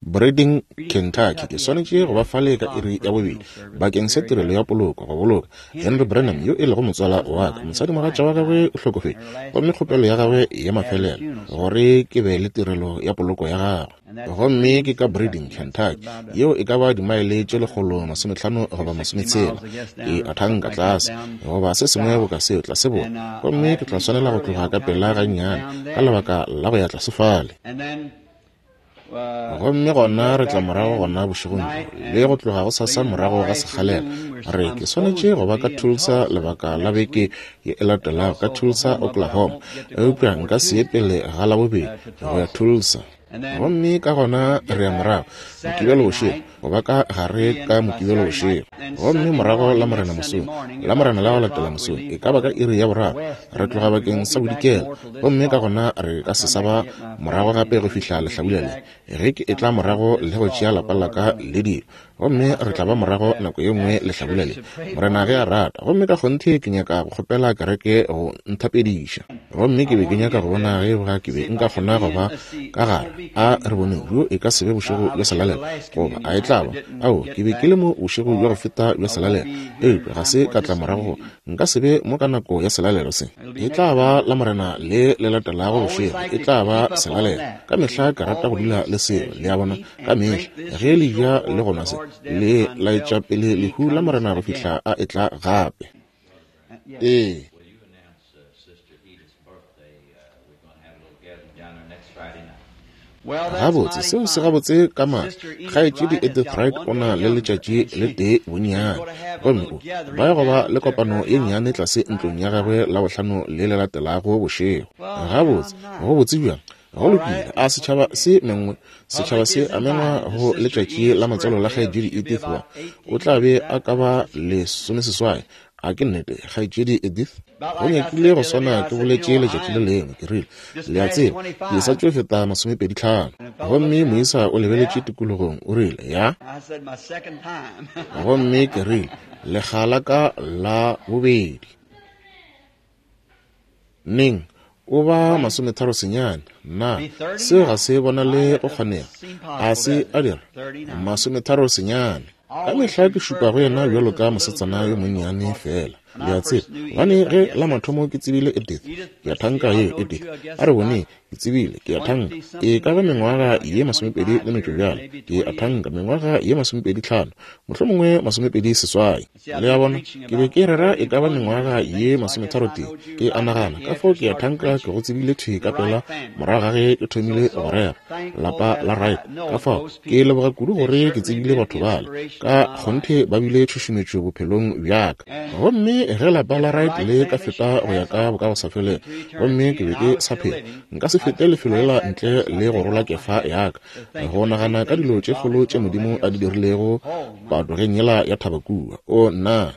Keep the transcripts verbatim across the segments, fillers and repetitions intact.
Breeding, Kentucky. Ke swanetše go ba fale ka iri ya bobedi bakeng sa tirelo ya poloko, go boloka Henry Branham yo e lego motswala wa ka. Mosadimogatša wa gagwe o hlokofetše, gomme kgopelo ya gagwe ya mafelelo gore ke be le tirelo ya poloko ya gagwe. Gomme ke ka Breeding, Kentucky, yeo e ka ba dimaele tše lekgolo masomehlano goba masometshela, ke a thanka tlase goba se sengwe boka seo, tlase borwa. Gomme ke tla swanela go tloga ka pela gannyane ka lebaka la go ya tlase fale. Gomme gona re tla morago gona bošegong bjo, le go tloga go sasa morago ga sekgalela. Re ke swanetše go ba ka Tulsa lebaka la beke ye e latelago, ka Tulsa, Oklahoma, eupša nka se ye pele ga Labobedi go ya Tulsa. Gomme ka gona re ya morago Mokibelo bošego, go ba ka gare ka Mokibelo bošego. Gomme morago Lamorena mosong, Lamorena la go latela mosong, e ka ba ka iri ya boraro, re tloga bakeng sa bodikela. Gomme ka gona re ka se sa ba morago gape go fihla lehlabula le, ge ke etla morago le go tšea lapa la ka le dilo. Gomme re tla ba morago nako ye nngwe lehlabula le, Morena ge a rata. Gomme ka kgonthe ke nyaka go kgopela kereke go nthapediša. Gomme ke be ke nyaka go bona ge ba ke be nka kgona go ba ka gare. A re boneng, bjo e ka se be bošego bja selalelo, goba a e tla ba? Ao, ke be ke le mo bošego bja go feta bja selalelo, eupša ga se ka tla morago. Nka se be mo ka nako ya selalelo se. E tla ba Lamorena le le latelago bošego, e tla ba selalelo. Ka mehla ke rata go dula le seo, le a bona, ka mehla ge le ja le go nwa se, le laetša pele lehu la Morena go fihla a etla gape. Ee. Gabotse, seo se gabotse ka maatla. Kgaetšedi Edith Wright o na le letšatši le tee bonnyane, gomme o ba ya go ba le kopano ye nnyane tlase ntlong ya gagwe Labohlano le le latelago bošego. Gabotse, go botse bjang? Go lokile, a setšhaba se mengwe, setšhaba se a mengwa go letšatši la matswalo la kgaetšedi Edith wa. O tla be a ka ba lesomeseswai. A ke nnete, kgaetšedi Edith? Go nyakile go swana ke boletše letšatši le lengwe, ke rile, le a tseba, ke sa tšo feta masomepedi tlhano. Gomme moisa o lebeletše tikologong, o rile, ya. Gomme ke rile, lekga la ka la bobedi. Neng? O ba masometharo senyane. Na seo ga se bonale go kgonega? A se a dira masometharo senyane. Ka mehla ke šupa go yena bjalo ka mosetsana yo monnyane fela, le a tseba. Gobane ge la mathomo ke tsebile Edith, ke a thanka ye Edith, a re bone, ke tsebile, ke a thanka, e ka ba mengwaga ye masomepedi le metšo bjale, ke a thanka mengwaga ye masomepedi tlhano, mohlomongwe masomepedi seswai. Le a bona, ke be ke rera e ka ba mengwaga ye masometharo tee, ke a nagana, ka fao ke a thanka ke go tsebile thwi ka pela morago ga ge ke thomile go rera lapa la Wright. Ka fao ke leboga kudu gore ke tsebile batho bale, ka kgonthe ba bile tšhušumetšo bophelong bja ka. Gomme ge lapa la Wright le ka feta go ya ka bokagosafelego, gomme ke be ke sa phela, nka se fete lefelo lela ntle le go rola kefa ya ka, go nagana ka dilo tše kgolo tše Modimo a di dirilego patogeng yela ya thaba kua. O nna,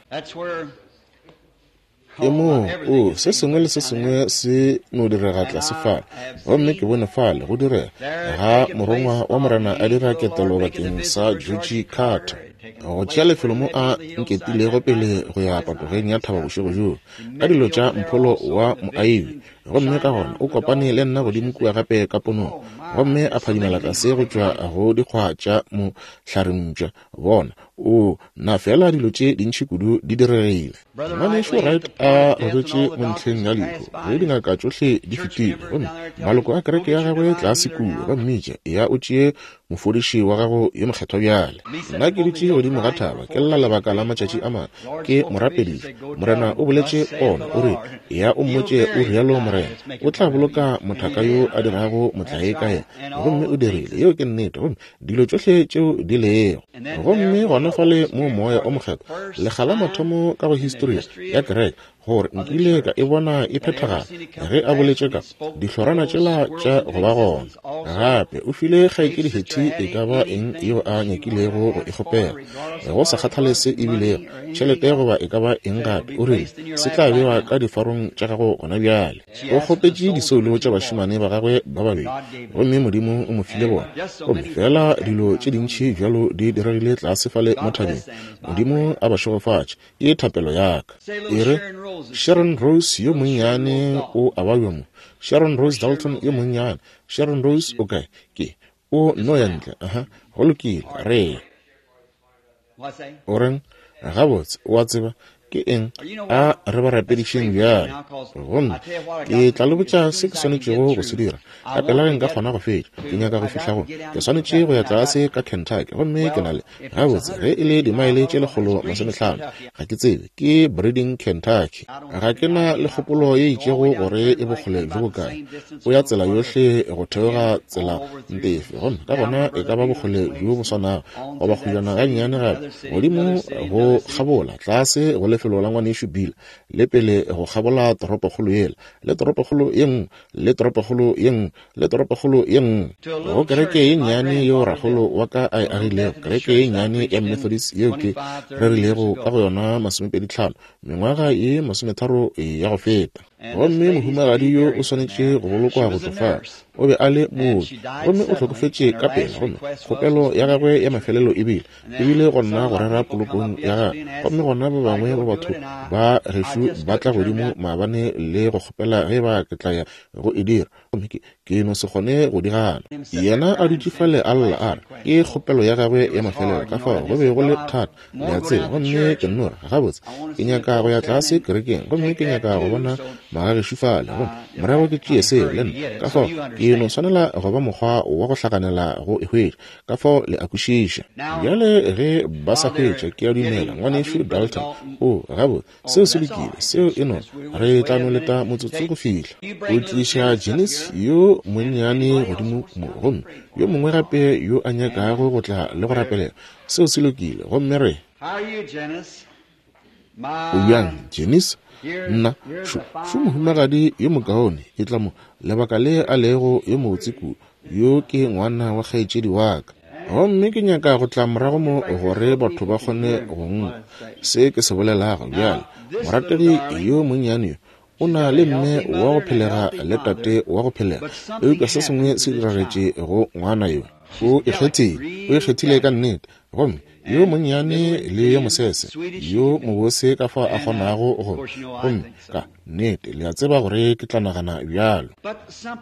ke moo o se sengwe le se sengwe se no direga tlase fale. Gomme ke bone fale go direga ga morongwa wa Morena a dira ketelo bakeng sa Georgie Carter, go tšea lefelo mo a nketilego pele go ya patogeng ya thaba bošego bjoo ka dilo tša mpholo wa moaibi. Gomme ka gona o kopane le nna godimo kua gape ka ponong, gomme a phadimela tlase go tšwa go dikgwa tša mohlarempša. Bona, o na fela dilo tše dintši kudu di diregile. Ngwanešu Wright a robetše mo ntlheng ya lehu ge dingaka tšohle di fetile, gomme maloko a kereke ya gagwe tlase kua ba mmitša, ya o tšee mofodiši wa gago yo mokgethwa bjale. Nna ke dutše godimo ga thaba ke lla lebaka la matšatši a mane, ke mo rapediša. Morena o boletše pono, o rile, ya o mmotše o rialo Morena, o tla boloka mothaka yo a dirago motlae ka yena. Gomme o dirile, yeo ke nnete. Gomme dilo tšohle tšeo di lego. Gomme gona fale mo Moya o Mokgethwa, lekga la mathomo ka go histori ya kereke, gore nkile ka e bona e phethagala ge a boletše ka dihlorana tšela tša go ba gona. Gape o file kgaetšedi Hetty e ka ba eng yeo a nyakilego go e kgopela, go sa kgathale se e bilego tšhelete goba e ka ba eng gape. O rile se tla bewa ka difarong tša gago gona bjale. O kgopetše disoulo tša bašemane ba gagwe ba babedi, gomme Modimo o mo file bona. Gomme fela dilo tše dintši bjalo di diregile tlase fale mo thabeng. Modimo a ba šegofatše, ke thapelo ya ka. E re Sharon Rose yo monnyane o a babja mo. Sharon Rose Dalton yo monnyane. Sharon Rose o kae? Ke O nno ya ntle. Aha, go lokile, re. O reng? Gabotse, o a tseba ke eng? A re ba rapedišeng bjale. Gomme ke tla le botša se ke swanetšego go se dira. Ka pela ge nka kgona go fetša, ke nyaka go fihla go. Ke swanetše go ya tlase ka Kentucky, gomme ke na le, gabotse, ge e le dimaele tše lekgolo masomehlano, ga ke tsebe, ke Breeding, Kentucky. Ga ke na le kgopolo ye itšego gore e bokgole bjo bokae. O ya tsela yohle go theoga tsela ntefe, gomme ka gona e ka ba bokgole bjo bo swanago, goba kgojana gannyane gape, godimo go kgabola, tlase go lefelo la ngwanešu Bill, le pele go kgabola toropokgolo yela, le toropokgolo ye nngwe, le toropokgolo ye nngwe, le toropokgolo ye nngwe, go kereke ye nnyane yeo rakgolo wa ka a e agilego, kereke ye nnyane ya Methodist yeo ke rerilego ka go yona masomepedi tlhano mengwaga ye masometharo ya go feta. Gomme mohumagadi yo o swanetše go bolokwa go tšofala. O be a le mooki, gomme o hlokofetše ka pela, gomme kgopelo ya gagwe ya mafelelo e bile, e bile go nna go rera polokong ya gagwe. Gomme gona ba bangwe ba batho ba gešo ba tla godimo maabane le go kgopela ge ba ke tla ya go e dira, gomme ke, ke no se kgone go di gana. Yena a dutše fale a lla a re ke kgopelo ya gagwe ya mafelelo, ka fao go be go le thata, le a tseba. Gomme ke nno re, gabotse, ke nyaka go ya tlase kerekeng, gomme ke nyaka go bona magagešo fale, gomme morago ke tšee seo le nna. Ka fao ke no swanela go ba mokgwa wa go hlakanela go e hwetša, ka fao le a kwešiša. Bjale ge ba sa hwetša, ke a dumela ngwanešu Dalton, o gabotse, seo se lokile, seo e no re tla no leta motsotso go fihla. O tliša Janice yo monnyane godimo mo, gomme yo mongwe gape yo a nyakago go tla le go rapelela, seo se lokile. Gomme re, o bjang Janice? Nna, šo, šo mohumagadi yo mokaone, e tla mo, lebaka le a lego yo mobotse kudu, yo ke ngwana wa kgaetšedi wa ka. Gomme ke nyaka go tla morago mo gore batho ba kgone go nkwa se ke se bolelago. Bjale, morategi yo monnyane yo o na le mme wa go phelega le tate wa go phelega, eupša se sengwe se diragetše go ngwana yo. O ikgethile, o ikgethile ka nnete. Gomme yo monnyane le yo mosese, yo mobose ka fao a kgonago go, gomme ka nnete le a tseba gore ke tla nagana bjalo.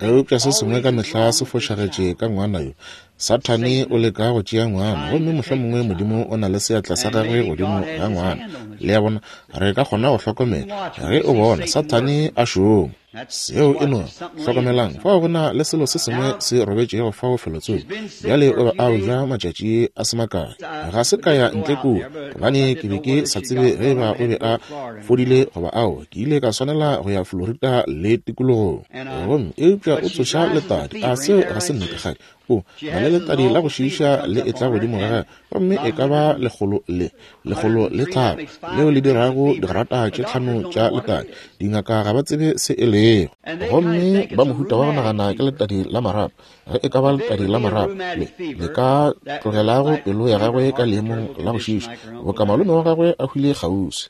Eupša se sengwe ka mehla se fošagetše ka ngwana yo. Sathane o leka go tšea ngwana, gomme mohlomongwe Modimo o na le seatla sa gagwe godimo ga ngwana. Le a bona, re ka kgona go hlokomela ge o bona Sathane a šoma. Seo e no hlokomelang, fao go na le selo se sengwe se robetšego fao felotsoko. Bjale o be a ja matšatši a se makae. Ga se ka ya ntle kua, gobane ke be ke sa tsebe ge ba o be a fodile goba ao. Ke ile ka swanela go ya Florida le tikologong. Gomme eupša o tsoša letadi, a seo ga se nnete kgadi? O na le letadi la go šiiša le etla godimo ga gagwe, gomme e ka ba lekgolo le lekgolo le tharo leo le dirago digrata tše tlhano tša letadi. Dingaka ga ba tsebe se e lego, gomme ba mohuta wa go nagana ke letadi la marapo. Ge e ka ba letadi la marapo le le ka tlogelago pelo ya gagwe ka leemong la go šiiša, boka malome wa gagwe a hwile kgauswi.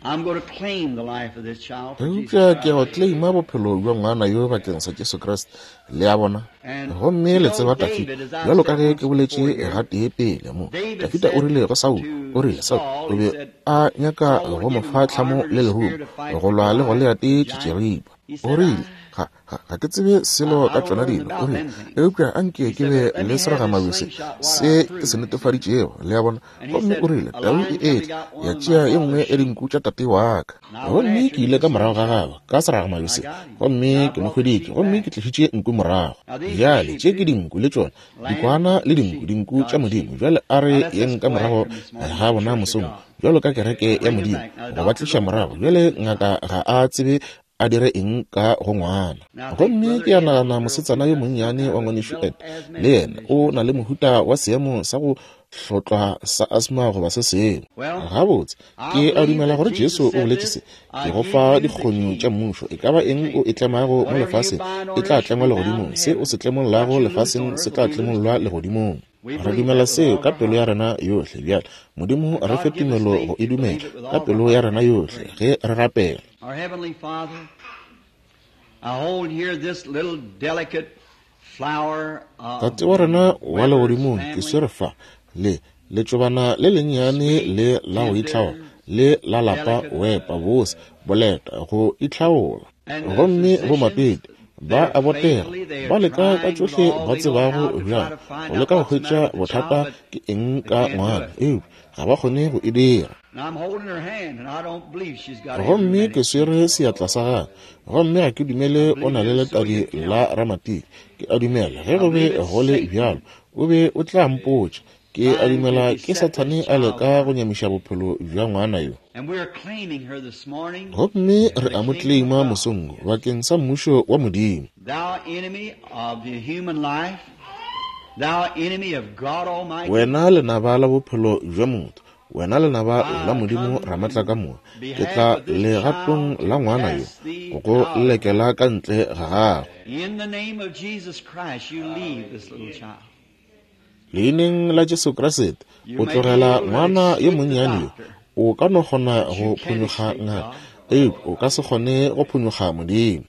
Eupša ke go claima bophelo bja ngwana yo bakeng sa Jesu Kriste, le a bona. Gomme le tseba Dafida, bjalo ka ge ke boletše gatee pele mo, Dafida o rile go Saul, o rile Saul o be a nyaka go mo fa tlhamo le lerumo go lwa le Goliate tšitširipa. O rile, ga, ga, ga ke tsebe selo ka tšona dilo, o rile, eupša anke ke be le seragamabese se ke se netefaditšego, le a bona. Gomme o rile, tau e etla ya tšea ye nngwe ya dinku tša tate wa ka. Gomme ke ile ka morago ga gagwe ka seragamabese, gomme ke mo hweditše, gomme ke tlišitše nku morago. Bjale tše ke dinku le tšona, dikwana le dinku, dinku tša Modimo. Bjale a re yeng ka morago ga bona mosong, bjalo ka kereke ya Modimo, go ba tliša morago. Bjale ngaka ga a tsebe a dire eng ka go ngwana. Gomme ke a nagana mosetsana yo monnyane wa ngwanešu Ed, le yena o na le mohuta wa seemo sa go hlotlwa sa asthma goba se sengwe. Gabotse, ke a dumela gore Jesu o boletše se, ke go fa dikgonyo tša mmušo, e ka ba eng o e tlemago mo lefaseng e tla tlengwa legodimong, se o se tlemollago lefaseng se tla tlemollwa legodimong. Re dumela seo ka pelo ya rena yohle. Bjale Modimo re fe tumelo go e dumela ka pelo ya rena yohle ge re rapela. Our Heavenly Father, I hold here this little delicate flower of Tate wa rena wa legodimong, ke swere fa le letšobana le lennyane le la go itlhaola, le la lapa wepa bose boleta go itlhaola. Gomme bomapedi Ba a botega, ba leka ka tšohle ba tsebago bjang go leka go hwetša bothata ke eng ka ngwana, eupša ga ba kgone go e dira. Gomme ke swere seatla sa gagwe, gomme ga ke dumele o na le letadi la ramatiki. Ke a dumela ge go be go le bjalo o be o tla mpotša. Ke a dumela ke Sathane a leka go nyamiša bophelo bja ngwana yo. Gomme re a mo claima mosong wo bakeng sa mmušo wa Modimo. Wena lenaba la bophelo bja motho, wena lenaba la Modimo Ramatlakamoka, ke tla legatong la ngwana yo go go lekela ka ntle ga gagwe. Leineng la Jesu Kriste, o tlogela ngwana yo monnyane yo. O ka no kgona go phonyokga ngaka, eupša o ka se kgone go phonyokga Modimo.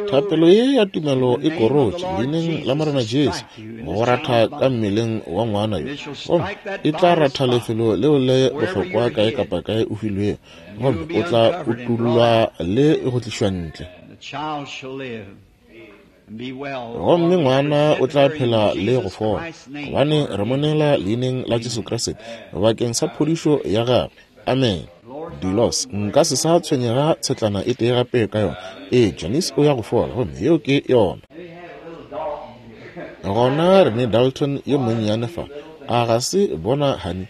Thapelo ye ya tumelo e korotše leineng la Morena Jesu go ratha ka mmeleng wa ngwana yo, gomme e tla ratha lefelo leo le bohlokwa kae kapa kae o filwego, gomme o tla utullwa le go tlišwa ntle. Gomme ngwana o tla phela le go fola, gobane re mo neela leineng la Jesu Kriste bakeng sa phodišo ya gagwe. Amen. Dilos, nka se sa tshwenyega tshetlana e tee gape ka yona. Ee, Janice o ya go fola, gomme yeo ke yona. Gona re ne Dalton yo monnyane fa. A ga se bona, honey,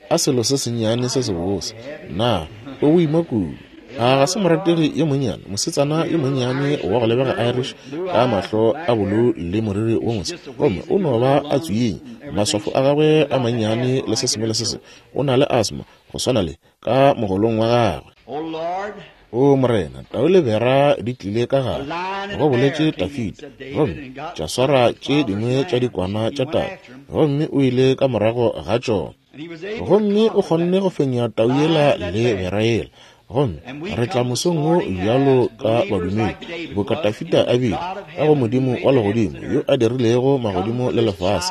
a selo se sennyane se sebose. Na o boima kudu. A ga se morategi yo monnyane, mosetsana yo monnyane wa go lebega Irish ka mahlo a bolou le moriri wo mose, gomme o no ba a tswinya, maswafo a gagwe a mannyane le se sengwe le se sengwe. O na le asthma go swana le ka mogolong wa gagwe. O Morena, tau le bera di tlile ka gare, go boletše Dafida, gomme tša swara tše dingwe tša dikwana tša tau, gomme o ile ka morago ga tšona, gomme o kgonne go fenya tau yela le bera yela. Gomme re tla mosong wo bjalo ka badumedi, boka Dafida a bile, ka go Modimo wa legodimo yo a dirilego magodimo le lefase.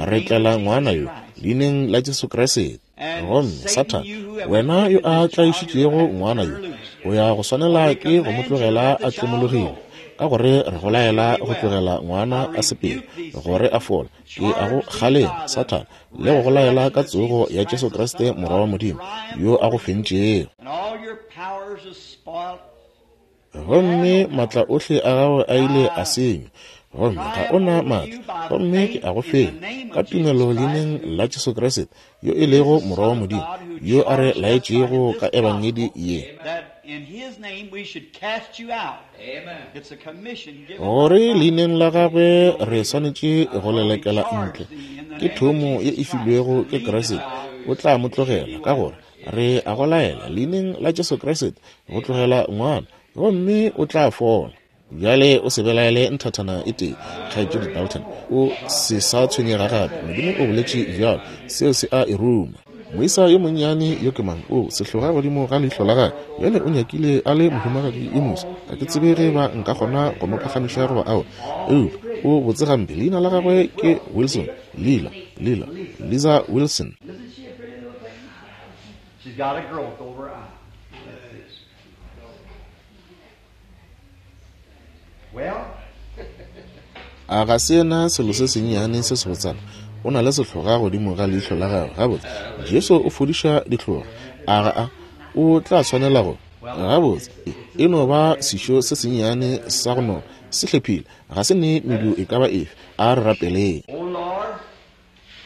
Re tlela ngwana yo leineng la Jesu Kriste. Gomme Sathane, wena yo a tlaišitšego ngwana yo, o ya go swanela ke go mo tlogela a tlemologile, ka gore re go laela go tlogela ngwana a sepele gore a fole. Ke a go kgalema, Sathane, le go go laela ka tsogo ya Jesu Kriste Morwa wa Modimo yo a go fentšego. Gomme maatla ohle a gagwe a ile a senywa, gomme ga o na maatla, gomme ke a go fenya ka tumelo leineng la Jesu Kriste yo e lego Morwa wa Modimo yo a re laetšego ka ebangedi ye, gore leineng la gagwe re swanetše go lelekela ntle. Ke thomo ye e filwego ke Kriste, o tla mo tlogela, ka gore re a go laela leineng la Jesu Kriste go tlogela ngwana, gomme o tla fola. Bjale o se belaele nthathana e tee, kgaetšedi Dalton, o se sa tshwenyega gape. Modimo o boletše bjalo, seo se a e ruma. Moisa yo monnyane yo ke mang? O sehloga godimo ga leihlo la gagwe. Bjale o nyakile a le mohumagadi yo moso. Ga ke tsebe ge ba nka kgona go mo phagamiša goba aowa, eupša o botse gampe. Leina la gagwe ke Wilson. Lila, Lila, Liza Wilson. She's got a growth over her eye. Well, A ga se yena selo se sennyane se sebotsana? O na le sehloga godimo ga leihlo la gagwe. Gabotse, Jesu o fodiša dihloga. A ga a? O tla swanela go. Gabotse, e no ba sešo se sennyane sa go nona, se hlephile, ga se ne medu e ka ba efe. A re rapeleng. Oh Lord,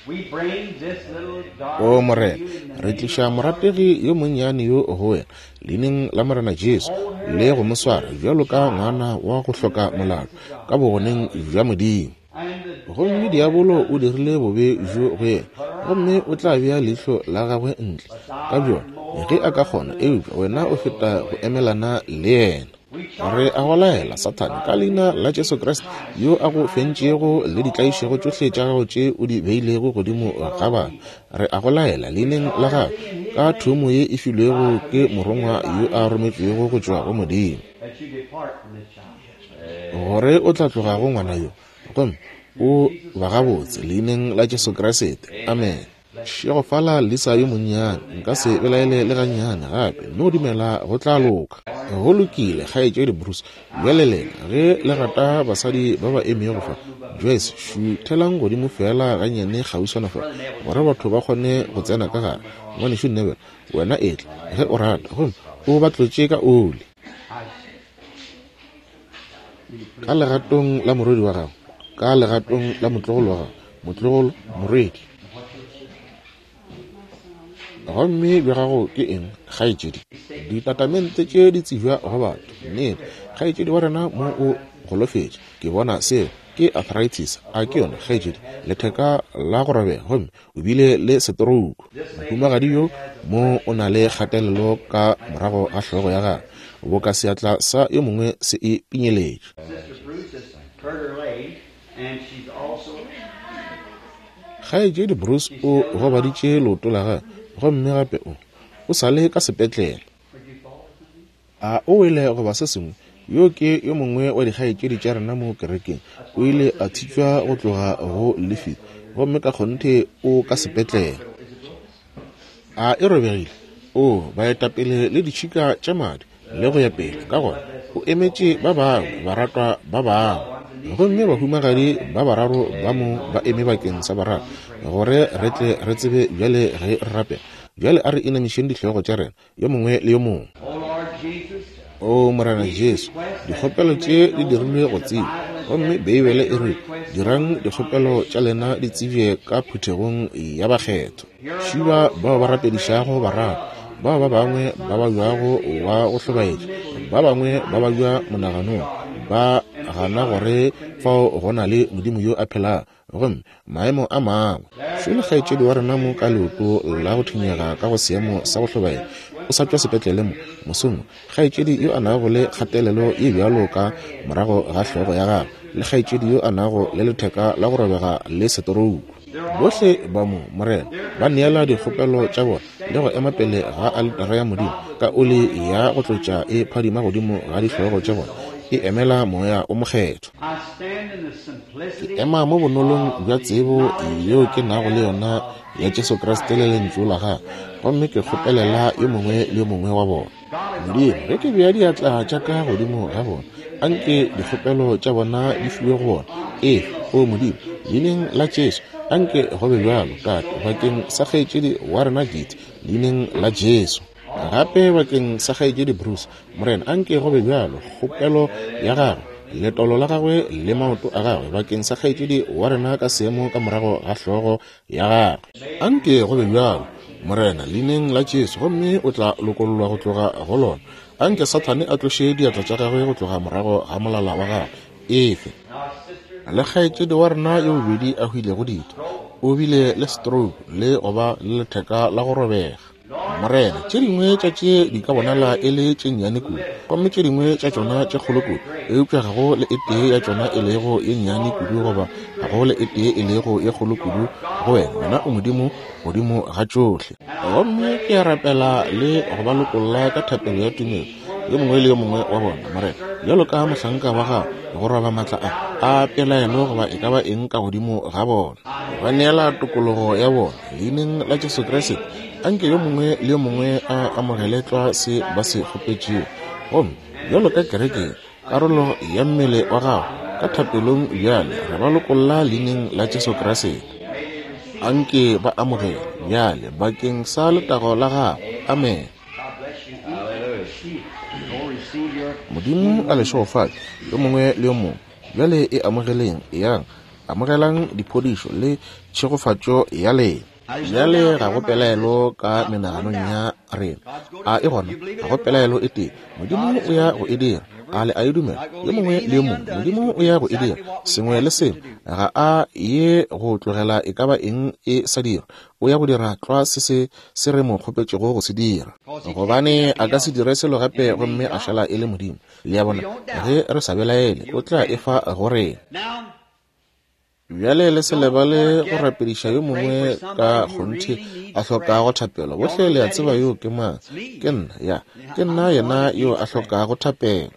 we bring this little O darling Morena, to you in the re name tliša of the Lord morategi yo monnyane yo go wena leineng la Morena Jesu, le go mo swara bjalo ka ngwana wa go hloka molato ka bogoneng bja Modimo. And the Gomme devil diabolo has o done dirile bobe bjo go yena, gomme o tla bea leihlo la gagwe ntle ka bjona ge a ka kgona, eupša wena o feta go emelana le yena. We Re charge a go thee, laela, Satan, Sathane, by ka the leina name la of Jesu Jesus Kriste Christ, yo a to go bind fentšego all le ditlaišego your tšohle tša gago tše o di beilego godimo put ga on batho. people. Re a go laela We leineng la charge gagwe thee in his ka thomo name, ye e filwego by ke commission given morongwa by yo a angel rometšwego go tšwa go God, Modimo, that you depart from this child. gore o tla tloga go ngwana yo, gomme o ba gabotse leineng la Jesu Kriste. Amen. Šegofala Lisa yo monnyane, nka se belaele le gannyane gape. No dumela go tla loka. Go lokile, kgaetšedi Bruce. Bjale lena, ge le rata basadi ba ba emego fa, Joyce, šuthelang godimo feela gannyane kgauswana fa, gore batho ba kgone go tsena ka gare. Ngwanešu Neville, wena etla, ge o rata, gomme o ba tlotše ka oli. Ka legatong la morwedi wa gago, ka legatong la motlogolo wa gago, motlogolo, morwedi. Gomme bja gago ke eng, kgaetšedi? Ditatamente tše di tsebja go batho. Nnete, kgaetšedi wa rena mo o golofetše. Ke bona seo ke arthritis, a ke yona, kgaetšedi? Letheka la go robega, gomme o bile le setorouku. Mohumagadi yo mo o na le kgatelelo ka morago ga hlogo ya gagwe, boka seatla sa yo mongwe se e pinyeletše. Kgaetšedi Bruce o gobaditše leoto la gagwe, gomme gape o o sa le ka sepetlele. A o wele goba se sengwe? Yo ke yo mongwe wa dikgaetšedi tša rena mo kerekeng. O ile a thitšwa go tloga go lefiti, gomme ka kgonthe o ka sepetlele. A e robegile? O baetapele le ditšhika tša madi le go ya pele. Ka gona o emetše ba bangwe, baratwa ba bangwe. Gomme bahumagadi ba bararo ba mo ba eme bakeng sa bararo, gore re tle re tsebe bjale ge re rapela. Bjale a re inamišeng dihlogo tša rena, yo mongwe le yo mongwe. O Morena Jesu, dikgopelo tše di dirilwe go tsebja, gomme Beibele e re, dirang dikgopelo tša lena di tsebje ka phuthegong ya bakgethwa. Šiba bao ba rapedišago bararo, bao ba bangwe ba babjago wa go hlobaetša, ba bangwe ba babja monaganong, ba gana gore fao go na le Modimo yo a phelago, gomme maemo a mangwe. Šole kgaetšedi wa rena mo ka leoto la go thunyega ka go seemo sa go hlobaela, o sa tšwa sepetlele mo mosong. Kgaetšedi yo a nago le kgatelelo ye bjalo ka morago ga hlogo ya gagwe, le kgaetšedi yo a nago le letheka la go robega le setorouku. Bohle ba mo, Morena, ba neela dikgopelo tša bona le go ema pele ga aletara ya Modimo ka oli ya go tlotša e phadima godimo ga dihlogo tša bona, e emela moya o mokgethwa. Ke ema mo bonolong bja tsebo yeo ke nago le yona ya Jesu Kriste le lentšu la gagwe, gomme ke kgopelela yo mongwe le yo mongwe wa bona. Modimo, ge ke bea diatla tša ka godimo ga bona, anke dikgopelo tša bona di fiwe go bona. Ee, o Modimo, leineng la Jesu, anke go be bjalo, Tate, bakeng sa kgaetšedi wa rena Giti, leineng la Jesu. Gape bakeng sa kgaetšedi Bruce, Morena, anke go be bjalo, kgopelo ya gagwe, letolo la gagwe le maoto a gagwe, bakeng sa kgaetšedi wa rena ka seemo ka morago ga hlogo ya gagwe. Anke go be bjalo, Morena, leineng la Jesu, gomme o tla lokollwa go tloga go lona. Anke Sathane a tloše diatla tša gagwe go tloga morago ga molala wa gagwe. Efe le kgaetšedi wa rena yo bobedi a hwilego ditho, o bile le stroke le go ba le letheka la go robega. Morena, tše dingwe tša tše di ka bonala e le tše nnyane kudu, gomme tše dingwe tša tšona tše kgolo kudu, eupša ga go le e tee ya tšona e lego ye nnyane kudu goba ga go le e tee e lego ye kgolo kudu go wena. Wena o Modimo godimo ga tšohle. Gomme ke a rapela le go ba lokolla ka thapelo ya tumelo, yo mongwe le yo mongwe wa bona, Morena, bjalo ka mohlanka wa gago, go roba matla a a pelaelo goba e ka ba eng ka godimo ga bona. Ba neela tokologo ya bona leineng la Jesu Kriste. Anke yo mongwe le yo mongwe a amogele tlwa se ba se kgopetšego. Gomme bjalo ka kereke, karolo ya mmele wa gago, ka thapelong bjale re ba lokolla leineng la Jesu Kriste. Anke ba amogele bjale bakeng sa letago la gago. Amen. Modimo a le šegofatše yo mongwe le yo mongwe. Bjale e amogeleng, eyang, amogelang diphodišo le tšhegofatšo ya lena. Bjale ga go pelaelo ka menaganong ya rena. A e gona? Ga go pelaelo e tee. Modimo o ya go e dira. A le a e dumela? Yo mongwe le yo mongwe, Modimo o ya go e dira. Sengwe le sengwe, ga a ye go tlogela e ka ba eng e sa dira. O ya go dira tlwa se se se re mo kgopetšego go se dira, gobane a ka se dire selo gape gomme a šala e le Modimo. Le a bona, ge re sa belaele, o tla e fa go rena. Bjale le se lebale go rapediša yo mongwe ka kgonthe a hlokago thapelo. Bohle le a tseba yo ke mang. Ke nna, ya, ke nna yena yo a hlokago thapelo.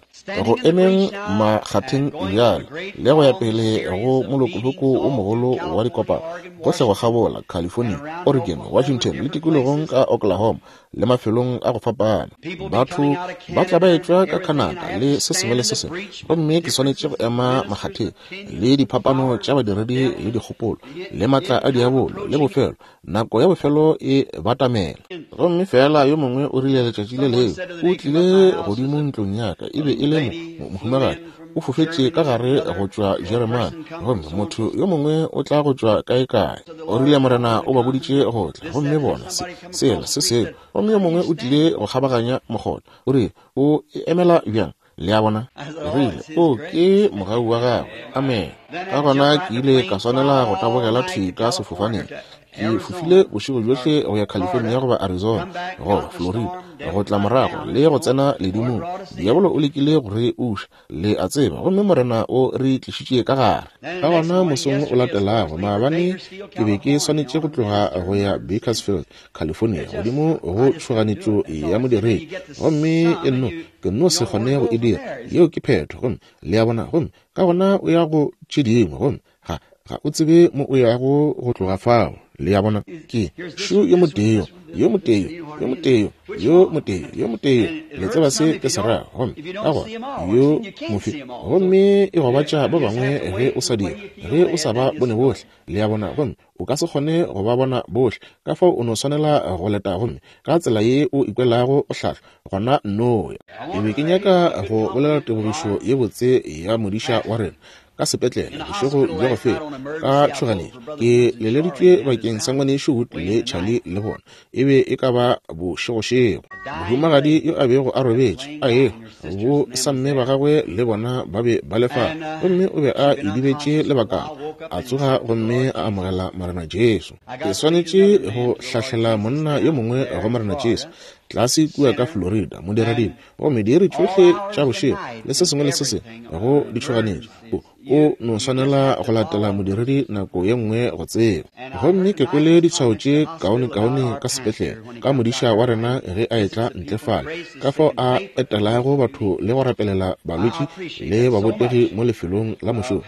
Go emeng makgatheng bjale le go ya pele go molokoloko o mogolo wa dikopano gohle go kgabola California, Oregon, Washington le tikologong ka Oklahoma le mafelong a go fapana. Batho ba tla ba etšwa ka Canada le se sengwe le se sengwe, gomme ke swanetše go ema makgatheng le diphapano tša badiredi le dikgopolo le matla a diabolo le bofelo. Nako ya bofelo e batamela. Gomme fela yo mongwe o rile letšatši le leo o tlile godimo ntlong ya ka, e be e le mohumagadi o fofetše ka gare go tšwa Jeremane, gomme motho yo mongwe o tla go tšwa kae-kae. O rile Morena o ba boditše go tla, gomme bona se sela se seo. Gomme yo mongwe o tlile go kgabaganya mokgotha, o rile o e emela bjang? Le a bona? Rile o ke mogau wa gagwe. Amen. Ka gona ke ile ka swanela go tabogela thwi ka sefofaneng. Ke fofile bošego bjohle go ya California goba Arizona goba Florida, go tla morago le go tsena ledimong. Diabolo o lekile go re uša, le a tseba, gomme Morena o re tlišitše ka gare. Ka gona mosong o latelago maabane ke be ke swanetše go tloga go ya Bakersfield, California, godimo go tšhoganetšo ya modiredi, gomme e nno ke nno se kgone go e dira. Yeo ke phetho. Gomme le a bona, gomme ka gona o ya go tše dingwe, gomme ga ga o tsebe mo o yago go tloga fao. Le a bona, ke šo yo motee, yo motee, yo motee, yo motee, yo motee. Le tseba se ke se rago. Gomme ka gona yo mofe, gomme e gobatša ba bangwe ge o sa dira, ge o sa ba bone bohle. Le a bona, gomme o ka se kgone go ba bona bohle. Ka fao o no swanela go leta, gomme ka tsela ye o ikwelago o hlahlwa, gona nno ya. Ke be ke nyaka go bolela tebogišo ye botse ya modiša wa rena ka sepetlele bošego bja go feta ka tšhoganetšo. Ke leleditšwe bakeng sa ngwanešu Wood le Charlie le bona. E be e ka ba bošegošego. Mohumagadi yo a bego a robetše a ehwa, bo samme ba gagwe le bona ba be ba le fale, gomme o be a idibetše lebakana. A tsoga gomme a amogela Morena Jesu. Ke swanetše go hlahlela monna yo mongwe go Morena Jesu tlase kua ka Florida, modiradibe, gomme diiri tšohle tša bošego le se sengwe le se sengwe go ditšhoganetšo. O no swanela go latela modiredi nako ye nngwe go tseba. Gomme ke kwele ditshwao tše kaonekaone ka sepetlele ka modiša wa rena ge a etla ntle fale, ka fao a etelago batho le go rapelela balwetši le babotegi mo lefelong la mošomo.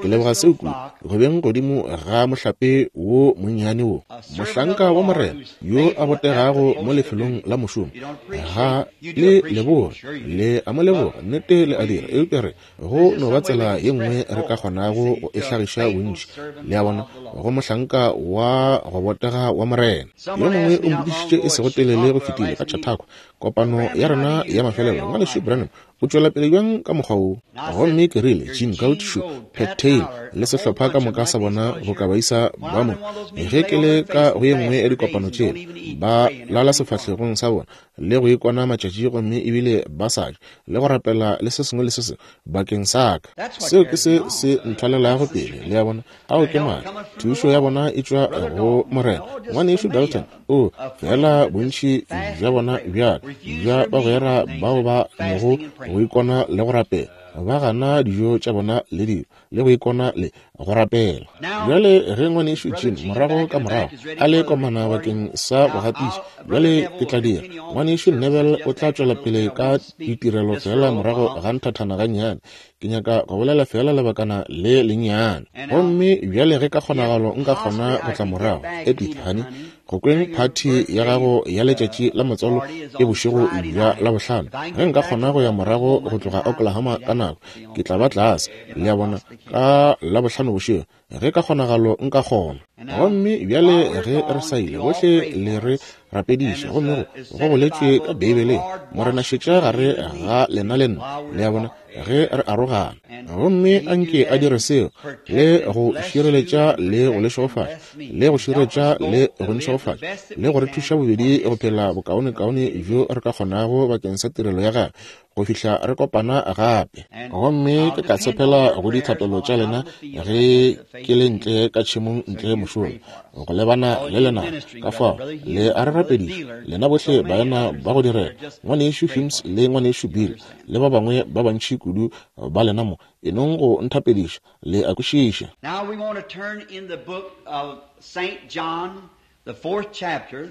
Ke leboga seo kudu go beng godimo ga mohlape wo monnyane wo, mohlanka wa Morena yo a botegago mo lefelong la mošomo. Ga le leboge, le a mo leboga, nnete le a dira, eupša re go no ba tsela ye nngwe re ka kgonago go e hlagiša bontši. Le a bona, go mohlanka wa go botega wa Morena. Yo mongwe o mpodišitše e sego telele go fetile ka Chautauqua, kopano ya rena ya mafelelo, ngwanešu Branham o tšwela pele bjang ka mokgwa wo? Gomme ke rile, Jim Gautshu, Pat Taylor le sehlopha ka moka sa bona go ka baisa ba mo. Ge ke le ka go ye nngwe ya dikopano tšela, ba lala sefahlegong sa bona le go ikona matšatši, gomme ebile ba sa je le go rapela le se sengwe le se sengwe bakeng sa ka. Seo ke se se nthwalelago pele. Le a bona, ao ke maatla. Thušo ya bona e tšwa go Morena. Ngwanešu Dalton o fela bontši bja bona bjaka bja bagwera bao ba nogo go ikona le go rapela, ba gana dijo tša bona le dilo le go ikona le go rapela. Bjale ge ngwanešu Jim morago ka morago a le komana bakeng sa go gatiša, bjale ke tla dira. Ngwanešu Neville o tla tšwela pele ka ditirelo fela morago ga nthathana gannyane. Ke nyaka go bolela fela lebakana le lennyane. Gomme bjale ge ka kgonagalo nka kgona go tla morago, Edith honey, go kweng phathi ya gago ya letšatši la matswalo e bošego bja Labohlano. Ge nka kgona go ya morago go tloga Oklahoma ka nako, ke tla ba tlase, le a bona, ka Labohlano bošego, ge ka kgonagalo nka kgona. Gomme bjale ge re sa ile, bohle le re rapediša, gomme go go boletšwe ka Beibeleng, Morena šetša gare ga lena le nna, le a bona, ge re arogana. Gomme anke a dire seo le go šireletša le go le šegofatša, le go šireletša le go nšegofatša, le go re thuša bobedi go phela bokaonekaone bjo re ka kgonago bakeng sa tirelo ya gagwe go fihla re kopana gape. Gomme ke tla tshepela go dithapelo tša lena ge ke le ntle ka tšhemong ntle mošomo go lebana le lena. Ka fao le a re rapediša lena bohle baena ba go direla, ngwanešu Humes le ngwanešu Bill le ba bangwe ba bantši kudu ba lena mo, e nong go nthapediša, le a kwešiša. Now we want to turn in the book of Saint John, the fourth chapter.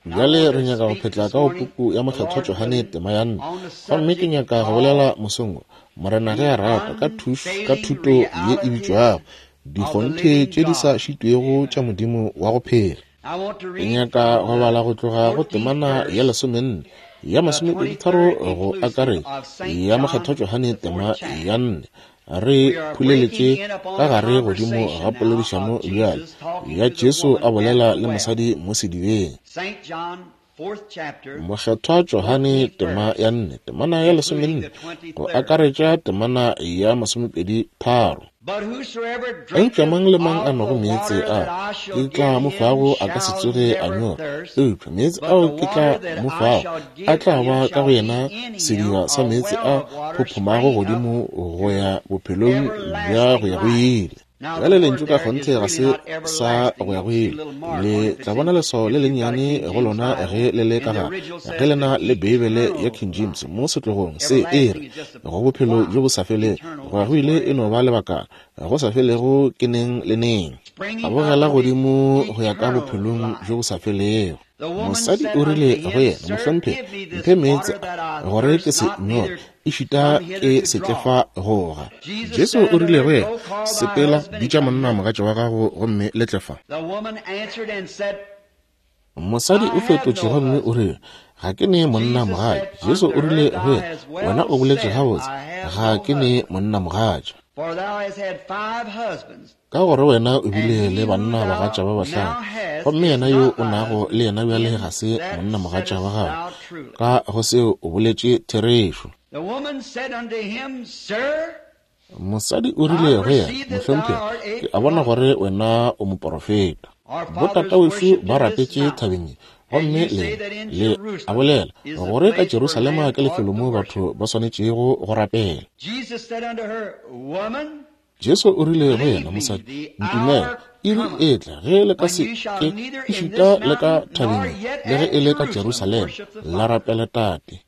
Bjale re nyaka go phetla ka go puku ya Mokgethwa Johane tema ya nne. Gomme ke nyaka go bolela mosong wo, Morena ge a rata, ka thuš, ka thuto ye e bitšwago Dikgonthe tše di sa šitwego tša Modimo wa go phela. Ke nyaka go bala go tloga go temana ya lesomenne ya masomepeditharo go akaretša ya Mokgethwa Johane tema ya nne. Re phuleletše ka gare godimo ga poledišano bjale ya Jesu a bolela le mosadi mo sedibeng. Mokgethwa Johane tema ya nne, temana ya lesomenne go akaretša temana ya masomepedi tharo. Eupša mang le mang a nwago meetse a ke tla mo fago a ka se tsoge a nyorwa, eupša meetse ao ke tla mo fago a tla ba ka go yena sediba sa meetse a phophomago godimo go ya bophelong bja go ya go ile. Bjale lentšu ka kgonthe ga se sa go ya go ile. Le tla bona leswao le lennyane go lona ge le le ka gare, ge le na le Beibele ya King James mo setlogong se e re go bophelo bjo bo sa felego. Go ya go ile e no ba lebakana, go sa felego ke neng le neng. A bogela godimo go ya ka bophelong bjo bo sa felego. Mosadi o rile go yena, Mohlomphegi, mphe meetse a, gore ke se nyorwe, ešita ke se tle fa go ga. Jesu o rile go yena, sepela, bitša monna mogatša wa gago gomme le tle fa. Mosadi o fetotše gomme o rile, ga ke ne monna mogatša. Jesu o rile go yena, wena o boletše gabotse, ga ke ne monna mogatša. Ka gore wena o bile le banna bagatša ba bahlano, gomme yena yo o nago le yena bjale ga se monna mogatša wa gago. Ka go seo o boletše therešo. Mosadi o rile go yena, Mohlomphegi, ke a bona gore wena o moporofeta. Botatawešo ba rapetše thabeng ye, gomme le le a bolela gore ka Jerusalema ke lefelo mo batho ba swanetšego go rapela. Jesu o rile go yena, mosadi, ntumele, iri e tla ge le ka se ke ešita le ka thabeng le ge e le ka Jerusalema la rapela Tate.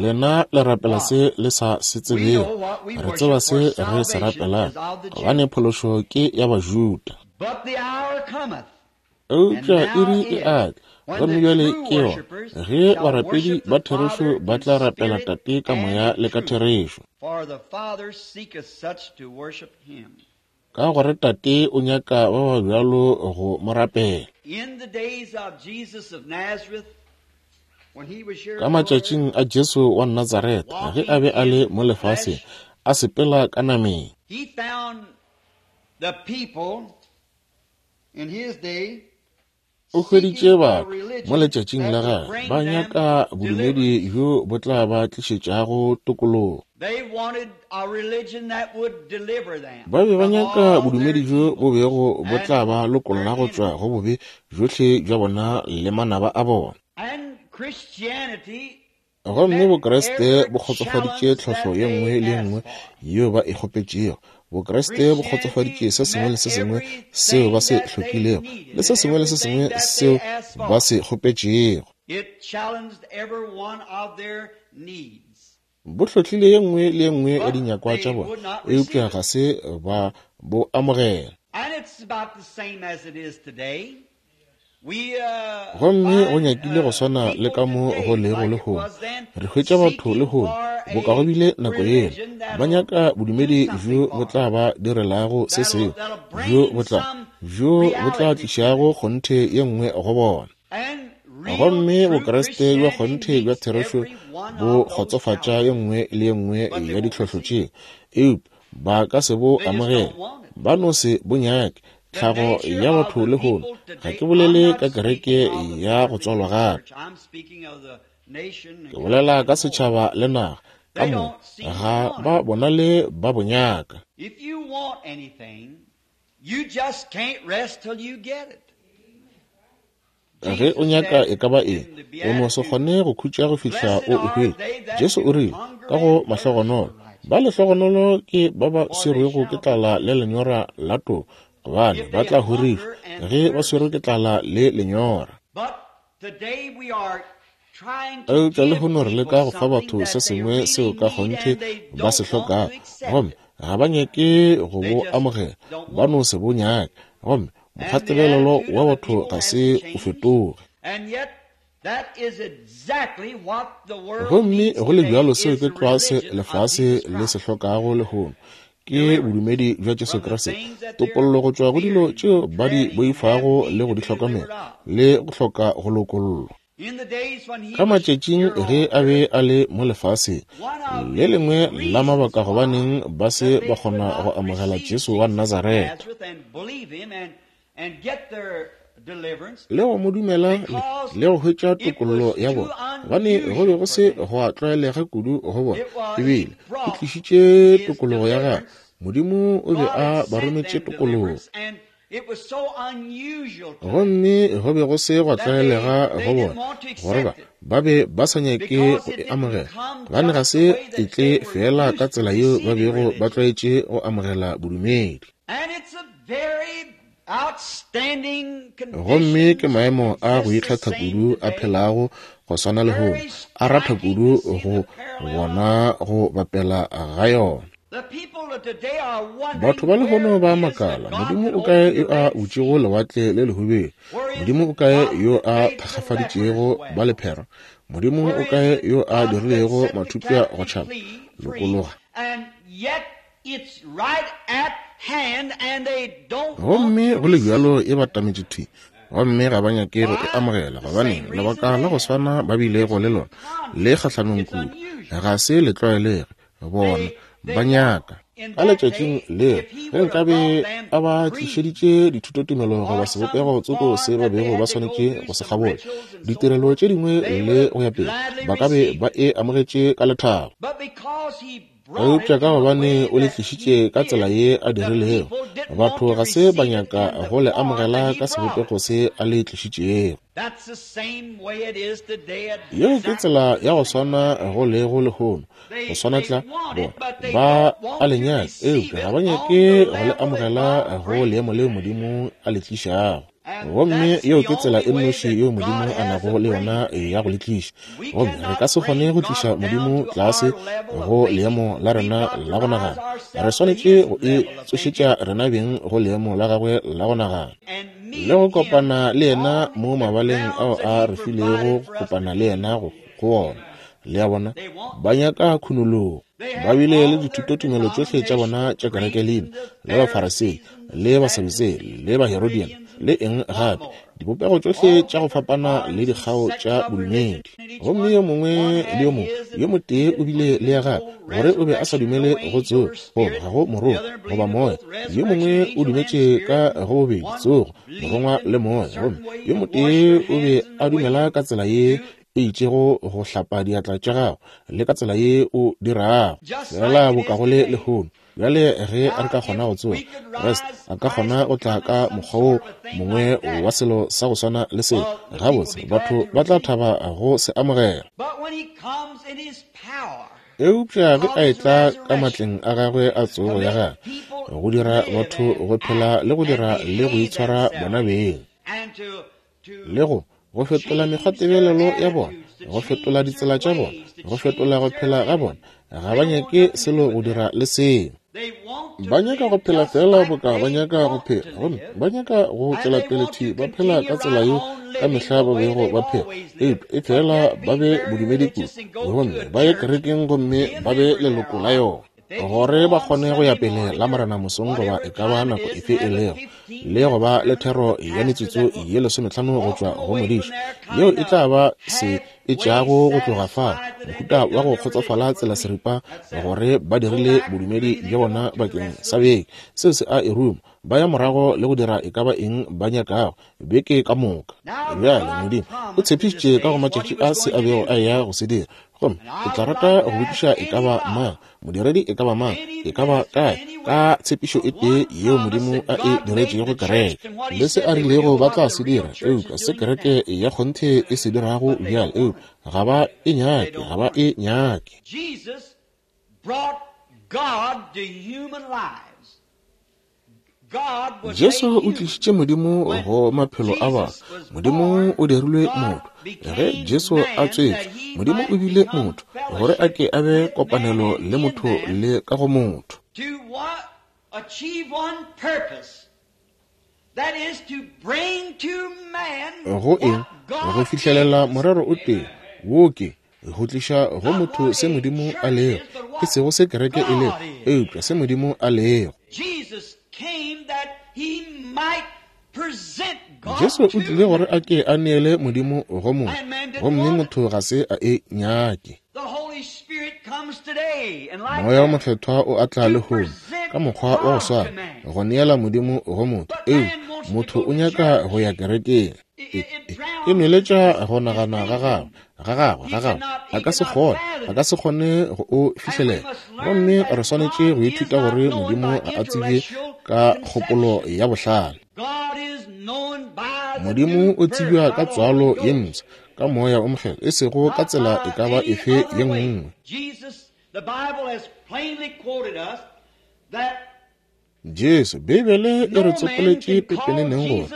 Lena le rapela se le sa se tsebego, re tseba se re se rapelang, gobane phološo ke ya Bajuda. Eupša iri e a tla, gomme bjale ke yona, ge barapedi ba therešo ba tla rapela Tate ka moya le ka therešo. Ka gore Tate o nyaka ba ba bjalo go mo rapela. Ka matšatšing a Jesu wa Natsaretha, ge a be a le mo lefaseng, a sepela ka nameng, o hweditše batho mo letšatšing la gagwe ba nyaka bodumedi bjo bo tla ba tlišetšago tokologo. Ba be ba nyaka bodumedi bjo bo bego bo tla ba lokolla go tšwa go bobe bjohle bja bona le manaba a bona. Gomme Bokreste bo kgotsofaditše tlhohlo ye nngwe le ye nngwe yeo ba e kgopetšego. Bokreste bo kgotsofaditše se sengwe le se sengwe seo ba se hlokilego le se sengwe le se sengwe seo ba se kgopetšego. Bo hlohlile ye nngwe le ye nngwe ya dinyakwa tša bona, eupša ga se ba bo amogela. Gomme go nyakile go swana le ka mo go lego lehono. Re hwetša batho lehono, boka go bile nako yela, ba nyaka bodumedi bjo bo tla ba direlago se sengwe, bjo bo tla bjo bo tla tlišago kgonthe ye nngwe go bona. Gomme Bokreste bja kgonthe bja therešo bo kgotsofatša ye nngwe le ye nngwe ya ditlhohlo tšeo, eupša ba ka se bo amogele, ba no se bo nyake. Tlhago ya batho lehono, ga ke bolele ka kereke ya go tswalwa gape, ke bolela ka setšhaba le naga ka moka, ga ba bonale ba bo nyaka. Ge o nyaka e ka ba eng, o no se kgone go khutša go fihla o e hwetša. Jesu o rile ka go mahlogonolo, ba lehlogonolo ke ba ba swerwego ke tlala le lenyora la toka, gobane ba tla horišwa ge ba swerwe ke tlala le lenyora. Eupša lehono re leka go fa batho se sengwe seo ka kgonthe ba se hlokago, gomme ga ba nyake go bo amogela, ba no se bo nyake. Gomme Mokgwatebelelo wa batho ga se o fetoge. Gomme go le bjalo seo ke tlwa se lefase le se hlokago lehono, ke bodumedi bja Jesu Kriste, topollo go tšwa go dilo tšeo ba di boifago le go di hlokomela le go hloka go lokollwa. Ka matšatšing ge a be a le mo lefaseng, le lengwe la mabaka gobaneng ba se ba kgona go amogela Jesu wa Nazaretha le go mo dumela le go hwetša tokollo ya bona, gobane go be go se go a tlwaelega kudu go bona, ebile o tlišitše tokologo ya gagwe. Modimo o be a ba rometše tokologo, gomme go be go se gwa tlwaelega go bona gore ba ba be ba sa nyake go e amogela, gobane ga se e tle fela ka tsela yeo ba bego ba tlwaetše go amogela bodumedi. Gomme ke maemo a go ikgetha kudu a phelago go swana le lehono, a ratha kudu go bona go bapela ga yona. Batho ba lehono ba makala, Modimo o kae yo a butšego lewatle le lehubelo? Modimo o kae yo a thakgafaditšego ba lephera? Modimo o kae yo a dirilego mathupša go tšhaba? Lokologa. Gomme go le bjalo e batametše thwi, gomme ga ba nyake go e amogela, gobane lebaka la go swana ba bilego le lona le kgahlanong kudu, ga se le tlwaelege bona ba nyaka. Ka letšatšing leo ge nkabe a ba tlišeditše dithutotumelo goba sebopego tsoko se ba bego ba swanetše go se kgabola, ditirelo tše dingwe le go ya pele, ba ka be ba e amogetše ka lethabo. Eupša ka gobane o le tlišitše ka tsela ye a dirilego, batho ga se ba nyaka go le amogela ka sebopego se a le tlišitšego. Yeo ke tsela ya go swana go lego lehono, go swana tla bona ba a le nyaka, eupša ga ba nyake go le amogela go leemo leo Modimo a le tlišago. Gomme yeo ke tsela e nnoši yeo Modimo a nago le yona ya go le tliša. Gomme re ka se kgone go tliša Modimo tlase go leemo la rena la go nagana. Re swanetše go e tsošetša rena beng go leemo la gagwe la go nagana, le go kopana le yena mo mabaleng ao a re filego go kopana le yena go ona. Le a bona, ba nyaka khunologo. Ba bile le dithutotumelo tšohle tša bona tša kerekelina, le Bafarasei, le Basadutsei, le Baherodian, le eng gape, dibopego tšohle tša go fapana le dikgao tša bodumedi. Gomme yo mongwe le yo mongwe yo motee o bile le ya gagwe, gore o be a sa dumele go tsogo, goba ga go morongwa goba moya. Yo mongwe o dumetše ka go bobedi tsogo, morongwa le moya, gomme yo motee o be a dumela ka tsela ye e itšego go hlapa diatla tša gago le ka tsela ye o dirago, fela boka go le lehono. Bjale ge re ka kgona go tsoga, Kriste a ka kgona go tla ka mokgwa wo mongwe wa selo sa go swana le seo, gabotse batho ba tla thaba go se amogela. Eupša ge a etla ka matleng a gagwe a tsogo ya gagwe, go dira batho go phela le go dira le go itshwara bona beng, le go go fetola mekgwatebelelo ya bona, go fetola ditsela tša bona, go fetola go phela ga bona, ga ba nyake selo go dira le seo. Ba nyaka go phela fela boka ba nyaka go phela, gomme ba nyaka go tšwela pele thwi ba phela ka tsela yeo ka mehla ba bego ba phela, eupša e fela ba be bodumedi kudu, gomme ba ye kerekeng gomme ba be leloko la yona, gore ba kgone go ya pele la Morena mosong goba e ka ba nako efe e lego, le go ba le thero ya metsotso ye lesometlhano go tšwa go modiši, yeo e tla ba se e tšeago go tloga fa, mohuta wa go kgotsofala tsela seripa gore ba dirile bodumedi bja bona bakeng sa beke. Seo se a e ruma, ba ya morago le go dira e ka ba eng ba nyakago beke ka moka. Bjale Modimo o tshepišitše ka go matšatši a se a bego a eya go se dira, gomme ke tla rata go botšiša e ka ba mang, modiredi e ka ba mang, e ka ba kae, ka tshepišo e tee yeo Modimo a e diretšego kereke, le se a rilego ba tla se dira, eupša se kereke ya kgonthe e se dirago bjale, eupša ga ba e nyake, ga ba e nyake. Jesu o tlišitše Modimo go maphelo a batho. Modimo o dirilwe motho. Ge Jesu a tswetšwe, Modimo o bile motho, gore a ke a be kopanelo le motho le ka go motho. Go eng? Go fihlelela morero o tee, wo ke go tliša go motho se Modimo a lego, e sego se kereke e lego, eupša se Modimo a lego. Jesu o tlile gore a ke a neele Modimo go motho, gomme motho ga se a e nyake. Moya o Mokgethwa o atla lehono ka mokgwa wa go swana, go neela Modimo go motho, eupša motho o nyaka go ya kerekeng. E, e, e nweletša go nagana ga gagwe, ga gagwe, ga gagwe. A ka se kgone, a ka se kgone go o fihlelela. Gomme re swanetše go ithuta gore Modimo ga a tsebje ka kgopolo ya bohlale. Modimo o tsebja ka tswalo ye mpsha, ka Moya o Mokgethwa, e sego ka tsela e ka ba efe ye nngwe. Jesu, Beibele e re tsopoletše pepeneneng gore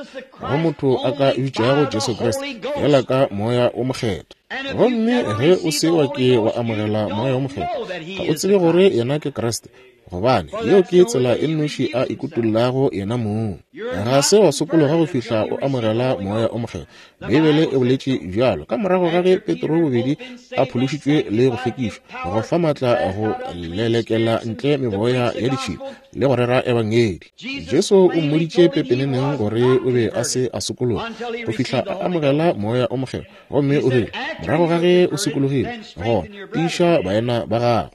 go motho a ka bitšago Jesu Kriste fela ka Moya o Mokgethwa. Gomme ge o se wa ke wa amogela Moya o Mokgethwa, ga o tsebe gore yena ke Kriste, gobane yeo ke tsela e nnoši a ikutollago yena mong. Ga se wa sokologa go fihla o amogela Moya o Mokgethwa. Beibele e boletše bjalo ka morago ga ge Petro bobedi a phološitšwe le go hlwekišwa, go fa maatla go lelekela ntle meboya ya ditšhila le go rera ebangedi. Jesu o mmoditše pepeneneng gore o be a se a sokologa go fihla a amogela Moya o Mokgethwa, gomme o rile morago ga ge o sokologile, gona tiiša baena ba gago.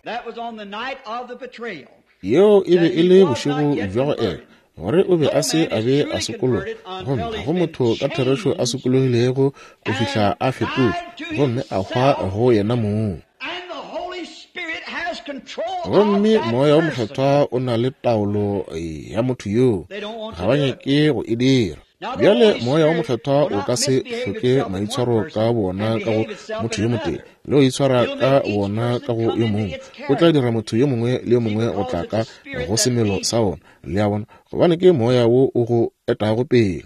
Yeo e be e le bošego bja go ela, gore o be a se a be a sokologa, gomme ga go motho ka therešo a sokologilego go fihla a fetotšwe gomme a hwa go yena mong. Gomme Moya o Mokgethwa o na le taolo ya motho yoo, ga ba nyake go e dira. Bjale Moya o Mokgethwa o ka se hloke maitshwaro ka bona ka go motho yo motee, le go itshwara ka wona ka go yo mongwe. O tla dira motho yo mongwe le yo mongwe go tla ka go semelo sa wona, le a bona, gobane ke Moya wo o go etago pele.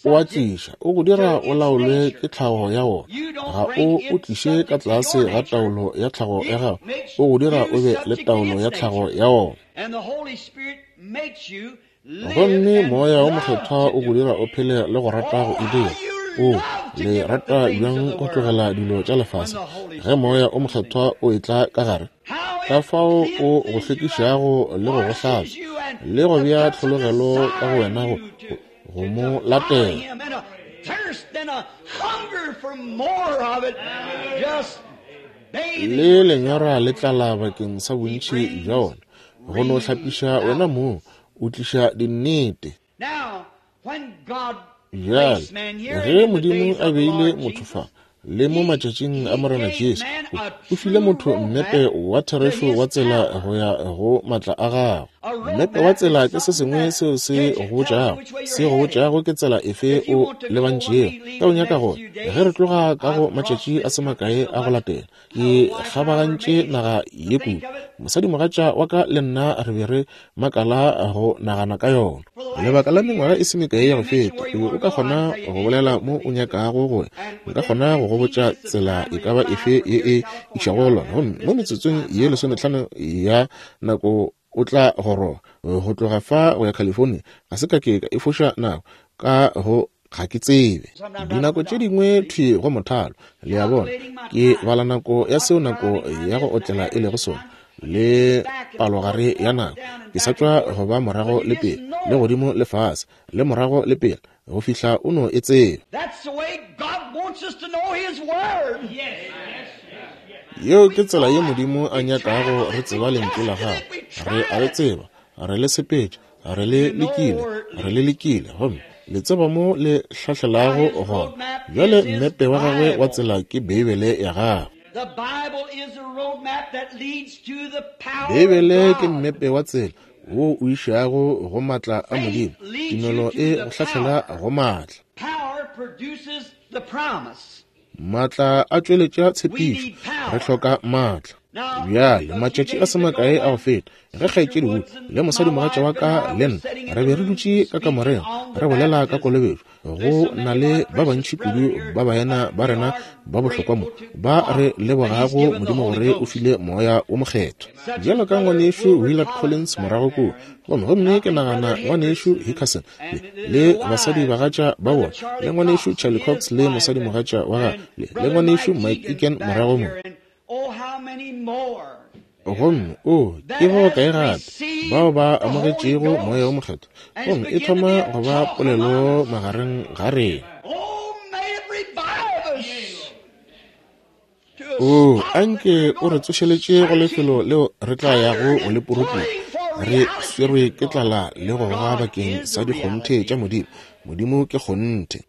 O a tliša, o go dira o laolwe ke tlhago ya wona. Ga o o tliše ka tlase ga taolo ya tlhago ya gago, o go dira o be le taolo ya tlhago ya wona. Gomme Moya o Mokgethwa o go dira o phele le go rata go e dira. O le rata bjang go tlogela dilo tša lefase ge Moya o Mokgethwa o etla ka gare, ka fao o go hlwekišago le go go hlatswa le go bea tlhologelo ka go wena go, go mo latela. Le lenyora le tlala bakeng sa bontši bja wona, go no hlapiša wena mong, o tliša dinnete. Bjale ge Modimo a beile motho fa le mo matšatšing a Morena Jesu, o file motho mmepe wa therešo wa tsela go ya go matla a gagwe. Mmepe wa tsela ke se sengwe seo se go botšago, se go botšago ke tsela efe o lebantšego. Ka o nyaka gore ge re tloga ka go matšatši a se makae a go latela, ke kgabagantše naga ye kudu. Mosadimogatša wa ka le nna re be re makala go nagana ka yona. Lebaka la mengwaga e se mekae ya go feta, o be o ka kgona go bolela mo o nyakago go ya, nka kgona go go botša tsela e ka ba efe ye e išago go lona, gomme mo metsotsong ye lesometlhano ya nako o tla goroga. Go tloga fa go ya California ga se ka ke ka e foša nako ka go ga ke tsebe. Dinako tše dingwe thwi go mothalo, le a bona, ke bala nako ya seo nako ya go otlela e lego sona, le palogare ya nako. Ke sa tšwa go ba morago le pele, le godimo le fase, le morago le pele, go fihla o no e tsebe. Yeo ke tsela ye Modimo a nyakago re tseba lentšu la gagwe. Re a le tseba, re le sepetše, re le lekile, re le lekile, gomme le tseba mo le hlahlelago gona. Bjale mmepe wa gagwe wa tsela ke Beibele ya gagwe. Beibele ke mmepe wa tsela wo o išago go matla a Modimo. Tumelo e go hlahlela go matla. Matla a tšweletša tshepišo. Re hloka matla. Bjale, matšatši a se makae a go feta, ge kgaetšedi Wood le mosadimogatša wa ka le nna re be re dutše ka kamoreng re bolela ka kolobetšo, go na le ba bantši kudu ba baena ba rena ba bohlokwa mo ba re lebogago Modimo gore o file Moya o Mokgethwa. Bjalo ka ngwanešu Willard Collins morago kua, gomme gomme ke nagana ngwanešu Hickerson le, le basadibagatša ba bona, le ngwanešu Charlie Cox le mosadimogatša wa gagwe, le, le ngwanešu Mike Egan morago mo. Gomme o ke bao kae gape bao ba amogetšego Moya o Mokgethwa, gomme e thoma go ba polelo magareng ga rena. O anke o re tsošeletše go lefelo leo re tla yago go le puruputša, re swerwe ke tlala le go goga bakeng sa dikgonthe tša Modimo. Modimo ke kgonthe.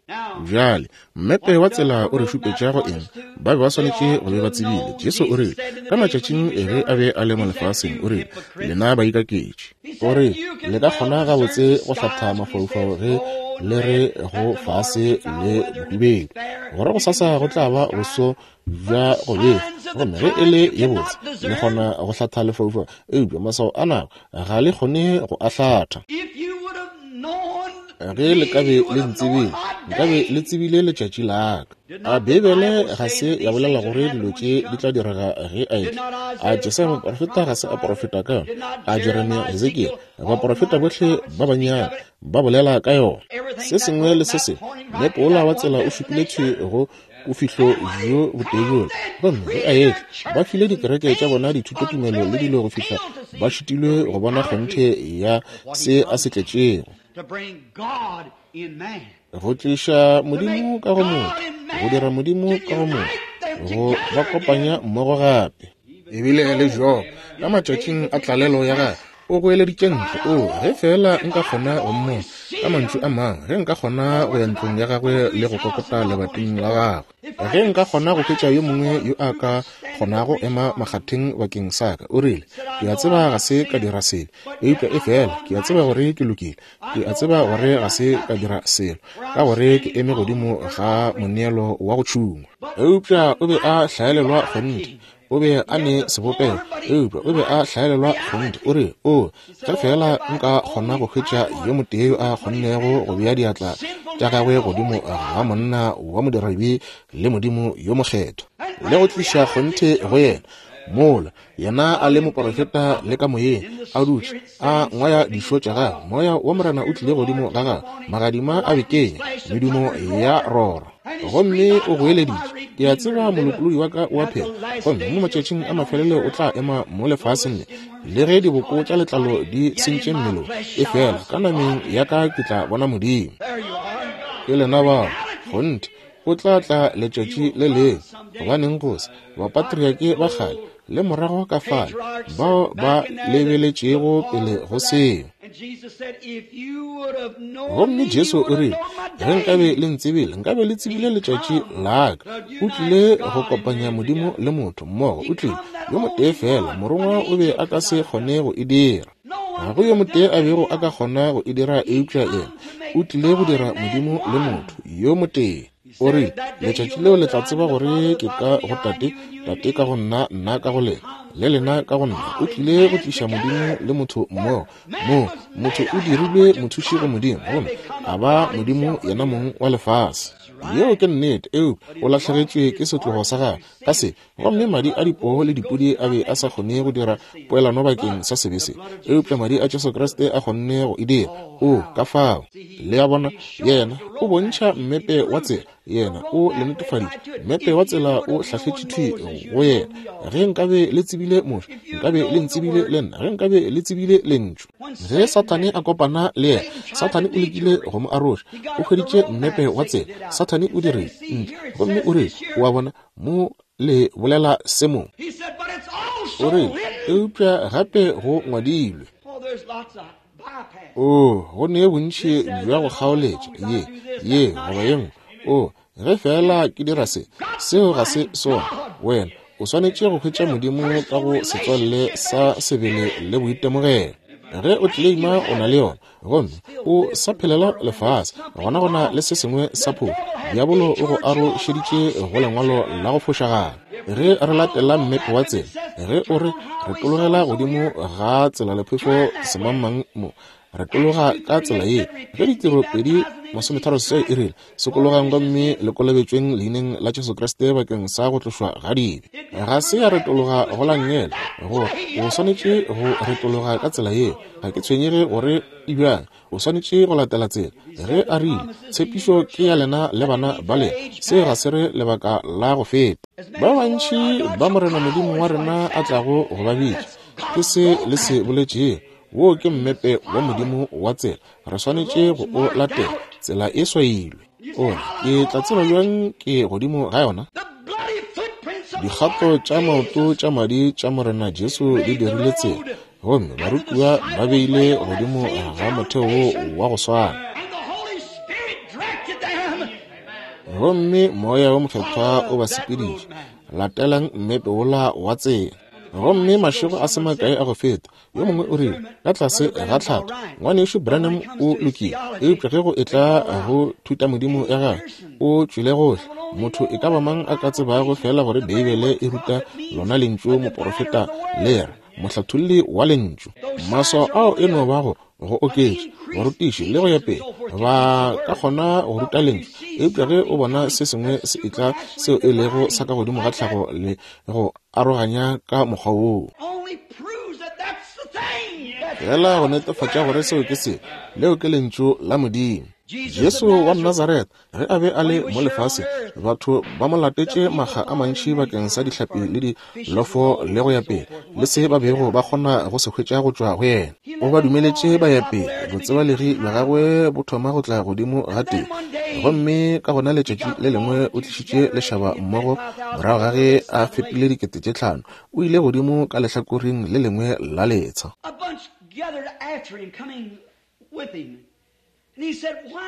Bjale, mmepe wa tsela o re šupetša go eng? Ba be ba swanetše go be ba tsebile. Jesu o rile, ka matšatšing ge a be a le mo lefaseng, o rile, lena baikaketši. O re, le ka kgona gabotse go hlatha mafaufau ge le re go fase le bohubedu, gore go sasa go tla ba boso bja go befa. Gomme ge e le ye botse, le kgona go hlatha lefaufau, eupša maswao a nako ga le kgone go a hlatha. Ge le ka be le ntsebile, nkabe le tsebile letšatši la ka. A Beibele ga se ya bolela gore dilo tše di tla direga ge a etla? A Jesaya moprofeta ga se a profeta ka yona? A Jeremia, Hezekiel, baprofeta bohle ba bannyane ba bolela ka yona? Se sengwe le se sengwe, mmepe wola wa tsela o šupile thwi go bofihlo bjo botee bjola. Gomme ge a etla, ba file dikereke tša bona dithutotumelo le dilo go fihla ba šitilwe go bona kgonthe ya se a se tletšego. Go tliša Modimo ka go motho, go dira Modimo ka go motho, go ba kopanya mmogo gape. Ebile le Job, ka matšatšing a tlalelo ya gagwe, o goeleditše ntle, o ge fela nka kgona go mmona, ka mantšu a mangwe, ge nka kgona go ya ntlong ya gagwe le go kokota lebating la gagwe, ge nka kgona go hwetša yo mongwe yo a ka kgonago ema makgatheng bakeng sa ka. O rile, ke a tseba ga se ka dira selo, eupša e fela ke a tseba gore ke lokile, ke a tseba gore ga se ka dira selo, ka gore ke eme godimo ga moneelo wa go tšhungwa. Eupša o be a hlaelelwa kgonthe, o be a ne sebopego, eupša o be a hlaelelwa kgonthe. O re, o ge fela nka kgona go hwetša yo motee yo a kgonnego go bea diatla tša gagwe godimo ga monna wa modirabi le Modimo yo mokgethwa, le go tliša kgonthe go yena, mola yena a le moprofeta le ka moyeng, a dutše a ngwaya dišo tša gagwe, Moya wa Morena o tlile godimo ga gagwe, magadima a bekenya, medumo ya rora, gomme o goeleditše, ke a tseba molopolodi wa ka o a phela, gomme mo matšatšing a mafelelo o tla ema mo lefaseng le, le ge diboko tša letlalo di sentše mmelong, e fela ka nameng ya ka ke tla bona Modimo. Ke lena bao, kgonthe, o tla tla letšatši le lengwe. Gobaneng go se bapatriake ba kgale le morago ka fale bao ba lebeletšego pele go seo. Gomme Jesu o rile, ge nkabe le ntsebile, nkabe le tsebile letšatši la ka. O tlile go kopanya Modimo le motho mmogo. O tlile yo motee fela, morongwa o be a ka se kgone go e dira. Ga go yo motee a bego a ka kgona go e dira eupša yena. O tlile go dira Modimo le motho yo motee. O rile, letšatši leo le tla tseba gore ke ka go Tate, Tate ka go nna, nna ka go lena, le lena ka go nna. O tlile go tliša Modimo le motho mmogo. Mo motho o dirilwe mothuši go Modimo, gomme a ba Modimo yena mong wa lefase. Yeo ke nnete, eupša o lahlegetšwe ke setlogo sa gagwe ka se, gomme madi a dipoo le dipudi a be a sa kgone go dira poelano bakeng sa sebe se, eupša madi a Jesu Kriste a kgonne go e dira. O ka fao, le a bona, yena o bontšha mmepe wa tsela, yena o le netefaditše mmepe wa tsela, o hlahletše thwi go yena. Ge nkabe le tsebile Moshe, nkabe le ntsebile le nna, ge nkabe le tsebile lentšu. Ge Sathane a kopana le yena, Sathane o lekile go mo aroša, o hweditše mmepe wa tsela. Sathane o dirile ntle, gomme o rile, o a bona, mo le bolela se mo. O rile, eupša gape go ngwadilwe. O go ne bontši bja go kgaoletša ye, ye goba ye nngwe. O ge fela ke dira se, seo ga se sona. Wena o swanetše go hwetša Modimo ka go setswalle sa sebele le boitemogelo. Ge o tleleima o na le yona, gomme o sa phelela lefase, gona gona le se sengwe sa phošo. Diabolo o go arošeditše go lengwalo la go fošagala. Ge re latela mmepe wa tsela, Ge o re retologela godimo ga tselalephefo semangmang mo, retologa ka tsela ye. Ge ditiro pedi masometharo seswai e rile, sokologang gomme le kolobetšweng leineng la Jesu Kriste bakeng sa go tlošwa ga dibe. Ga se ya retologa go la nngele, gore o swanetše go retologa ka tsela yeo. Ga ke tshwenyege gore e bjang, o swanetše go latela tsela. Ge a rile, tshepišo ke ya lena le bana ba lena, se ga se re lebaka la go feta. Ba bantši ba Morena Modimo wa rena a tlago go ba bitša, ke se le se boletšego. Wo ke mmepe wa Modimo wa tsela, re swanetše go o latela. Tsela e swailwe. O re, ke tla tseba bjang ke godimo ga yona? Dikgato tša maoto tša madi tša Morena Jesu di dirile tsela, gomme barutiwa ba beile godimo ga motheo wo wa go swana. Gomme Moya wo Mokgethwa o ba sepediša. Latelang mmepe wola wa tsela. Gomme mašego a se makae a go feta, yo mongwe o rile, ka tlase ga tlhatho, ngwanešu Branham o lokile, eupša ge go etla go thutamodimo ya gagwe, o tšwile gohle. Motho e ka ba mang a ka tsebago fela gore Beibele e ruta lona lentšu moporofeta le re, mohlatholli wa lentšu. Maswao ao e no bago go oketša, barutiši le go ya pele ba ka kgona go ruta lentšu, eupša ge o bona se sengwe se etla seo e lego sa ka godimo ga tlhago le go aroganya ka mokgwa woo, fela go netefatša gore seo ke se, leo ke lentšu la Modimo. Jesu wa Nazaretha, ge a be a le mo lefaseng, batho ba mo latetše makga a mantši bakeng sa dihlapi le dilofo le go ya pele, le se ba bego ba kgona go se hwetša go tšwa go yena. O ba dumeletše ba ya pele, botsebalegi bja gagwe bo thoma go tla godimo ga tee. Gomme ka gona letšatši le lengwe o tlišitše lešaba mmogo morago ga ge a fepile dikete tše tlhano, o ile godimo ka lehlakoreng le lengwe la letsha.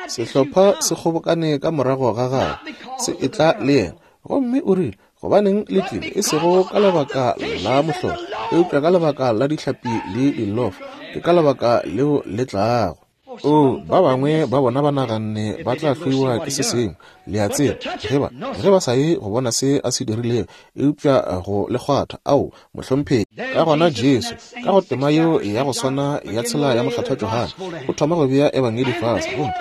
Sehlopha se kgobokane ka morago ga gagwe, se etla le yena, gomme o rile, gobaneng le tlile, e sego ka lebaka la mohlolo, eupša ka lebaka la dihlapi le dilofo, ke ka lebaka leo le tlago. O, ba bangwe ba bona ba naganne ba tla hloiwa ke se sengwe, le a tseba, ge ba ge ba sa ye go bona se a se dirilego, eupša go le kgwatha, ao, mohlomphegi. Ka gona Jesu, ka go tema yeo ya go swana ya tshela ya mokgethwa Johane, o thoma go bea ebangedi fase, gomme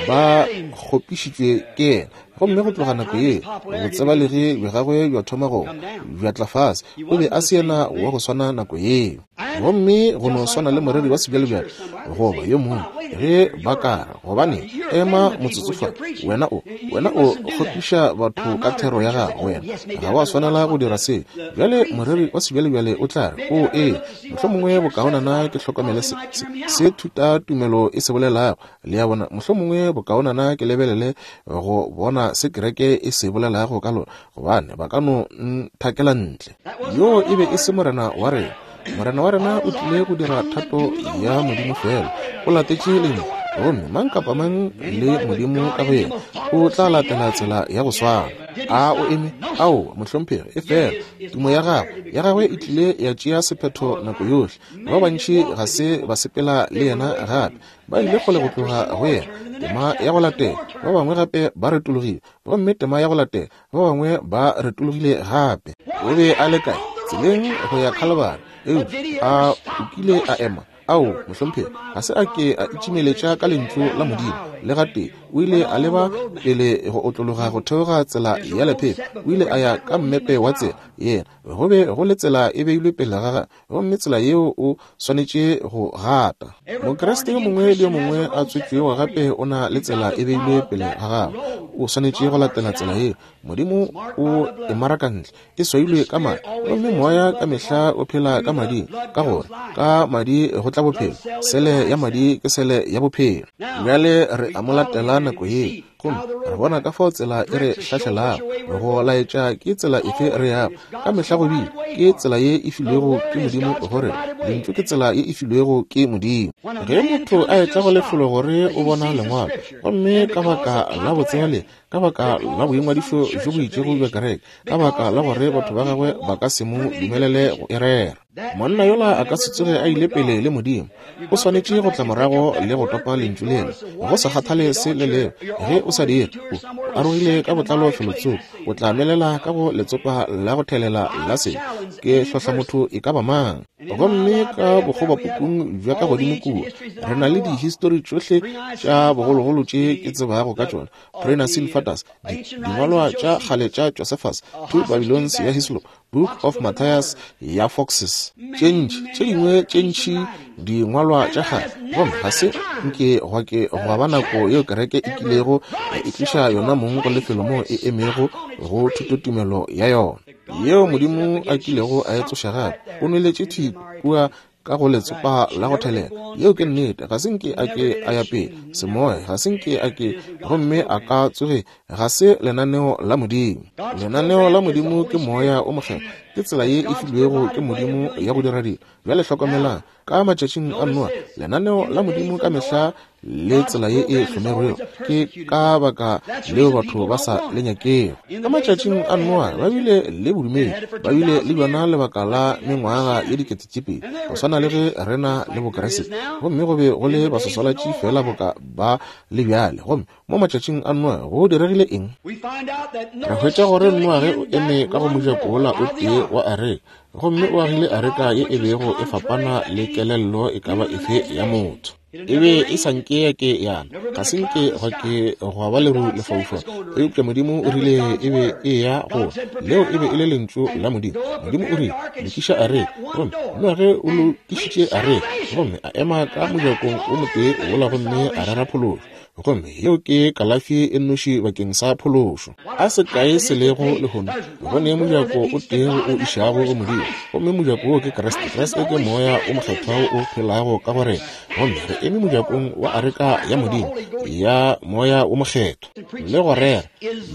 ba kgopišitšwe ke yena. Gomme go tloga nako ye, botsebalegi bja gagwe bja thoma go bja tla fase. O be a se yena wa go swana nako yeo. Gomme go no swana le moreri wa sebjalebjale goba yo mongwe, ge ba ka re, gobane ema motsotso fa, wena o wena o kgopiša batho ka thero ya gago, wena ga wa swanela go dira se. Bjale moreri wa sebjalebjale o tla re, o ee, mohlomongwe bokaonana ke hlokomele se, se, se thuta tumelo e se bolelago. Le a bona, mohlomongwe bokaonana ke lebelele go bona se kereke e se bolelago ka lona, gobane ba ka no nthakela ntle. Yo e be e se Morena wa rena. Morena wa rena o tlile go dira thato ya Modimo fela, o latetše lentšu, gomme mang kapa mang le Modimo ka go yena o tla latela tsela ya go swana. A o eme? Ao, mohlomphegi, e fela tumo ya gagwe ya gagwe e tlile ya tšea sephetho nako yohle. Ba bantši ga se ba sepela le yena gape, ba ile kgole go tloga go yena. Tema ya go latela, ba bangwe gape ba retologile, gomme tema ya go latela, ba bangwe ba retologile gape. O be a le kae? Tseleng go ya Khalibari. Eupša a o kile a ema? Ao, mohlomphegi, ga se a ke a itšimeletša ka lentšu la Modimo le gatee. O ile a leba pele go otlologa go theoga tsela ya lephefo. O ile a ya ka mmepe wa tsela yena. Go be go le tsela e beilwe pele ga gagwe, gomme tsela yeo o swanetše go gata. Mokriste yo mongwe le yo mongwe a tswetšwego gape o na le tsela e beilwe pele ga gagwe. O swanetše go latela tsela yeo. Modimo o e maraka ntle, e swailwe ka madi, gomme moya ka mehla o phela ka mading, ka gore ka madi go tla bophelo. Sele ya madi ke sele ya bophelo. Bjale re a mo latela nako ye, gomme re bona ka fao tsela e re hlahlelago go laetša ke tsela efe re yago. Ka mehla go bile ke tsela ye e filwego ke Modimo gore lentšu ke tsela ye e filwego ke Modimo. Ge motho a etla go lefelo gore o bona lengwalo, gomme ka baka la botsebalegi, ka baka la boingwadišo bjo bo itšego bja kereke, ka baka la gore batho ba gagwe ba ka se mo dumelele go e rera, monna yola a ka se tsoge a ile pele le Modimo. O swanetše go tla morago le go topa lentšu lela, go sa kgathale se le leo. Ge o sa dire, o arogile ka botlalo felotsoko, o tla melela ka go letsopa la go thelela la se. Ke hlohla motho e ka ba mang. Gomme ka bokgobapukung bja ka godimo kua, re na le dihistori tšohle tša bogologolo tše ke tsebago ka tšona. Pre-Nicene Fathers, dingwalwa tša kgale tša Josephus, Two Babylons ya Hislop, Book of Matthias ya Foxes, tše ntši tše dingwe tše ntši dingwalwa tša kgale. Gomme ga se nke gwa ke gwa ba nako yeo kereke e kilego ya itliša yona mong go lefelo moo e emego go thutotumelo ya yona, yeo Modimo a kilego a e tsoša gape. O nweletše thwi kua ka go letsopa la go thelela. Yeo ke nnete. Ga se nke a ke a ya pele semoya, ga se nke a ke, gomme a ka tsoge. Ga se lenaneo la Modimo. Lenaneo la Modimo ke Moya o Mokgethwa, ke tsela ye e filwego ke Modimo ya go dira dilo. Bjale hlokomelang, ka matšatšing a Noa, lenaneo la Modimo ka mehla le tsela ye e hlomerwego, ke ka baka leo batho ba sa le nyakego. Ka matšatšing a Noa ba bile le bodumedi, ba bile le bjona lebaka la mengwaga ye dikete tše pedi, go swana le ge re na le Bokreste, gomme go be go le baswaswalatši fela boka ba le bjale. Gomme mo matšatšing a Noa go diregile eng? Re hwetša gore Noage o eme ka go mojako wola o tee wa areka, gomme o agile areka ye e bego e fapana le kelello e ka ba efe ya motho. E be e sa nke ya ke yana, ga se nke gwa ke gwa ba leru lefaufau, eupša Modimo o rile e be e ya go. Leo e be e le lentšu la Modimo. Modimo o rile, lokiša areka, gomme Noage o lokišitše areka, gomme a ema ka mojakong o motee wola gomme a rera phološo. Gomme yeo ke kalafi e nnoši bakeng sa phološo. A se kae se lego lehono, go ne mojako o tee o išago go Modimo, gomme mojako wo ke Kriste. Kriste ke Moya o Mokgethwa o phelago ka go rena, gomme re eme mojakong wa areka ya Modimo ya Moya o Mokgethwa le go rera.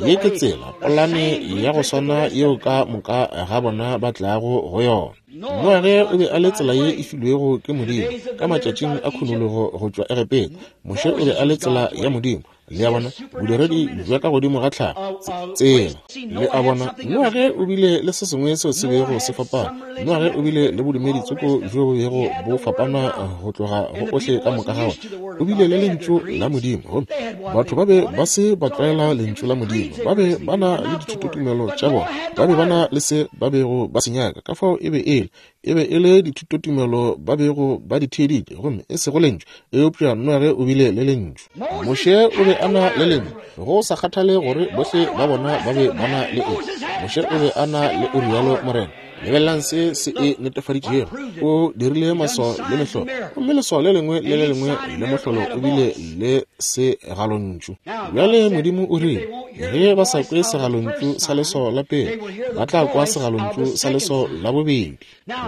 Ye ke tsela, polane ya go swana yeo ka moka ga bona ba tlago go yona. Noage o be a le tsela ye e filwego ke Modimo ka matšatšing a khunologo go tšwa Egepeta. Moshe o be a le tsela ya Modimo. Le a bona, bodiredi bja ka godimo ga tlhago, tsela. Le a bona, Noage o bile le se sengwe seo se bego se fapana. Noage o bile le bodumedi tsoko bjo bo bego bo fapana go tloga go ohle ka moka ga ona. O bile le lentšu la Modimo, gomme batho ba be ba se ba tlwaela lentšu la Modimo. Ba be ba na le dithutotumelo tša bona, ba be ba na le se ba bego ba se nyaka. Ka fao e be e le e be e le dithutotumelo ba bego ba di theeditše, gomme e sego lentšu. Eupša Noage o bile le lentšu. Moshe o be a na le lentšu, go sa kgathale gore bohle ba bona ba be ba na le eng. Moshe o be a na le o rialo Morena. Lebelelang se se e netefaditšego. O dirile maswao le mehlolo, gomme leswao le lengwe le le lengwe le mohlolo o bile le segalontšu. Bjale Modimo o rile, ge ba sa kwe segalontšu sa leswao la pele, ba tla kwa segalontšu sa leswao la bobedi.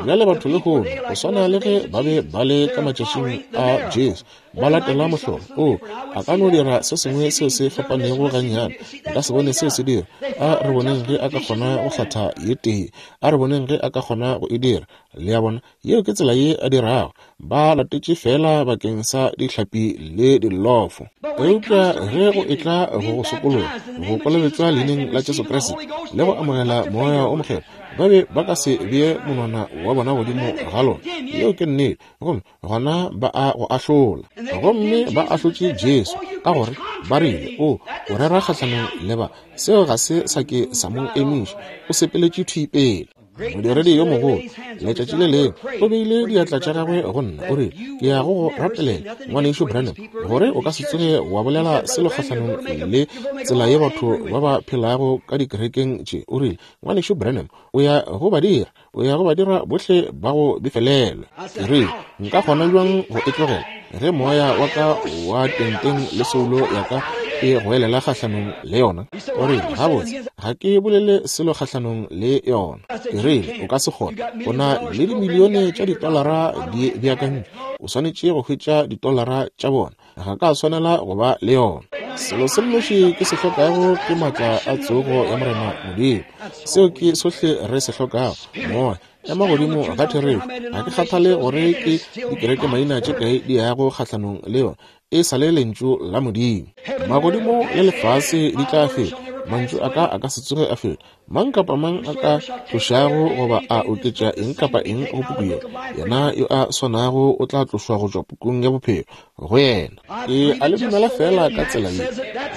Bjale batho lehono, go swana le ge ba be ba le ka matšatšing a Jesu, ba latela mohlolo. O a ka no dira se sengwe seo se fapanego gannyane, nka se bone seo se dira. A re boneng ge a ka kgona go hlatha ye tee, a re boneng ge a ka kgona go e dira. Le a bona, yeo ke tsela ye a dirago. Ba latetše fela bakeng sa dihlapi le dilofo. Eupša ge go etla go go sokologa, go kolobetšwa leineng la Jesu Kriste le go amogela Moya o Mokgethwa, ba be ba ka se bee monwana wa bona godimo ga lona. Yeo ke nnete. Gomme gona ba a go ahlola. Gomme ba ahlotše Jesu ka gore ba rile, o o rera kgahlanong le ba. Seo ga se sa ke sa mo emiša. O sepeletše thwi pele. Modiredi yo mogolo, letšatši le lengwe, o beile diatla tša gagwe go nna, o rile, ke ya go go rapelela, ngwanešu Branham, gore o ka se tsoge wa bolela selo kgahlanong le tsela ye batho ba ba phelago ka dikerekeng tše. O rile, ngwanešu Branham, o ya go ba dira, o ya go ba dira bohle ba go befelelwe. Ke rile, nka kgona bjang go e tlogela ge moya wa ka wa tenteng le soulo ya ka e goelela kgahlanong le yona? O rile, gabotse, ga ke bolele selo kgahlanong le yona. Ke rile, o ka se kgone. O na le dimilione tša ditolara di beakantšwe, o swanetše go hwetša ditolara tša bona. Ga ka swanela go ba le yona. Selo se nnoši ke se hlokago ke maatla a tsogo ya Morena Modimo. Seo ke sohle re se hlokago. Moya, ema godimo ga therešo. Ga ke kgathale gore ke dikereke maina tše kae di yago kgahlanong le yona, e sa le lentšu la Modimo. Magodimo le lefase di tla feta, mantšu a ka a ka se tsoge a feta. Mang kapa mang a ka tlošago goba a oketša eng kapa eng go puku ye, yena yo a swanago o tla tlošwa go tšwa pukung ya bophelo go yena. Ke a le dumela fela ka tsela ye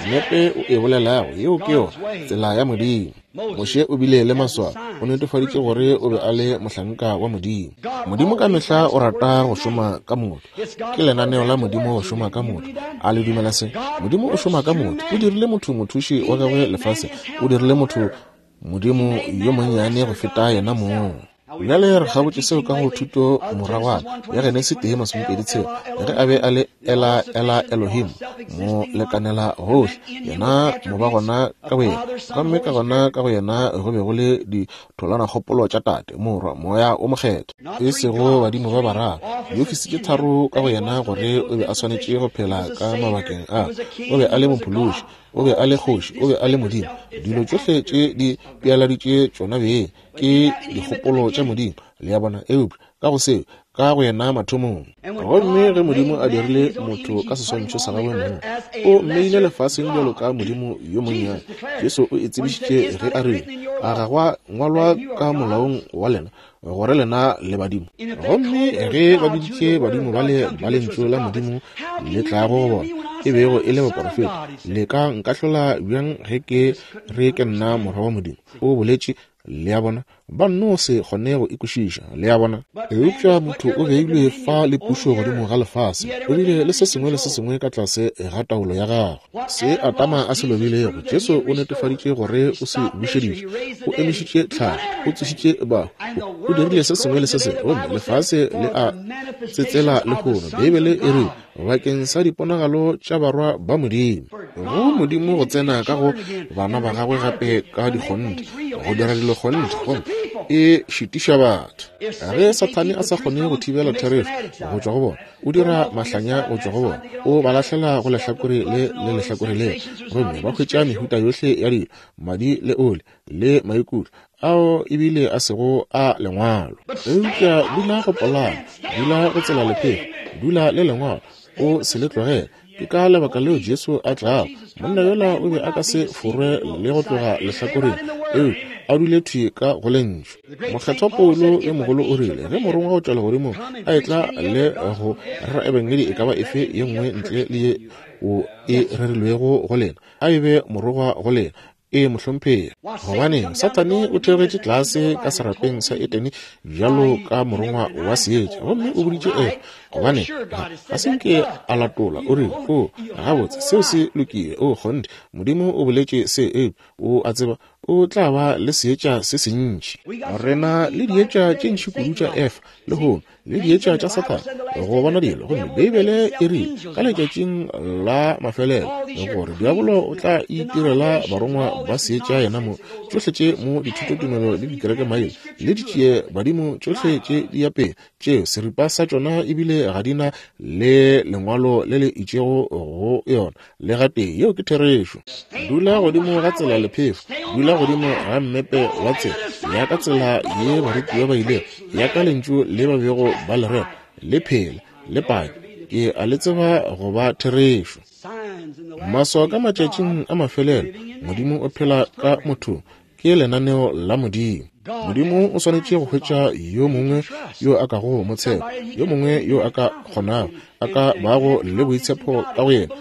mmepe o e bolelago, yeo ke yona tsela ya Modimo. Moshe o bile le maswao, o netefaditše gore o be a le mohlanka wa Modimo. Modimo ka mehla o rata go šoma ka motho. Ke lenaneo la Modimo go šoma ka motho. A le dumela se? Modimo o šoma ka motho. O dirile motho mothuši wa gagwe lefase. O dirile motho Modimo yo monnyane go feta yena mong. Bjale re gabotse seo ka go thuto moragwana ya Genesi tee masomepedi tshela, ge a be a le Ela Ela Elohim, mo lekanela gohle, yena mo ba gona ka boyena, gomme ka gona ka go yena go be go le ditholanakgopolo tša Tate, Morwa, Moya o Mokgethwa, e sego badimo ba bararo, diofisi tše tharo ka go yena, gore o be a swanetše go phela ka mabakeng a. O be a le mophološi, o be a le kgoši, o be a le Modimo. Dilo tšohle tše di pealaditše tšona beng ke dikgopolo tša Modimo, le a bona, eupša ka go seo, ka go yena mathomong. Gomme ge Modimo a dirile motho ka seswantšho sa gagwe mong, o mmeile lefaseng bjalo ka Modimo yo monnyane. Jesu o e tsebišitše ge a rile, a ga gwa ngwalwa ka molaong wa lena gore lena le badimo? Gomme ge ba biditše badimo bale ba lentšu la Modimo le tlago go bona, e bego e le baporofeta, le ka nkahlola bjang ge ke re ke nna morwa wa Modimo? O boletše, le a bona, ba nno se kgone go ikwešiša, le a bona. Eupša motho o beilwe fa le pušo godimo ga lefase, o bile le se sengwe le se sengwe ka tlase ga taolo ya gagwe. Se Adama a se lobilego, Jesu o netefaditše gore o se bušeditše, o emišitše tlhago, o tsošitše bahu, o dirile se sengwe le se sengwe, gomme lefase le a tsetsela lehono. Beibele e re bakeng sa diponagalo tša barwa ba Modimo, go Modimo go tsena ka go bana ba gagwe gape ka dikgonthe, go dira dilo kgonthe, gomme e šitiša batho. Ge Sathane a sa kgone go thibela therešo go tšwa go bona, o dira mahlanya go tšwa go bona, o ba lahlela go lehlakore le le lehlakore le, gomme ba hwetša mehuta yohle ya dilo, madi le oli le maikutlo ao ebile a sego a lengwalo. Eupša dula go polana, dula go tsela lephelo, dula le lengwalo, o se le tlogele. Ke ka lebaka leo Jesu a tlago. Monna yola o be a ka se forwe le go tloga lehlakoreng, eupša a dule thwi ka go lentšu. Mokgethwa Paulo yo mogolo o rile, ge morongwa go tšwa legodimong a etla le go rera ebangedi e ka ba efe ye nngwe ntle le ye o e rerilwego go lena, a e be morongwa go lena. E mohlomphegi. Gobaneng Sathane o theogetše tlase ka serapeng sa Edene bjalo ka morongwa wa seetša, gomme o boditše Efa, gobane ga se nke a latola, o rile, o gabotse, seo se lokile, o kgonthe, Modimo o boletše se, eupša o a tseba o tla ba le seetša se sentši. Rena le dietša tše ntši kudu tša Efa lehono, le dietša tša Sathane go bona dilo. Gomme Beibele e rile ka letšatšing la mafelelo gore diabolo o tla itirela barongwa ba seetša yena mo. Tšohle tše mo dithutotumelo le dikerekemaina le ditšie badimo tšohle tše di ya pele, tšeo seripa sa tšona ebile ga di na le lengwalo le le itšego go yona le gatee. Yeo ke therešo. Dula godimo ga tsela lephefo, dula godimo ga mmepe wa tsela, ya ka tsela ye barutiwa ba ilego, ya ka lentšu le ba bego ba le rera, le phela, le pake, ke a le tseba go ba therešo. Maswao ka matšatšing a mafelelo, Modimo o phela ka mothong, ke lenaneo la Modimo. Modimo o swanetše go hwetša yo mongwe yo a kago mo tshepa, yo mongwe yo a ka kgonago, a ka bago le boitshepo ka go yena,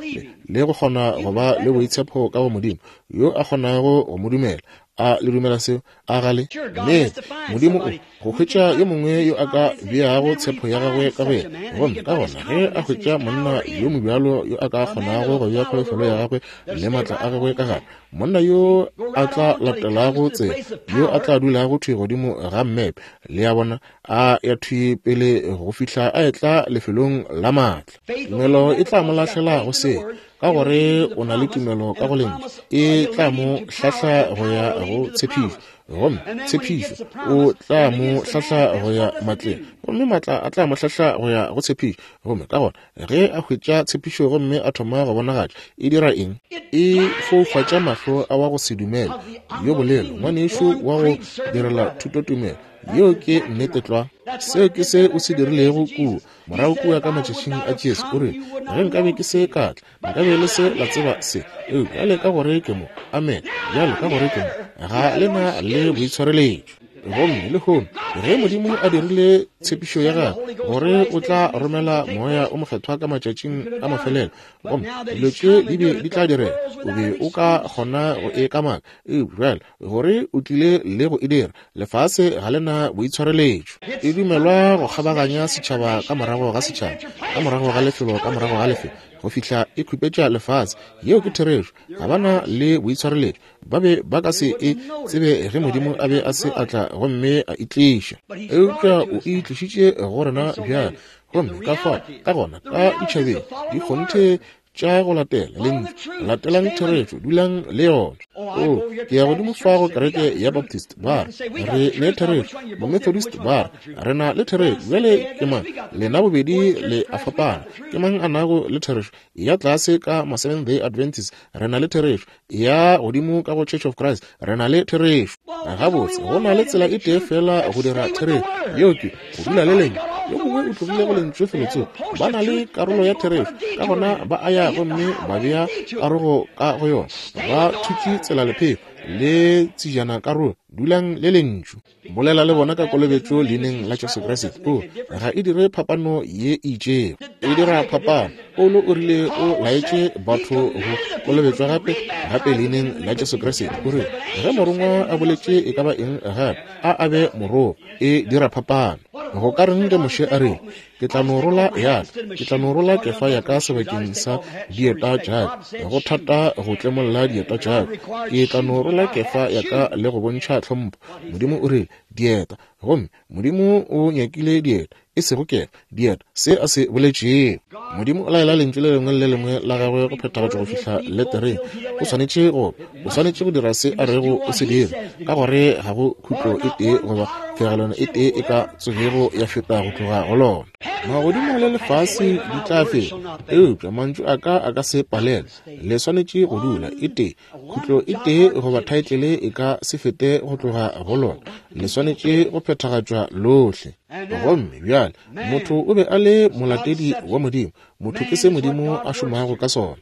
le go kgona go ba le boitshepo ka go Modimo, yo a kgonago go mo dumela. A le dumela seo? A gale? Nnete, Modimo o go hwetša yo mongwe yo a ka beago tshepo ya gagwe ka go yena. Gomme ka gona ge a hwetša monna yo mobjalo yo a ka kgonago go bea kholofelo ya gagwe le maatla a gagwe ka gare, monna yo a tla latelago tsela, yo a tla dulago thwi godimo ga mmepe, le a bona, a ya thwi pele go fihla a etla lefelong la maatla. Tumelo e tla mo lahlela go se, ka gore o na le tumelo ka go lentšu, e tla mo hlahla go ya go tshepišo, gomme tshepišo o tla mo hlahla go ya matleng, gomme maatla a tla mo hlahla go ya go tshepišo. Gomme ka gona ge a hwetša tshepišo gomme a thoma go bonagatša, e dira eng? E foufatša mahlo a wa go se dumele yo bolelo, ngwanešu wa go direla thutotumelo Yeo ke nnete tlwa. Seo ke se o se dirilego kua morago kua ka matšatšing a Jesu. O re, ge nkabe ke se ka tla, nkabe le se la tseba se. Eupša bjale ka gore ke mo, amen, bjale ka gore ke mo, ga le na le boitshwareletšo. Gomme lehono ge Modimo a dirile tshepišo ya gagwe gore o tla romela Moya o Mokgethwa ka matšatšing a mafelelo, gomme dilo tše di be di tla direga, o be o ka kgona go e kamaka. Eupša bjale gore o tlile le go e dira, lefase ga le na boitshwareletšo. E dumelwa go kgabaganya setšhaba ka morago ga setšhaba, ka morago ga lefelo ka morago ga lefelo, go fihla e khupetša lefase. Yeo ke therešo. Ga ba na le boitshwareletšo. Ba be ba ka se e tsebe ge Modimo a be a se a tla gomme a itliša. Eupša o e tlišitše go rena bjale. Gomme ka fao, ka gona, ka ditšhabeng dikgonthe tša go latela lentšu, latelang therešo, dulang le yona. O, ke ya godimo fa go kereke ya Baptist, ba re re ne therešo, Bomethodist ba re re na le therešo. Bjale ke mang? Lena bobedi le a fapana. Ke mang a nago le therešo? Ya tlase ka ma Seventh Day Adventist re na le therešo, ya godimo ka go Church of Christ re na le therešo. Gabotse, go na le tsela e tee fela go dira therešo, yeo ke go dula le lentšu. Yo mongwe o tlogile go lentšu felotsoko. Ba na le karolo ya therešo, ka gona ba a ya gomme ba bea karogo ka go yona. Ba thutše tsela lephefo le tsejana karolo. Dulang le lentšu. Bolela le bona ka kolobetšo leineng la Jesu Kriste. O, ga e dire phapano ye e itšego. E dira phapano. Paulo o rile o laetše batho go kolobetšwa gape, gape leineng la Jesu Kriste. O rile ge morongwa a boletše e ka ba eng gape, a a be morogo. E dira phapano. Go ka reng ge Moshe a rile, ke tla no rola ya ka, ke tla no rola kefa ya ka sebakeng sa dieta tša ka, go thata go tlemolla dieta tša ka, ke tla no rola kefa ya ka le go bontšha tlhompho. Modimo o rile dieta, gomme Modimo o nyakile dieta, e sego kefa, dieta, se a se boletšego. Modimo o laela lentšu le lengwe le le lengwe la gagwe go phethagatšwa go fihla letereng. O swanetše go, o swanetše go dira se a rego o se dire, ka gore ga go khutlo e tee goba fegelwana e tee e ka tsogego ya feta go tloga go lona. Magodimo le lefase di tla feta, eupša mantšu a ka a ka se palelwe. Le swanetše go dula e tee, khutlo e tee goba thaetlele e ka se fete go tloga go lona. Le swanetše go phethagatšwa lohle. Gomme bjale motho o be a le molatedi wa Modimo. Motho ke se Modimo a šomago ka sona.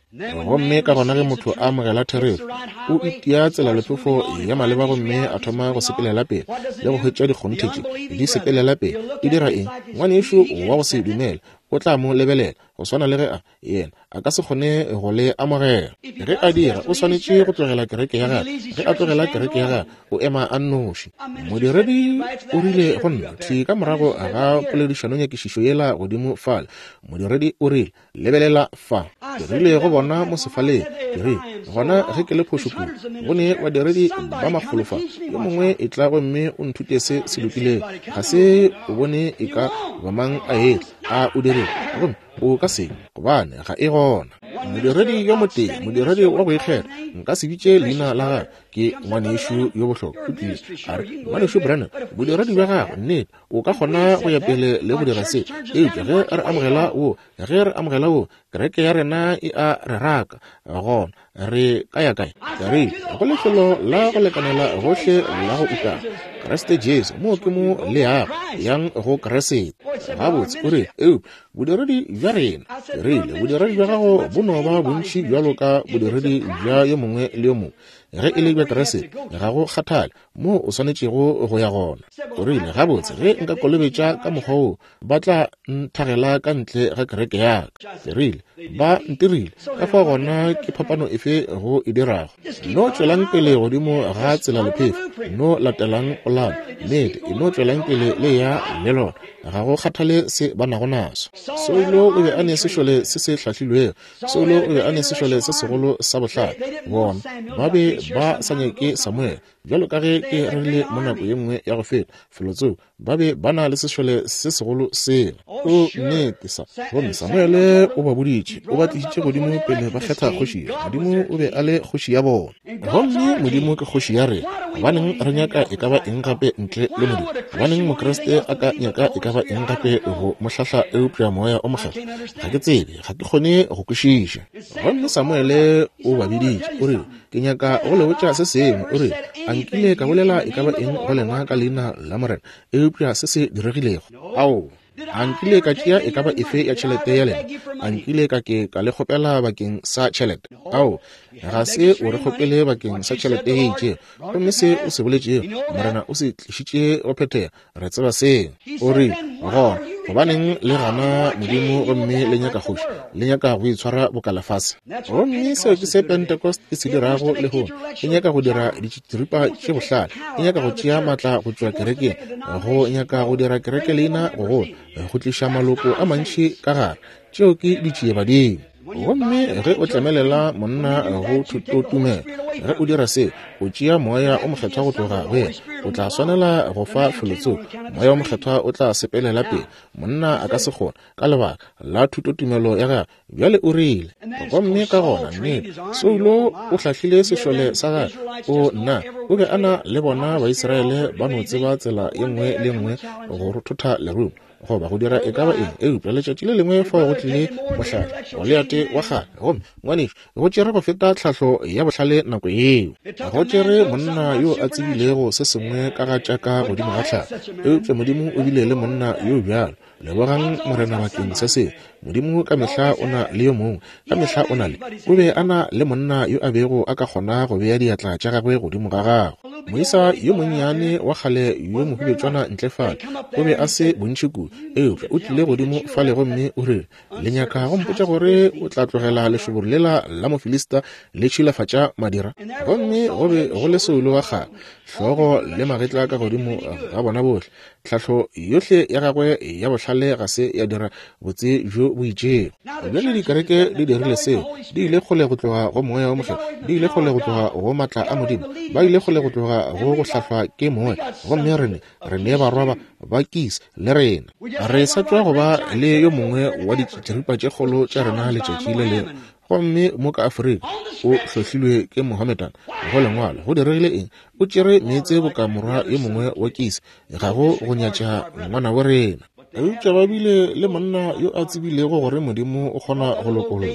Gomme ka gona ge motho a amogela therešo, o itia tsela lephefo ya maleba gomme a thoma go sepelela pele le go hwetša dikgonthe tše di sepelela pele. Di dira eng? Ngwanešu wa go se dumele o tla mo lebelela go swana le ge a yena a ka se kgone go le amogela. Ge a dira, o swanetše go tlogela kereke ya gagwe. Ge a tlogela kereke ya gagwe, o ema a nnoši. Modiredi o rile go nna thwi ka morago ga poledišanonyakišišo yela godimo fale. Modiredi o rile, lebelela fa. Ke rile go bona mo sefaleng, ke rile, gona ge ke le phošo kudu, go ne badiredi ba makgolo fa, yo mongwe e tla gomme o nthute se se lokilego. Ga se o bone e ka ba mang a etla, a o dirile, gomme o ka se, gobane ga e gona. Modiredi yo motee, modiredi wa go ikgetha, nka se bitše leina la gagwe, ke ngwanešu yo bohlokwa. O tlile a re, ngwanešu Branham, bodiredi bja gagwe, nnete, o ka kgona go ya pele le go dira se, eupša ge re amogela wo, ge re amogela wo, kereke ya rena e a re raka, gona re ka ya kae? Ke rile, go lefelo la go lekanela gohle la go utana, Kriste Jesu, moo ke mo le yago, yang go Kriste. Gabotse, o rile, eupša bodiredi bja rena, ke rile, bodiredi bja gago bo no ba bontši bjalo ka bodiredi bja yo mongwe le yo mongwe. Ge e le bja Kriste, ga go kgathale moo o swanetšego go ya gona. O rile, gabotse, ge nka kolobetša ka mokgwa wo, ba tla nthagela ka ntle ga kereke ya ka. Ke rile, ba ntirile, ka fao gona ke phapano efe go e dirago? No tšwelang pele godimo ga tsela lephefo, no latelang polano, nnete, e no tšwelang pele le ya le lona, ga go kgathale se ba nago naso. Saulo o be a ne sešole se se hlahlilwego. Saulo o be a ne sešole se segolo sa bohlale. Bona ba be ba sa nyake Samuel, bjalo ka ge ke rile mo nako ye nngwe ya go feta felotsoko. Ba be ba na le sešole se segolo sela. O nnete sa. Gomme Samuele o ba boditše, o ba tlišitše godimo pele ba kgetha kgoši. Modimo o be a le kgoši ya bona. Gomme Modimo ke kgoši ya rena. Gobaneng re nyaka e ka ba eng gape ntle le Modimo? Gobaneng Mokriste a ka nyaka e ka ba eng gape go mo hlahla eupša Moya o Mokgethwa? Ga ke tsebe, ga ke kgone go kwešiša. Gomme Samuele o ba biditše, o rile, ke nyaka go le botša se sengwe. O rile, a nkile ka bolela e ka ba eng go lena ka leina la Morena eupša se se diregilego? Ao, a nkile ka tšea e ka ba efe ya tšhelete ya lena? A nkile ka ke ka le kgopela bakeng sa tšhelete? Ao, ga se o re kgopele bakeng sa tšhelete ye itšego. Gomme se o se boletšego, Morena o se tlišitše go phethega. Re tseba seo. O rile, gona gobaneng le gana Modimo gomme le nyaka kgoši, le nyaka go itshwara boka lefase? Gomme seo ke se Pentecost e se dirago lehono. E nyaka go dira ditširipa tše bohlale, e nyaka go tšea maatla go tšwa kerekeng, go nyaka go dira kereke leina go gola, go tliša maloko a mantši ka gare. Tšeo ke ditšiebadimo. Gomme ge o tlemelela monna go thutotumelo, ge o dira se, o tšea Moya o Mokgethwa go tloga go yena. O tla swanela go fa felotsoko. Moya o Mokgethwa o tla sepelela pele. Monna a ka se kgone ka lebaka la thutotumelo ya gagwe. Bjale o rile, gomme ka gona nnete, Saulo o hlahlile sešole sa gagwe. O nna, o be a na le bona Baisraele ba no tseba tsela ye nngwe le nngwe go rothotha lerumo goba go dira e ka ba eng. Eupša letšatši le lengwe fao go tlile mohlare, Goliate wa kgale. Gomme ngwanešu, go tšere go feta tlhahlo ya bohlale nako yeo. Go tšere monna yo a tsebilego se sengwe ka ga tša ka godimo ga tlhago. Eupša Modimo o bile le monna yo bjalo. Lebogang Morena bakeng sa seo. Modimo ka mehla o na le yo mongwe, ka mehla o na le. O be a na le monna yo a bego a ka kgona go bea diatla tša gagwe godimo ga gagwe. Moisa yo monnyane wa kgale yo mohubetšwana ntle fale, o be a se bontši kudu, eupša o tlile godimo fale gomme o rile, le nyaka go mpotša gore o tla tlogela lešoboro lela la Mofilista le tšhilafatša madira? Gomme go be go le Saulo wa kgale, hlogo le magetla ka godimo ga bona bohle. Tlhahlo yohle ya gagwe ya bohlale ga se ya dira botse bjo bo itšego. Bjale dikereke di dirile seo. Di ile kgole go tloga go Moya o Mokgethwa, di ile kgole go tloga go maatla a Modimo, ba ile kgole go tloga go go hlahlwa ke Moya. Gomme rene re ne barwa ba ba Kis le rena. Re sa tšwa go ba le yo mongwe wa ditširipa tše kgolo tša rena letšatši le lengwe. Gomme mo ka Afrika o hlohlilwe ke Mohammedan go lengwalo. Go diregile eng? O tšere meetse boka morwa yo mongwe wa Kis. Ga go go nyatša ngwana bo rena. Eupša ba bile le monna yo a tsebilego gore Modimo o kgona go lokolola.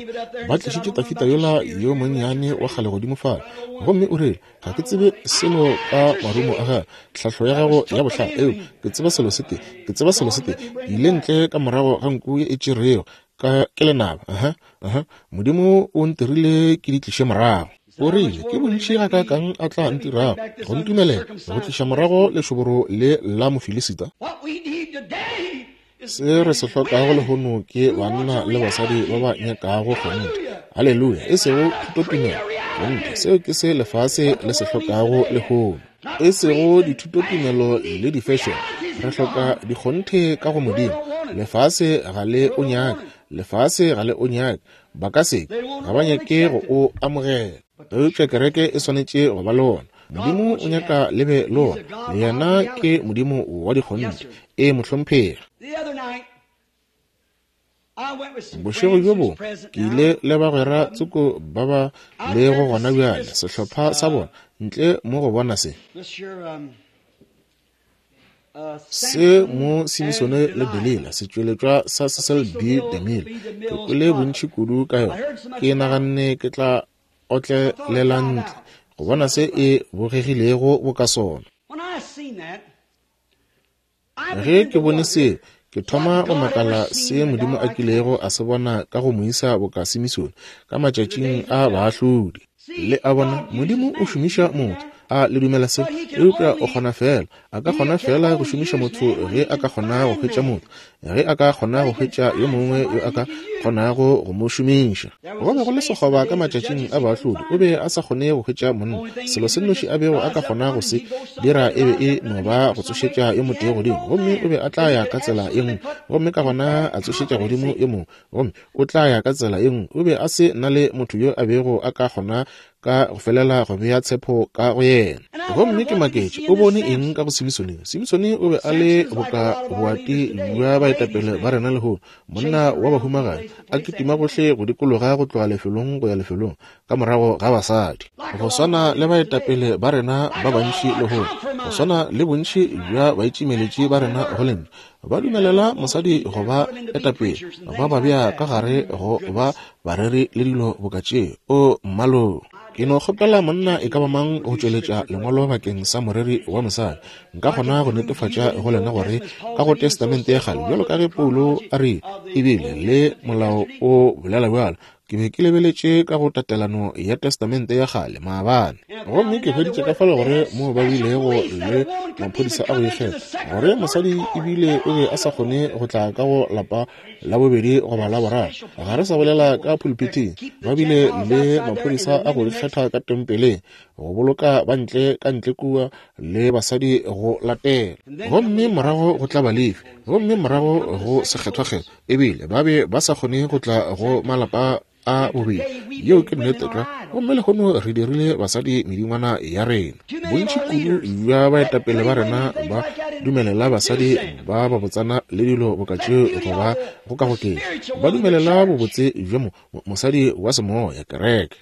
Ba tlišitše Tafita yola yo monnyane wa kgale godimo fale. Gomme o rile, ga ke tsebe selo ka marumo a gagwe, tlhahlo ya gago ya bohlale, eo ke tseba selo se tee, ke tseba selo se tee. Ke ile ntle ka morago ga nku ye e tšerego ka ke lenaba. Aha, aha. Modimo o ntirile ke di tliše morago. O rile, ke bontši ga kakang a tla ntirago go ntumelela go tliša morago lešoboro le la Mofilisita? Se re se hlokago lehono ke banna le basadi ba ba nyakago kgonthe. Haleluya! E sego thutotumelo, kgonthe. Seo ke se lefase le se hlokago lehono. E sego dithutotumelo le di-fashion. Re hloka dikgonthe ka go Modimo. Lefase ga le o nyake. Lefase ga le o nyake. Ba ka se, ga ba nyake go o amogela. Eupša kereke e swanetše go ba le wona. Modimo o nyaka le be le wona. Yena ke Modimo wa dikgonthe. E mohlomphegi. Bošego bjo bongwe ke ile le bagwera tsoko ba ba lego gona bjale, sehlopha sa bona, ntle mo go bona se. Se mo Simisone le Delila, setšweletšwa sa Cecil B. DeMille. Ke kwele bontši kudu ka yona. Ke naganne ke tla otlelela ntle go bona se e bogegilego boka sona. Ge ke bone se, ke thoma go makala se Modimo a kilego a se bona ka go moisa boka Simisone ka matšatšing a baahlodi. Le a bona, Modimo o šomiša motho. A le dumela se? Eupša o kgona fela, a ka kgona fela go šomiša motho ge a ka kgona go hwetša motho, ge a ka kgona go hwetša yo mongwe yo a ka kgonago go mo šomiša. Go be go le sekgoba ka matšatšing a baahlodi, o be a sa kgone go hwetša monna. Selo se nnoši a bego a ka kgona go se dira e be e no ba go tsošetša yo motee godimo, gomme o be a tla ya ka tsela ye nngwe, gomme ka gona a tsošetša godimo yo mongwe, gomme o tla ya ka tsela ye nngwe. O be a se na le motho yo a bego a ka kgona ka go felela go bea tshepo ka go yena. Gomme ke maketše, o bone eng ka go Simsone? Simsone o be a le boka boati bja baetapele ba rena lehono, monna wa bahumagadi, a kitima gohle go dikologa go tloga lefelong go ya lefelong ka morago ga basadi. Go swana le baetapele ba rena ba bantši lehono, go swana le bontši bja baitšimeletši ba rena go lentšu, ba dumelela mosadi go ba etapele, ba ba bea ka gare go ba bareri le dilo boka tšeo. O mmalo, ke no kgopela monna e ka ba mang go tšweletša lengwalo bakeng sa moreri wa mosadi. Nka kgona go netefatša go lena gore ka go Testamente ya kgale, bjalo ka ge Paulo a re, ebile le molao o bolela bjalo. Ke be ke lebeletše ka go tatelano ya Testamente ya kgale maabane, gomme ke hweditše ka fale gore moo ba bilego le maphodisa a go ikgetha, gore mosadi ebile o be a sa kgone go tla ka go lapa la bobedi goba la boraro. Ga re sa bolela ka pulpiting, ba bile le maphodisa a go ikgetha ka tempeleng, go boloka ba ntle ka ntle kua le basadi go latela, gomme morago go tla Balefi, gomme morago go sekgethwakgethwa, ebile ba be ba sa kgone go tla go malapa a bobedi. Yeo ke nnete tlwa. Gomme lehono re dirile basadi medingwana ya rena. Bontši kudu bja baetapele ba rena ba dumelela basadi ba babotsana le dilo boka tšeo go ba gokagoketša. Ba dumelela bobotse bja mo mosadi wa semoya, kereke.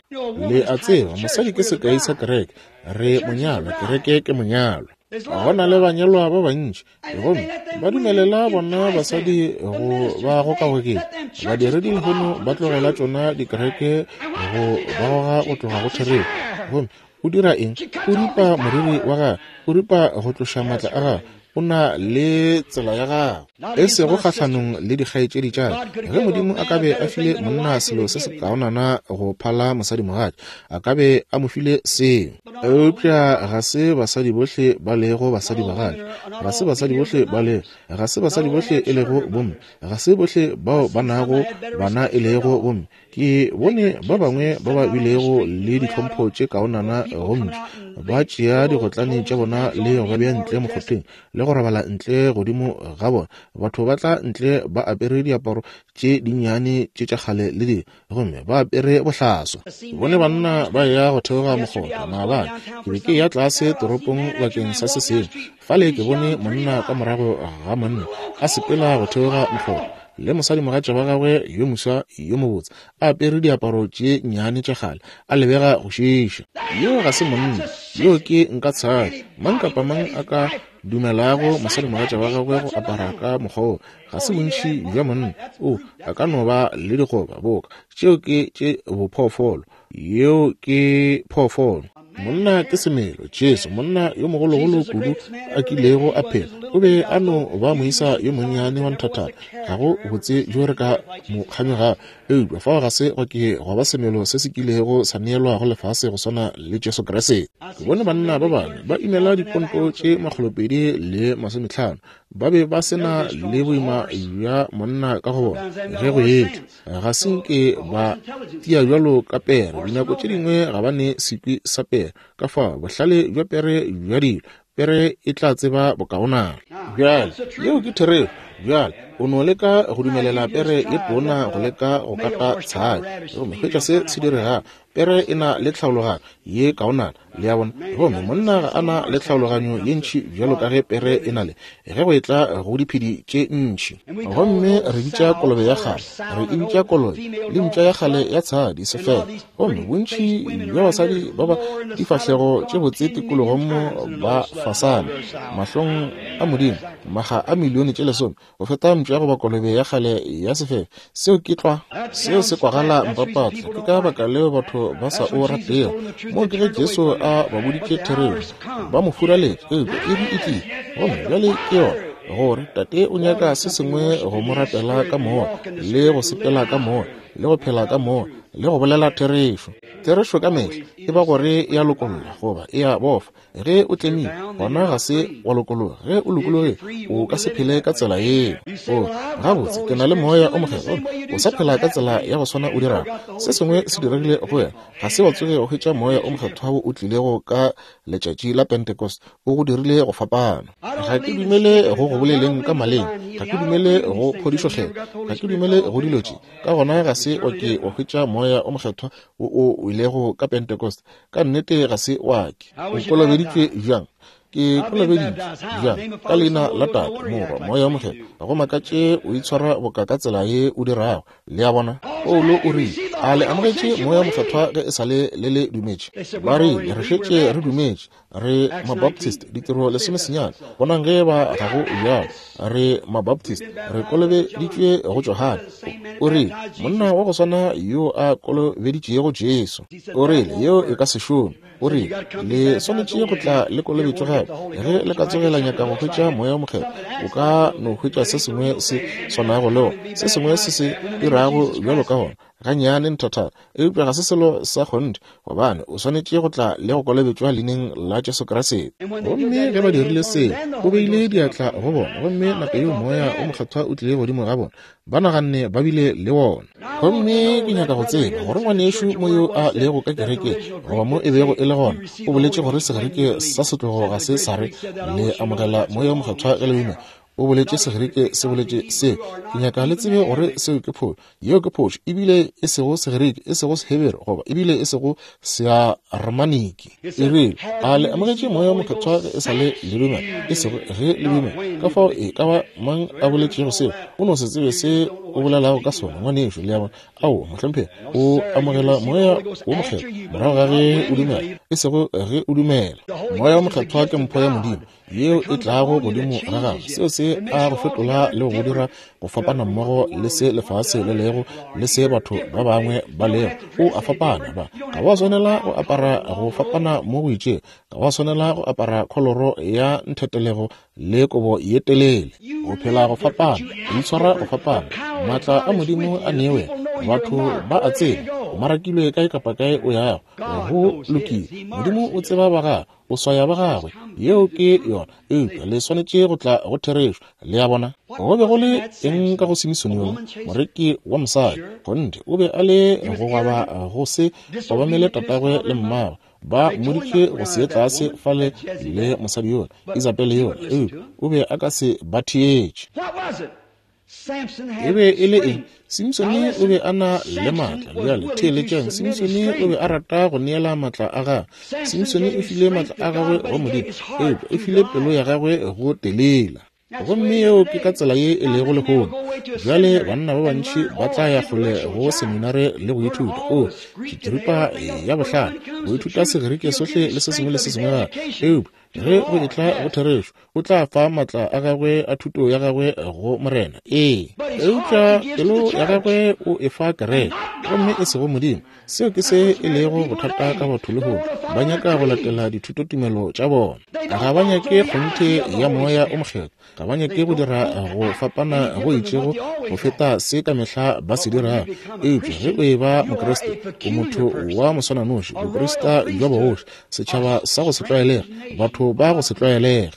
Le a tseba, mosadi ke sekai sa kereke. Re monyalwa, kereke ke monyalwa. Go na le banyalwa ba bantši, gomme ba dumelela bona basadi go ba gokagoketša. Badiredi lehono ba tlogela tšona dikereke go ba goga go tloga go therešo. Gomme o dira eng? O ripa moriri wa gagwe, o ripa go tloša maatla a gagwe. O na le tsela ya gagwe, e sego kgahlanong le dikgaetšedi tša ka. Ge Modimo a ka be a file monna selo se se kaonana go phala mosadimogatša, a ka be a mo file seo. Eupša ga se basadi bohle ba lego basadibagatša, ga se basadi bohle ba lego, ga se basadi bohle e lego bomme, ga se bohle bao ba nago bana e lego bomme. Ke bone ba bangwe ba ba bilego le ditlhompho tše kaonana go ntšu, ba tšea digotlane tša bona le go ba bea ntle mokgotheng le go robala ntle godimo ga bona. Batho ba tla ntle ba apere diaparo tše dinnyane tše tša kgale le dilo, gomme ba apere bohlaswa. Bone banna ba ya go theoga mokgotha maabane. Ke be ke ya tlase toropong bakeng sa se sengwe. Fale ke bone monna ka morago ga monna a sepela go theoga mokgotha le mosadimogatša wa gagwe yo moswa yo mobotse, a apere diaparo tše nnyane tša kgale, a lebega go šiiša. Yo ga se monna, yo ke nka tshadi. Mang kapa mang a ka dumelago mosadimogatša wa gagwe go apara ka mokgwa wo, ga se bontši bja monna. O a ka no ba le digoba boka tšeo ke tše bophoofolo, yeo ke phoofolo. Monna ke semelo. Jesu, monna yo mogologolo kudu a kilego a phela, o be a no ba moisa yo monnyane wa nthathana. Ga go botse bjo re ka mo kganyogago, eupša fao ga se go ke go ba semelo se se kilego sa neelwa go lefase go swana le Jesu Kriste. Ke bone banna ba bangwe ba imela diponto tše makgolopedi le masometlhano, ba be ba se na le boima bja monna ka go bona ge go etla. Ga se nke ba tia bjalo ka pere. Dinako tše dingwe ga ba ne sekwi sa pere. Ka fao bohlale bja pere bja dilo, pere e tla tseba bokaonana. Bjale yeo ke therešo. Bjale o no leka go dumelela pere ye tona go leka go kata tshadi, gomme hwetša se se diregago. Pere e na le tlhaologanyo ye kaonana, le a bona. Gomme monna ga a na le tlhaologanyo ye ntši bjalo ka ge pere e na le, ge go etla go diphedi tše ntši. Gomme re bitša kolobe ya kgale, re e bitša kolobe le mpša ya kgale ya tshadi sefela. Gomme bontši bja basadi ba ba difahlego tše botse tikologong mo ba fasana mahlong a Modimo maga a milione tše lesome go feta mpša goba kolobe ya kgale ya sefela. Seo ke tlwa, seo se kwagala mpapatla. Ke ka baka leo batho ba sa o ratego. Moo ke ge Jesu a ba boditše therešo, ba mo furaletše, eupša iri e tlile, gomme bjale ke yona. Gore Tate o nyaka se sengwe go mo rapela ka moya, le go sepela ka moya, le go phela ka moya, le go bolela therešo. Therešo ka mehla e ba gore e a lokolla goba e a bofa. Ge o tlemile, gona ga se wa lokologa. Ge o lokologile, o ka se phele ka tsela yeo. O gabotse, ke na le moya o mokgethwa, o sa phela ka tsela ya go swana o dirago. Se sengwe se diregile go wena. Ga se wa tsoge go hwetša moya o mokgethwa wo o tlilego ka letšatši la Pentecost, o go dirile go fapana. Ga ke dumele go go boleleng ka maleme, ga ke dumele go phodišokgethwa, ga ke dumele go dilo tše. Ka gona ga se wa ke wa hwetša moya o mokgethwa wo o ilego ka Pentecost. Ka nnete ga se wa ke. O kolobeditšwe bjang? Ke kolobeditšwe bjang? Ka leina la Tate, Morwa, Moya o Mokgethwa. Ga go makatše o itshwara boka ka tsela ye o dirago. Le a bona? Paulo o rile, a le amogetše Moya o Mokgethwa ge e sa le le le dumetše? Ba rile, re šetše re dumetše, re Mabaptist, ditiro lesomesenyane. Bonang ge ba ga go bjalo, re Mabaptist, re kolobeditšwe go Johane. O rile, monna wa go swana yo a kolobeditšego Jesu. O rile, yeo e ka se šome. O rile, le swanetše go tla le kolobetšwe gape. Ge le ka tsogela nyaka go hwetša Moya o Mokgethwa, o ka no hwetša se sengwe se swanago le wona, se sengwe se se dirago bjalo ka wona, gannyane nthathana, eupša ga se selo sa kgonthe, gobane o swanetše go tla le go kolobetšwa leineng la Jesu Kriste. Gomme ge ba dirile seo, o beile diatla go bona, gomme nako yeo Moya o Mokgethwa o tlile godimo ga bona, ba naganne ba bile le wona. Gomme ke nyaka go tseba gore ngwanešu mo yo a lego ka kerekeng, goba mo e bego e le gona, o boletše gore Segerike sa setlogo ga se sa re le amogela Moya o Mokgethwa ge le dumela. O boletše Segerike se boletše seo. Ke nyaka le tsebe gore seo ke phošo. Yeo ke phošo, ebile e sego Segerike, e sego Sehebere, goba ebile e sego Searamaniki. E rile, a le amogetše Moya o Mokgethwa ge e sa le le dumela, e sego ge le dumela. Ka fao e ka ba mang a boletšego seo, o no se tsebe se o bolelago ka sona, ngwanešu. Le a bona? Ao, mohlomphegi, o amogela Moya o Mokgethwa morago ga ge o dumela, e sego ge o dumela. Moya o Mokgethwa ke mpho ya Modimo yeo e tlago godimo ga gago. Seo se a go fetola le go dira go fapana mmogo le se lefase le lego le se batho ba bangwe ba lego. O a fapana. Ba ga wa swanela go apara go fapana mo go itšego, ga wa swanela go apara kholoro ya nthetelego le kobo ye telele. O phela go fapana, o itshwara go fapana. Maatla a Modimo a newe, batho ba a tseba. O marakilwe kae kapa kae o yago, go lokile. Modimo o tseba ba gagwe, o swaya ba gagwe. Yeo ke yona. Eupša le swanetše go tla go therešo. Le a bona? Go be go le eng ka go Simisone yola, moreki wa mosadi? Kgonthe, o be a le go gwaba go se obamele tatagwe le mmagwe. Ba mmoditše go se ye tlase fale le mosadi yola, Isabele yola, eupša o be a ka se ba theetše. E be e le eng? Simsone o be a na le maatla. Bjale theeletšang, Simsone o be a rata go neela maatla a gagwe. Simsone o file maatla a gagwe go Modimo, eupša o file pelo ya gagwe go Telela. Gomme yeo ke ka tsela ye e lego lehono. Bjale banna ba bantši ba tla ya kgole go seminare le go ithuta, o tšhitširipa ya bohlale, go ithuta Segerike sohle le se sengwe le se sengwe gape. Eupša ge go etla go therešo, o tla fa maatla a gagwe a thuto ya gagwe go Morena. Ee, eupša pelo ya gagwe o e fa kereke, gomme e sego Modimo. Seo ke se e lego bothata ka batho lehono. Ba nyaka go latela dithutotumelo tša bona. Ga ba nyake kgonthe ya Moya o Mokgethwa. Ga ba nyake go dira go fapana go itšego go feta se ka mehla ba se dirago. Eupša ge o e ba Mokriste, o motho wa moswananoši, boprista bja bogoši, setšhaba sa go se tlwaelege, batho ba go se tlwaelege.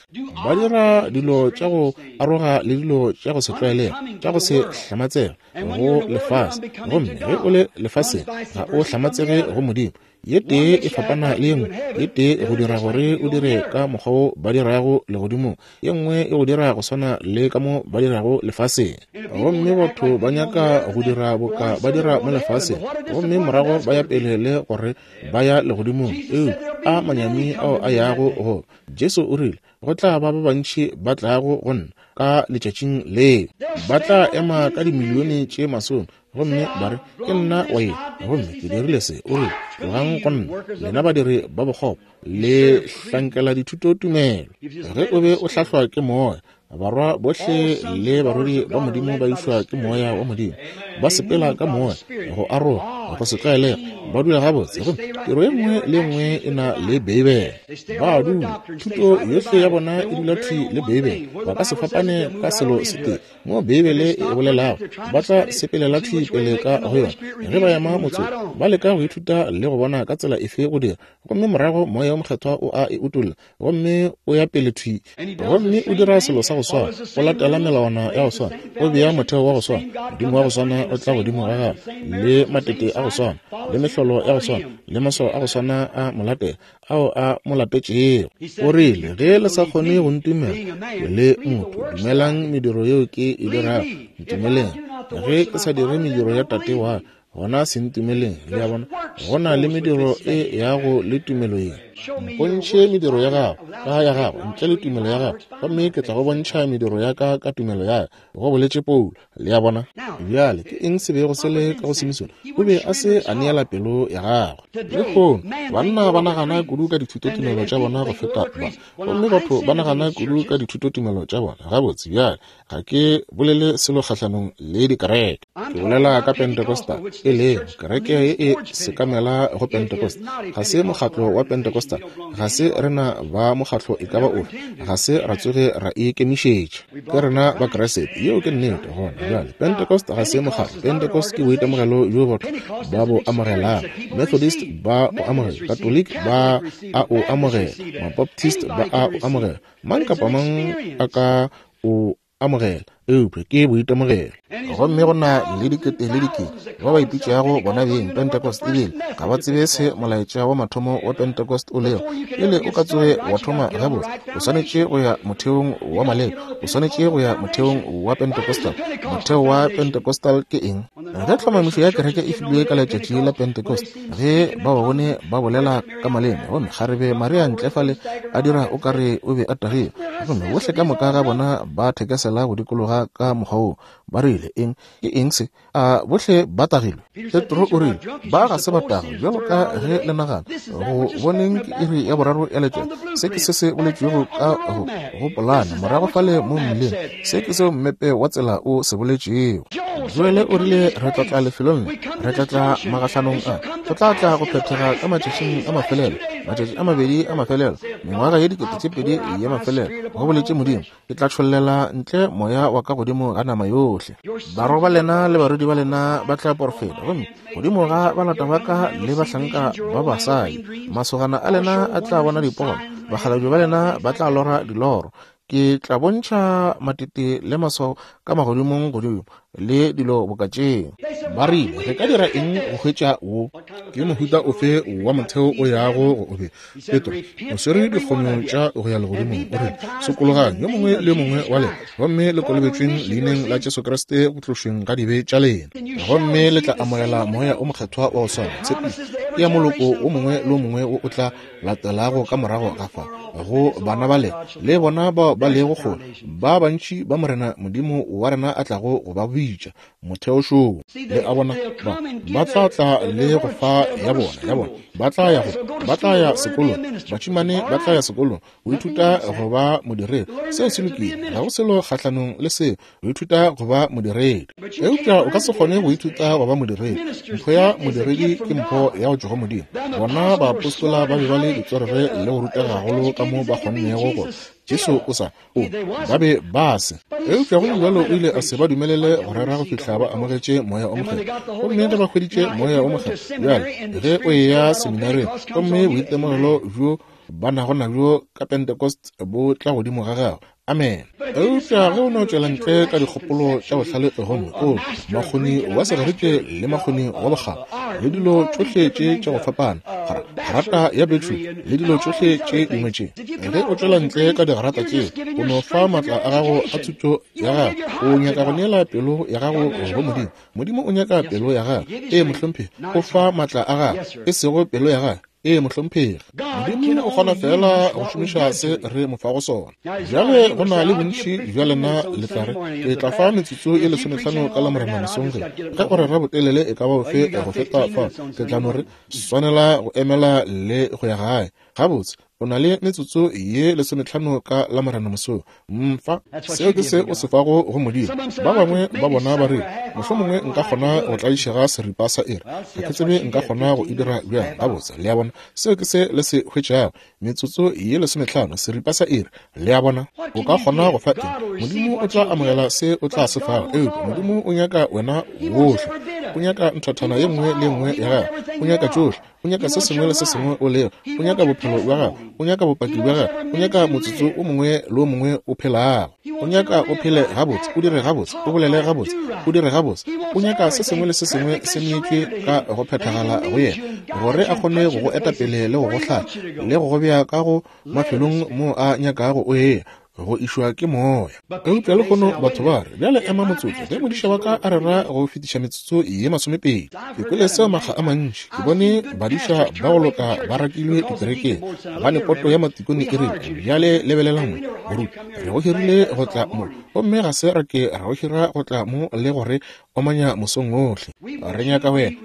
Ba dira dilo tša go aroga le dilo tša go se tlwaelege, tša go se hlamatsege go lefase. Gomme ge o le lefaseng, ga o hlamatsege go Modimo. Ye tee e fapana le ye nngwe, ye tee e go dira gore o dire ka mokgwa wo ba dirago legodimong, ye nngwe e go dira go swana le ka mo ba dirago lefaseng. Gomme batho ba nyaka go dira boka ba dira mo lefaseng, gomme morago ba ya pele le gore ba ya legodimong. Eupša a manyami ao a yago go Jesu o rile, go tla ba ba bantši ba tlago go nna ka letšatšing leo, ba tla ema ka dimilione tše masome, gomme ba re, ke nna wa ye, gomme ke dirile se. O rile, tlogang go nna, lena badiri ba bokgopo, le hlankela dithutotumelo. Ge o be o hlahlwa ke moya, barwa bohle le barwedi ba Modimo ba išwa ke moya wa Modimo, ba sepela ka moya go aroga. Go se tlwaelege, ba dula gabotse, gomme tiro ye nngwe le ye nngwe e na le Beibele. Ba dula, thuto yohle ya bona e dula thwi le Beibele. Ba ka se fapane ka selo se tee mo Beibele e bolelago, ba tla sepelela thwi pele ka go yona. Ge ba ema motsotso, ba leka go ithuta le go bona ka tsela efe go dira, gomme morago Moya o Mokgethwa o a e utolla, gomme o ya pele thwi, gomme o dira selo sa go swana, o latela melawana ya go swana, o bea motheo wa go swana, Modimo wa go swana o tla godimo ga gagwe, le matete a go swana, le mehlolo ya go swana, le maswao a go swana a molatela ao a mo latetšego. O rile, ge le sa kgone go ntumela ke le motho, dumelang mediro yeo ke e dirago, ntumeleng. Ge ke sa dire mediro ya Tate wa ka, gona se ntumeleng. Le a bona, go na le mediro e yago le tumelo ye. Mpontšhe mediro ya gago ka ya gago ntle le tumelo ya gago, gomme ke tla go bontšha mediro ya ka ka tumelo ya ka, go boletše Paulo. Le a bona? Bjale ke eng se bego se le ka go Simisone? O be a se a neela pelo ya gagwe. Lehono banna ba nagana kudu ka dithutotumelo tša bona go feta ba, gomme batho ba nagana kudu ka dithutotumelo tša bona. Gabotse, bjale ga ke bolele selo kgahlanong le dikereke, ke bolela ka Pentecostal, e lego kereke ye e sekamela go Pentecost. Ga se mokgatlo wa Pentecostal, ga se rena ba mokgatlo e ka ba ofe, ga se ra tsoge ra ikemišetša, ke rena ba Kriste. Yeo ke nnete. Gona bjale, Pentecost ga se mokgatlo. Pentecost ke boitemogelo bjo batho ba bo amogelago. Methodist ba o amogela, Catholic ba a o amogela, Mabaptist ba a o amogela, mang kapa mang a ka o amogela, eupša ke boitemogelo. Gomme go na le dikete le dikete ba ba ipitšago bona beng Pentecost, ebile ga ba tsebe se molaetša wa mathomo wa Pentecost o lego. Pele o ka tsoge wa thoma gabotse, o swanetše go ya motheong wa maleba, o swanetše go ya motheong wa Pentecostal. Motheo wa Pentecostal ke eng? Ge tlhomamišo ya kereke e filwe ka letšatši la Pentecost, ge ba ba bone ba bolela ka maleme, gomme kgarebe Maria ntle fale a dira o ka re o be a tagile, gomme bohle ka moka ga bona ba thekesela go dikologa ka mokgwa wo, ba rile, eng ke eng se? A bohle ba tagilwe? Petro o rile, ba ga se ba tagwe bjalo ka ge le nagana. Go boneng ke iri ya boraro ya letšatši. Se ke se se boletšwego ka go go polana morago fale mo mmileng. Se ke seo mmepe wa tsela o se boletšego. Joele o rile, re tla tla lefelong le, re tla tla magahlanong a, go tla tla go phethega ka matšatšing a mafelelo, matšatši a mabedi a mafelelo, mengwaga ye dikete tše pedi ya mafelelo, go boletše Modimo, ke tla tšhollela ntle moya wa ka godimo ga nama yohle. Barwa ba lena le barwedi ba lena ba tla porofeta, gomme godimo ga balata ba ka le bahlanka ba basadi, masogana a lena a tla bona dipono, bakgalabje ba lena ba tla lora diloro. Ke tla bontšha matete le maswao ka magodimong godimo le dilo boka tšeo. Ba rile, re ka dira eng go hwetša wo? Ke mohuta ofe wa motheo o yago go o be? Petro o swere dikgonyo tša go ya legodimong. O rile, sokologang yo mongwe le yo mongwe wa lena, gomme le kolobetšweng leineng la Jesu Kriste go tlošweng ga dibe tša lena, gomme le tla amogela Moya o Mokgethwa wa go swana. Tshepišo ke ya moloko o mongwe le o mongwe wo o tla latelago ka morago ga fa, go bana ba lena le bona bao ba lego kgole, ba bantši ba Morena Modimo wa rena a tlago go ba bitša. Motheo šoo, le a bona, ba ba tla tla le go fa ya bona ya bona, ba tla ya go ba tla ya sekolong, batšimane ba tla ya sekolong go ithuta go ba modiredi. Seo se lokile, ga go selo kgahlanong le seo, go ithuta go ba modiredi. Eupša o ka se kgone go ithuta go ba modiredi. Mpho ya modiredi ke mpho ya go tšwa go Modimo. Bona baapostola ba be ba le ditswerere le go rutega gagolo ka mo ba kgonnego go Jesu o sa o ba be ba se. Eupša go le bjalo o ile a se ba dumelele go rera go fihla ba amogetše Moya o Mokgethwa. Gomme ge ba hweditše Moya o Mokgethwa, bjale ge o eya seminareng, gomme boitemogelo bjo ba nago nabjo ka Pentecost bo tla godimo ga gago. Amen. Eupša ge o no tšwela ntle ka dikgopolo tša bohlale gomme o makgoni wa segerike le makgoni wa bokgabo le dilo tšohle tše tša go fapana, grata ya betšo le dilo tšohle tše dingwe tše, ge o tšwela ntle ka digrata tšeo, o no fa maatla a gago a thuto ya gago. O nyaka go neela pelo ya gago go Modimo. Modimo o nyaka pelo ya gago. Ee, mohlomphegi, o fa maatla a gago, e sego pelo ya gago. Ee, mohlomphegi, Modimo o kgona fela go šomiša se re mo fago sona. Bjale go na le bontši bja lena le tla re, ke tla fa metsotso e lesomehlano ka Lamorena mesong. Ge ge o rera botelele e ka ba bofe go feta fa, ke tla no re swanela go emela le go ya gae. Gabotse, O na le metsotso ye lesometlhano ka Lamorena mosong. Mfa seo ke se o se fago go Modimo. Ba bangwe ba bona ba re, mohlomongwe nka kgona go tlaišega seripa sa iri. Ga ke tsebe nka kgona go e dira bjang. Gabotse, le a bona, seo ke se le se hwetšago. Metsotso ye lesometlhano, seripa sa iri. Le a bona, o ka kgona go fa eng? Modimo o tla amogela se o tla se fago. Eupša Modimo o nyaka wena wohle. O nyaka nthathana ye nngwe le nngwe ya gago. O nyaka tšohle. O nyaka se sengwe le se sengwe o lego. O nyaka bophelo bja gago. O nyaka bopaki bja gago. O nyaka motsotso o mongwe le o mongwe o phelago. O nyaka o phele gabotse, o dire gabotse, o bolele gabotse, o dire gabotse. O nyaka se sengwe le se sengwe se neetšwe ka go phethagala go yena, gore a kgone go go etapele le go go hlahla le go go bea ka go mafelong mo a nyakago o eya, go išwa ke moya. Eupša lehono batho ba re, bjale ema motsotso, ge modiša wa ka a rera go fetiša metsotso ye masomepedi. Ke kwele seo makga a mantši. Ke bone badiša ba go loka ba rakilwe dikerekeng gobane poto ya matikone e rile, bjale lebelelang mo, moruti, re go hirile go tla mo, gomme ga se ra ke ra go hira go tla mo le gore omanya mosong ohle. Re nyaka wena.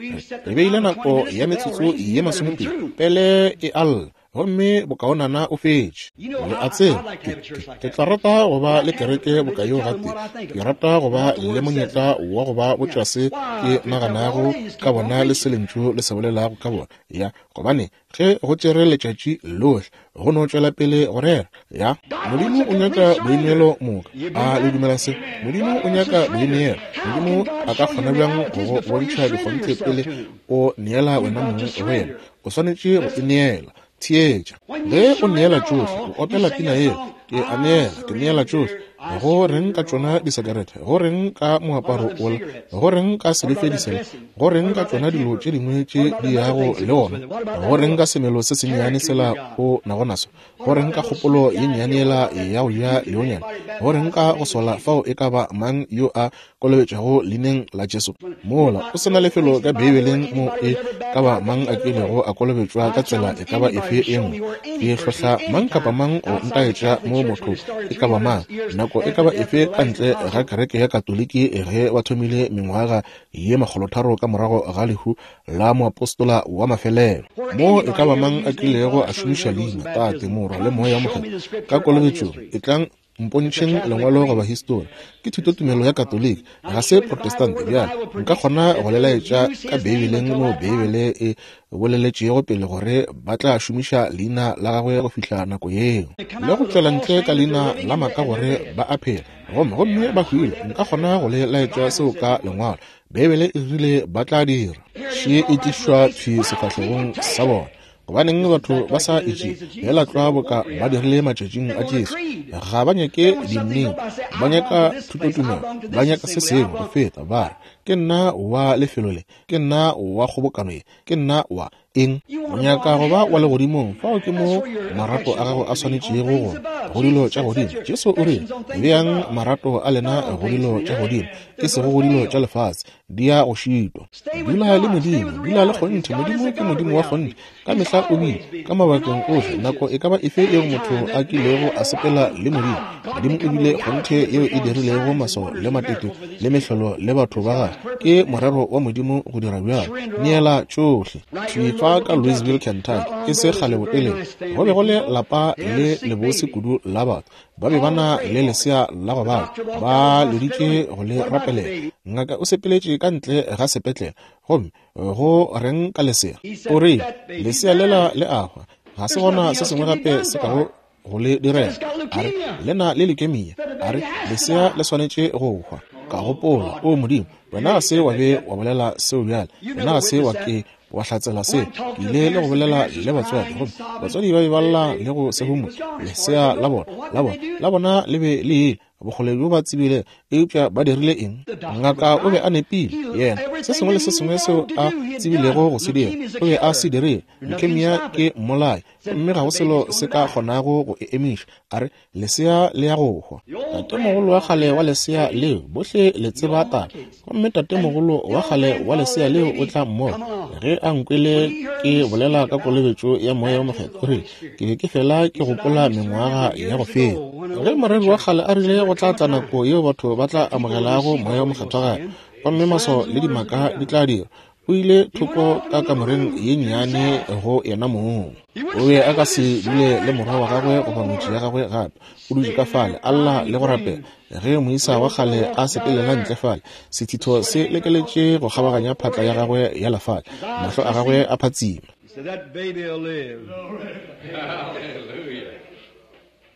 Re beile nako ya metsotso ye masomepedi pele e alla, gomme bokaonana o fetše. Le a tseba, ke, ke, ke tla rata go ba le kereke boka yeo gape. Ke rata go ba le monyetla wa go ba botša se ke naganago ka bona le se lentšu le se bolelago ka bona. Ya, gobane ge go tšere letšatši lohle go no tšwela pele go rera. Ya, Modimo o nyaka boineelo moka. A le dumela se? Modimo o nyaka boineelo. Modimo a ka kgona bjang go go bontšha dikgonthe pele o neela wena mong go yena? O swanetše go ineela. Theetša. Ge o neela tšohle, o opela pina yeo, ke a neela, ke neela tšohle. Go reng ka tšona disekerete? Go reng ka moaparo ola? Go reng ka sebefedi sela? Go reng ka tšona dilo tše dingwe tše di yago le ona? Go reng ka semelo se sennyane sela o nago naso? Go reng ka kgopolo ye nnyane yela ya go ja leonyana? Go reng ka go sola fao e ka ba mang yo a kolobetšwago leineng la Jesu? Mola o sena lefelo ka Beibeleng mo e ka ba mang a kilego a kolobetšwa ka tsela e ka ba efe e nngwe. Ke hlohla mang kapa mang go ntaetša mo motho e ka ba mang nako e ka ba efe ka ntle ga kereke ya Katoliki ge ba thomile mengwaga ye makgolotharo ka morago ga lehu la moapostola wa mafelelo, mo e ka ba mang a kilego a šomiša leina Tate, Morwa le Moya Mokgethwa ka kolobetšong. E tlang mpontšheng lengwalo goba histori. Ke thutotumelo ya Katoliki, ga se Protestant. Bjale nka kgona go le laetša ka Beibeleng mo Beibele e boleletšego pele gore ba tla šomiša leina la gagwe go fihla nako yeo, le go tšwela ntle ka leina la maaka gore ba a phela gomme gomme ba hwile. Nka kgona go le laetša seo ka lengwalo. Beibele e rile ba tla dira. Še e tlišwa thwi sefahlegong sa bona. Gobaneng batho ba sa itše fela tlwa boka ba dirile matšatšing a Jesu? Ga ba nyake dinnete, ba nyaka thutotumelo, ba nyaka se sengwe go feta. Ba re, ke nna wa lefelo le, ke nna wa kgobokano ye, ke nna wa eng. O nyaka go ba wa legodimong, fao ke mo marato a gago a swanetšego go go dilo tša godimo. Jesu o rile, beang marato a lena go dilo tša godimo, e sego go dilo tša lefase, di ya go šitwa. Dula le Modimo, dula le kgonthe. Modimo ke Modimo wa kgonthe, ka mehla o bile, ka mabakeng ohle, nako e ka ba efe yeo motho a kilego a sepela le Modimo. Modimo o bile kgonthe yeo e dirilego maswao le matete le mehlolo le batho ba gagwe. Ke morero wa Modimo go dira bjalo. Neela tšohle. Thwi fa ka Louisville, Kentucky, e se kgale botelele, go be go le lapa le lebose kudu la batho. Ba be ba na le lesea la go bala, ba leditše go le rapelela. Ngaka o sepeletše ka ntle ga sepetlele, gomme go reng ka lesea? O rile, lesea lela le a hwa, ga se gona se sengwe gape se kago go le direla. A re, le na le leukemia. A re, lesea le swanetše go hwa. Ka gopola, o Modimo, wena ga se wa be wa bolela seo bjale, wena ga se wa ke wa hlatsela se. Ke ile le go bolela le batswadi, gomme batswadi ba be ba lla le go se humo. Lesea la bona, la bona, la bona le be le ile bokgole bjo ba tsebile, eupša ba dirile eng? Ngaka o be a nepile. Yena, se sengwe le se sengwe seo a tsebilego go se dira, o be a se dirile. Leukemia ke mmolai, gomme ga go selo se ka kgonago go e emiša. A re, lesea le ya go hwa. Tatemogolo wa kgale wa lesea leo, bohle le tseba taba, gomme tatemogolo wa kgale wa lesea leo o tla mmona ge a nkwele ke bolela ka kolobetšo ya Moya o Mokgethwa. O rile, ke be ke fela ke gopola mengwaga ya go feta ge moreri wa kgale a rile go tla tla nako yeo batho ba tla amogelago Moya o Mokgethwa gape, gomme maswao le dimaka di tla dirwa. O ile thoko ka kamoreng ye nnyane go yena mong. O be a ka se dule le morwa wa gagwe goba ngwetši ya gagwe gape. O dutše ka fale, a lla le go rapela. Ge moisa wa kgale a sepelela ntle fale, sethitho se lekeletše go kgabaganya phatla ya gagwe ya lefale, mahlo a gagwe a phatsima.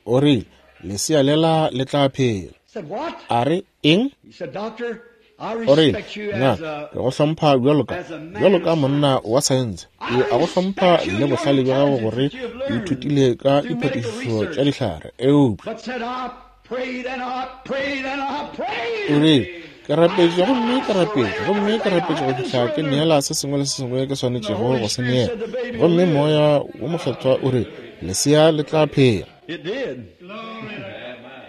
O rile, lesea lela le tla phela. A re, eng? O rile, ngaka, ke go hlompha bjalo ka bjalo ka monna wa saense. Ke a go hlompha le bohlale bja gago gore o ithutile ka diphatišišo tša dihlare. Eupša o rile, ke rapetše gomme ke rapetše gomme ke rapetše go fihla ke neela se sengwe le se sengwe ke swanetšego go se neela. Gomme Moya wo Mokgethwa o re, lesea le tla phela.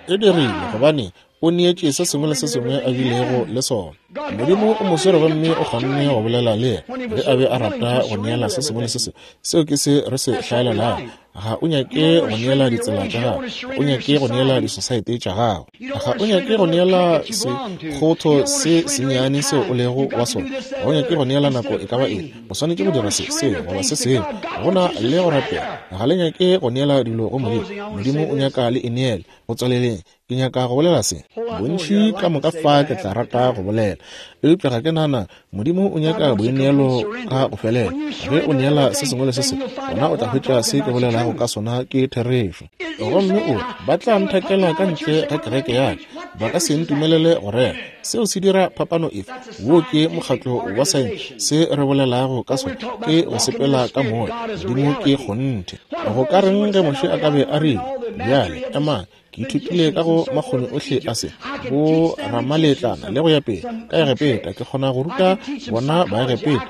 E dirile gobane o neetše se sengwe le se sengwe a bilego le sona. Modimo o mo swere gomme o kgonne go bolela le yena ge a be a rata go neela se sengwe le se sengwe. Seo ke se re se hlaelelago. Ga o nyake go neela ditsela tša gago, o nyake go neela disosaete tša gago, ga o nyake go neela sekgotho se sennyane seo o lego wa sona, ga o nyake go neela nako e ka ba eng. O swanetše go dira se seo goba se sengwe. Go na le go rapela. Ga le nyake go neela dilo go Modimo. Modimo o nyaka le e neele. Go tswaleleng, ke nyaka go bolela se. Bontši ka moka fa ke tla rata go bolela, eupša ga ke nana Modimo o nyaka boineelo ka go felela. Ge o neela se sengwe le se sengwe, gona o tla hwetša se ke bolelago ka sona ke therešo. Gomme o ba tla nthakela ka ntle ga kereke ya ka, ba ka se ntumelele go rera. Seo se dira phapano efe? Wo ke mokgatlo wa saense. Se re bolelago ka sona ke go sepela ka moya. Modimo ke kgonthe. Go ka reng ge Moshe a ka be a rile, bjale emang, ke ithutile ka go makgoni ohle a se bo ramaletlana le go ya pele ka Egepeta, ke kgona go ruta bona Baegepeta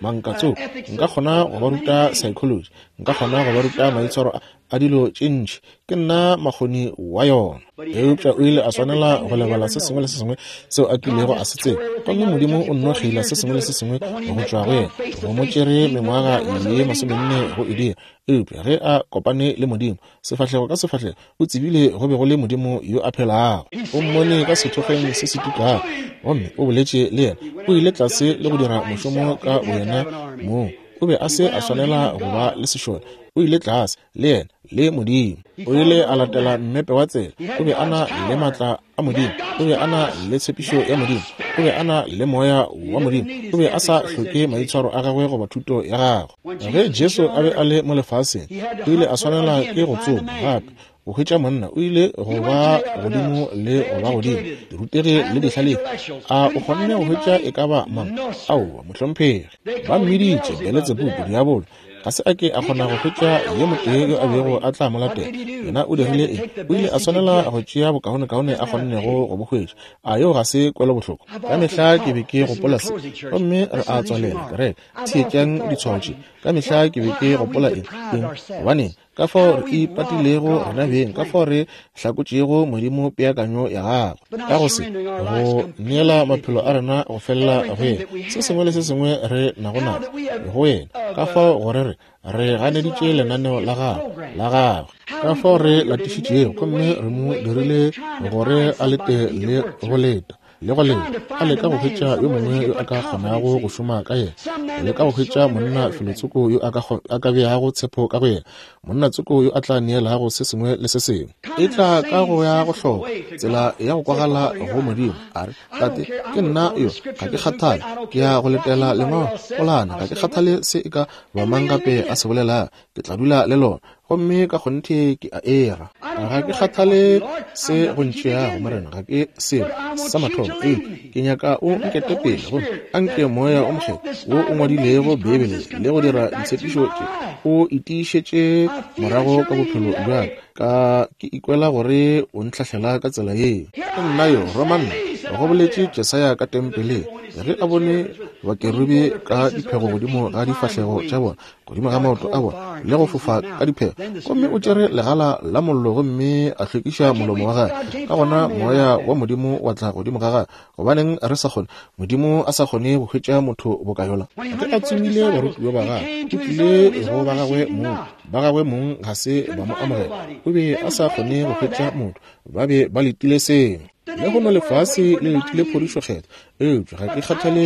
mankatsoko, nka kgona go ba ruta psychology, nka kgona go ba ruta maitshwaro a dilo tše ntši, ke nna makgoni wa yona. Eupša o ile a swanela go lebala se sengwe le se sengwe seo a kilego a se tseba, gomme Modimo o nno kgeila se sengwe le se sengwe go tšwa go yena. Go mo tšere mengwaga ye masomenne go e dira. Eupša ge a kopane le Modimo sefahlego ka sefahlego, o tsebile go be go le Modimo yo a phelago. O mmone ka sethokgweng se se tukago, gomme o boletše le yena. O ile tlase le go dira mošomo ka boyena mong. O be a se a swanela go ba le sešole. O ile tlase le yena le Modimo. O ile a latela mmepe wa tsela. O be a na le matla a Modimo, o be a na le tshepišo ya Modimo, o be a na le moya wa Modimo. O be a sa hloke maitshwaro a gagwe goba thuto ya gagwe. Ge Jesu a be a le mo lefaseng, o ile a swanela ke go tsoma gape go hwetša monna. O ile go ba godimo le go ba godimo, dirutegi le dihlalefi. A o kgonne go hwetša e ka ba mang? Aowa, mohlomphegi. Ba mmiditše Beletsebubu, diabolo. Ga se a ke a kgona go hwetša yo motee yo a bego a tla mo latela. Yena o dirile eng? O ile a swanela go tšea bokaonekaone a kgonnego go bo hwetša. A yo ga se kwelobohloko? Ka mehla ke be ke gopola se, gomme re a tswalela kereke. Theetšang ditshwao tše. Ka mehla ke be ke gopola eng? Eng? Gobaneng? Ka fao re ipatilego rena beng, ka fao re hlakotšego Modimo peakanyo ya gagwe ka go se go neela maphelo a rena go felela go yena, se sengwe le se sengwe re nago nago go yena, ka fao gore re re ganeditše lenaneo la gagwe la gagwe, ka fao re latišitšego gomme re mo dirile gore a lete le go leta le go leta, a leka go hwetša yo mongwe yo a ka kgonago go šoma ka yena, go leka go hwetša monna felotsoko yo a ka beago tshepo ka go yena, monna tsoko yo a tla neelago se sengwe le se sengwe. E tla ka go ya go hloka tsela ya go kwagala go Modimo. A re, Tate, ke nna yo, ga ke kgathale, ke ya go letela lengwalo polana, ga ke kgathale se e ka ba mang gape a se bolelago, ke tla dula le lona, gomme ka kgonthe ke a era. Ga ke kgathale se go ntšeago, Morena, ga ke selo sa mathomo. Ee, ke nyaka o nkete pele, gomme a nke Moya o Mokgethwa wo o ngwadilego Beibele le go dira ditshepišo tše o itiišetše morago ka bophelo bja ka. Ke ikwela gore o ntlhahlela ka tsela ye. Ke nna yo, roma nna, go boletše Jesaya ka tempeleng, ge a bone bakerubi ka diphego godimo ga difahlego tša bona, godimo ga maoto a bona, le go fofa ka diphego. Gomme o tšere legala la mollo gomme a hlwekiša molomo wa gagwe. Ka gona moya wa Modimo wa tla godimo ga gagwe. Gobaneng re sa kgone, Modimo a sa kgone go hwetša motho boka yola? Ge a tsomile barutiwa ba gagwe, o tlile go ba gagwe mong, ba gagwe mong ga se ba mo amogela. O be a sa kgone go hwetša motho, ba be ba letile sengwe. Lehono lefase le letile phodišo kgethwa, eupša ga ke kgathale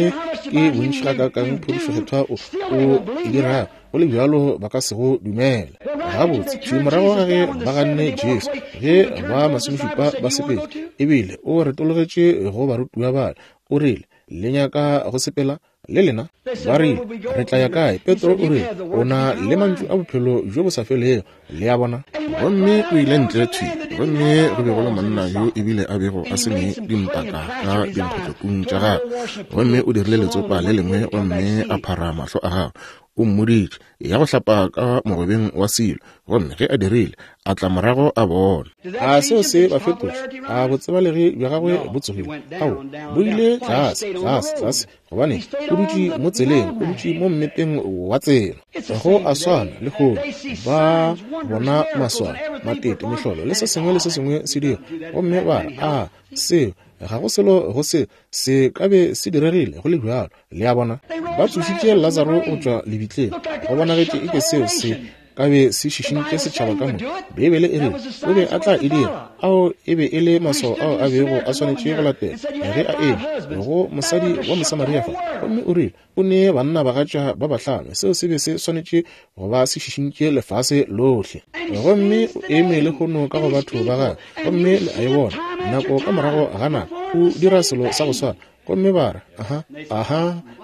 ke bontši gakaakang phodišo kgethwa o o e dirago, go le bjalo ba ka se go dumela. Gabotse, thwi morago ga ge ba ganne Jesu, ge ba masomešupa ba sepetše, ebile o retologetše go barutiwa bale, o rile, le nyaka go sepela le lena? Ba rile, re tla ya kae? Petro o rile, o na le mantšu a bophelo bjo bo sa felego. Le a bona? Gomme o ile ntle thwi, gomme go be go le monna yo ebile a bego a se ne dimpaka ka dinkgotlopung tša gagwe, gomme o dirile letsopa le lengwe gomme a phara mahlo a gagwe. O mmoditše ya go hlapa ka mogobeng wa silo, gomme ge a dirile, a tla morago a bona. A seo se ba fetotše? A botsebalegi bja gagwe bo tsogile? Ao, bo ile tlase, tlase, tlase, gobane o dutše mo tseleng, o dutše mo mmepeng wa tsela. Go a swana lehono, ba bona maswao, matete, mehlolo le se sengwe le se sengwe se dira, gomme ba re, a seo ga go selo go se se ka be se diregile go le bjalo. Le a bona? Ba tsošitše Lazaro go tšwa lebitleng, go bonagetše eke seo se ka be se šišintše setšhaba ka moka. Beibele e rile o be a tla e dira. Ao e be e le maswao ao a bego a swanetše go latela ge a eme go mosadi wa Mosamaria fa, gomme o rile o ne banna bagatša ba bahlano. Seo se be se swanetše go ba se šišintše lefase lohle. Gomme o eme lehono ka go batho ba gagwe, gomme le a e bona nako ka morago ga nako o dira selo sa go swana. Gomme ba re, aha, aha,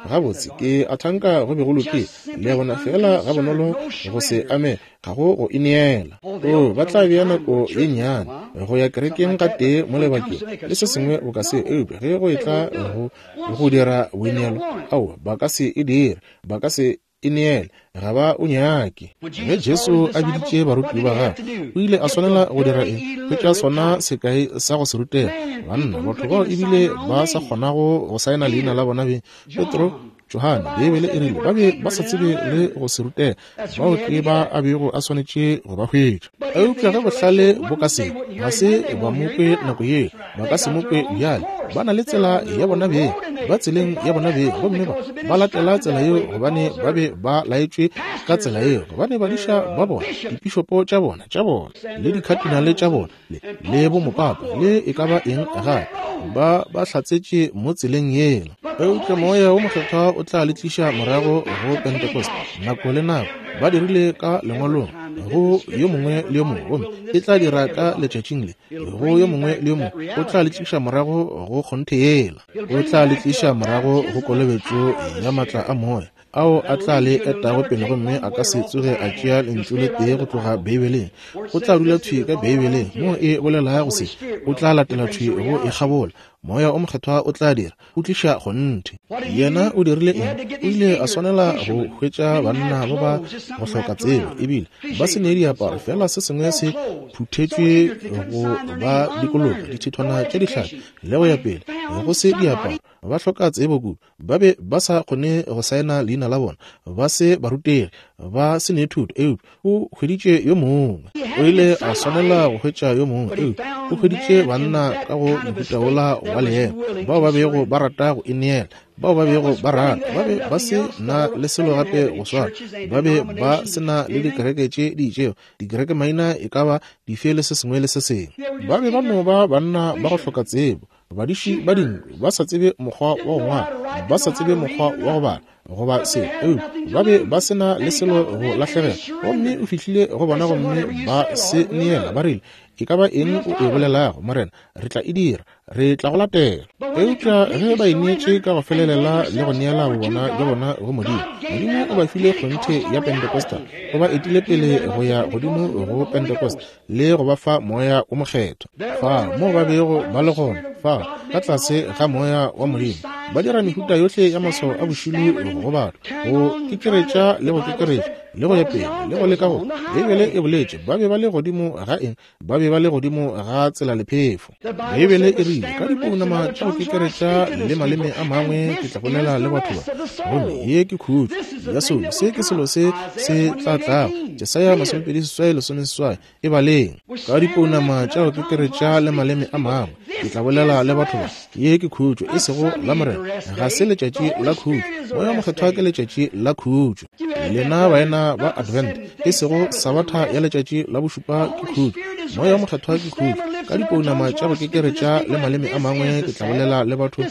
gabotse, ke a thanka go be go lokile. Le a bona, fela ga bonolo go se ame ga go go ineela. O ba tla bea nako ye nnyane go ya kerekeng gatee mo lebakeng le se sengwe boka seo, eupša ge go etla go go dira boineelo, ao ba ka se e dire, ba ka se ineele, ga ba o nyake. Ge Jesu a biditše barutiwa ba gagwe, o ile a swanela go dira eng? Hwetša sona sekai sa go se rutega. Banna, batho bao ebile ba sa kgonago go saena leina la bona beng, Petro, Johane, Beibele e rile ba be ba sa tsebe le go se rutega, bao ke ba a bego a swanetše go ba hwetša. Eupša ge bohlale bo ka se, ga se ba mo kwe nako yeo, ba ka se mo kwe bjale. Ba na le tsela ya bona beng, ba tseleng ya bona beng, gomme ba ba latela tsela yeo gobane ba be ba laetšwe ka tsela yeo, gobane badiša ba bona, dipišopo tša bona, tša bona, le dikhatinale tša bona, le, le bomopapa, le e ka ba eng gape, ba ba hlatsetše mo tseleng yela. Eupša Moya wo Mokgethwa o tla le tliša morago go Pentecost nako le nako. Ba dirile ka lengwalong go yo mongwe le yo mongwe, gomme e tla dira ka letšatšing le go yo mongwe le yo mongwe. O tla le tliša morago go kgonthe yela, o tla le tliša morago go kolobetšo ya matla a moya ao a tla le etago pele, gomme a ka se tsoge a tšea lentšu le tee go tloga Beibeleng. O tla dula thwi ka Beibeleng mo e bolelago se, o tla latela thwi go e kgabola. Moya o Mokgethwa o tla dira, o tliša kgonthe. Yena o dirile eng? O ile a swanela go hwetša banna ba ba go hloka tsebo, ebile ba se ne diaparo, fela se sengwe se phuthetšwe go ba dikologa, dithithwana tša dihlapi le go ya pele, go se diaparo, ba hloka tsebo kudu, ba be ba sa kgone go saena leina la bona, ba se barutegi, ba se ne thuto. Eupša o hweditše yo mongwe, o ile a swanela go hwetša yo mongwe, eupša o hweditše banna ka go mohuta wola wa leemo, bao ba bego ba rata go ineela, bao ba bego ba rata, ba be ba se na le selo gape go swana, ba be ba se na le dikereke tše di itšego, dikereke maina e ka ba dife le se sengwe le se sengwe. Ba be ba no ba banna ba go hloka tsebo, badiši ba dinku, ba sa tsebe mokgwa wa go ngwala, ba sa tsebe mokgwa wa go bala goba se, eupša ba be ba se na le selo go lahlegela. Gomme o fihlile go bona gomme ba se neela, ba rile, e ka ba eng o e bolelago, Morena, re tla e dira, re tla go latela. Eupša ge ba ineetše ka go felelela le go neela bobona bja bona go Modimo, Modimo o ba file kgonthe ya Pentecostal, o ba etile pele go ya godimo go Pentecost le go ba fa Moya o Mokgethwa. Fa mo ba bego ba le gona, fa ka tlase ga Moya wa Modimo, ba dira mehuta yohle ya maswao a bošilo go batho, go kekeretša le go kekeretša le go ya pele le go leka go. Beibele e boletše ba be ba le godimo ga eng? Ba be ba le godimo ga tsela lephefo. Beibele e rile ka dipounama tša go kekeretša le maleme a mangwe ke tla bolela le batho ba, gomme ye ke khutšo ya soulo. Se ke selo se se tla tlago. Jesaya masomepedi seswai lesome seswai e baleng. Ka dipounama tša go kekeretša le maleme a mangwe ke tla bolela le batho ba, ye ke khutšo, e sego la Morena. Ga se letšatši la khutšo. Moya Mokgethwa ke letšatši la khutšo. Lena baena ba Advent, e sego sabatha ya letšatši la bošupa ke khutšo. Moya Mokgethwa ke khutšo. Ka dipounama tša go kekeretša le maleme a mangwe ke tla bolela le batho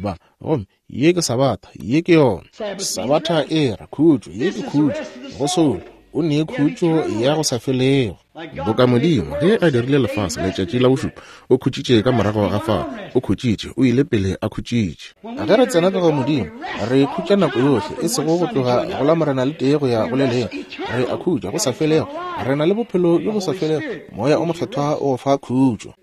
ba. Gomme ye ke Sabatha, ye ke yona. Sabatha e ra khutšo, ye ke khutšo go soulo. O nee khutšo ya go sa felego. Boka Modimo ge a dirile lefase letšatši la bošupa, o khutšitše ka morago ga fao, o khutšitše, o ile pele a khutšitše. Ge re tsena ka go Modimo, re khutša nako yohle, e sego go tloga go la Morena le tee go ya go le lengwe. Re a khutša go sa felego, re na le bophelo bjo bo sa felego, Moya o Mokgethwa o fa khutšo.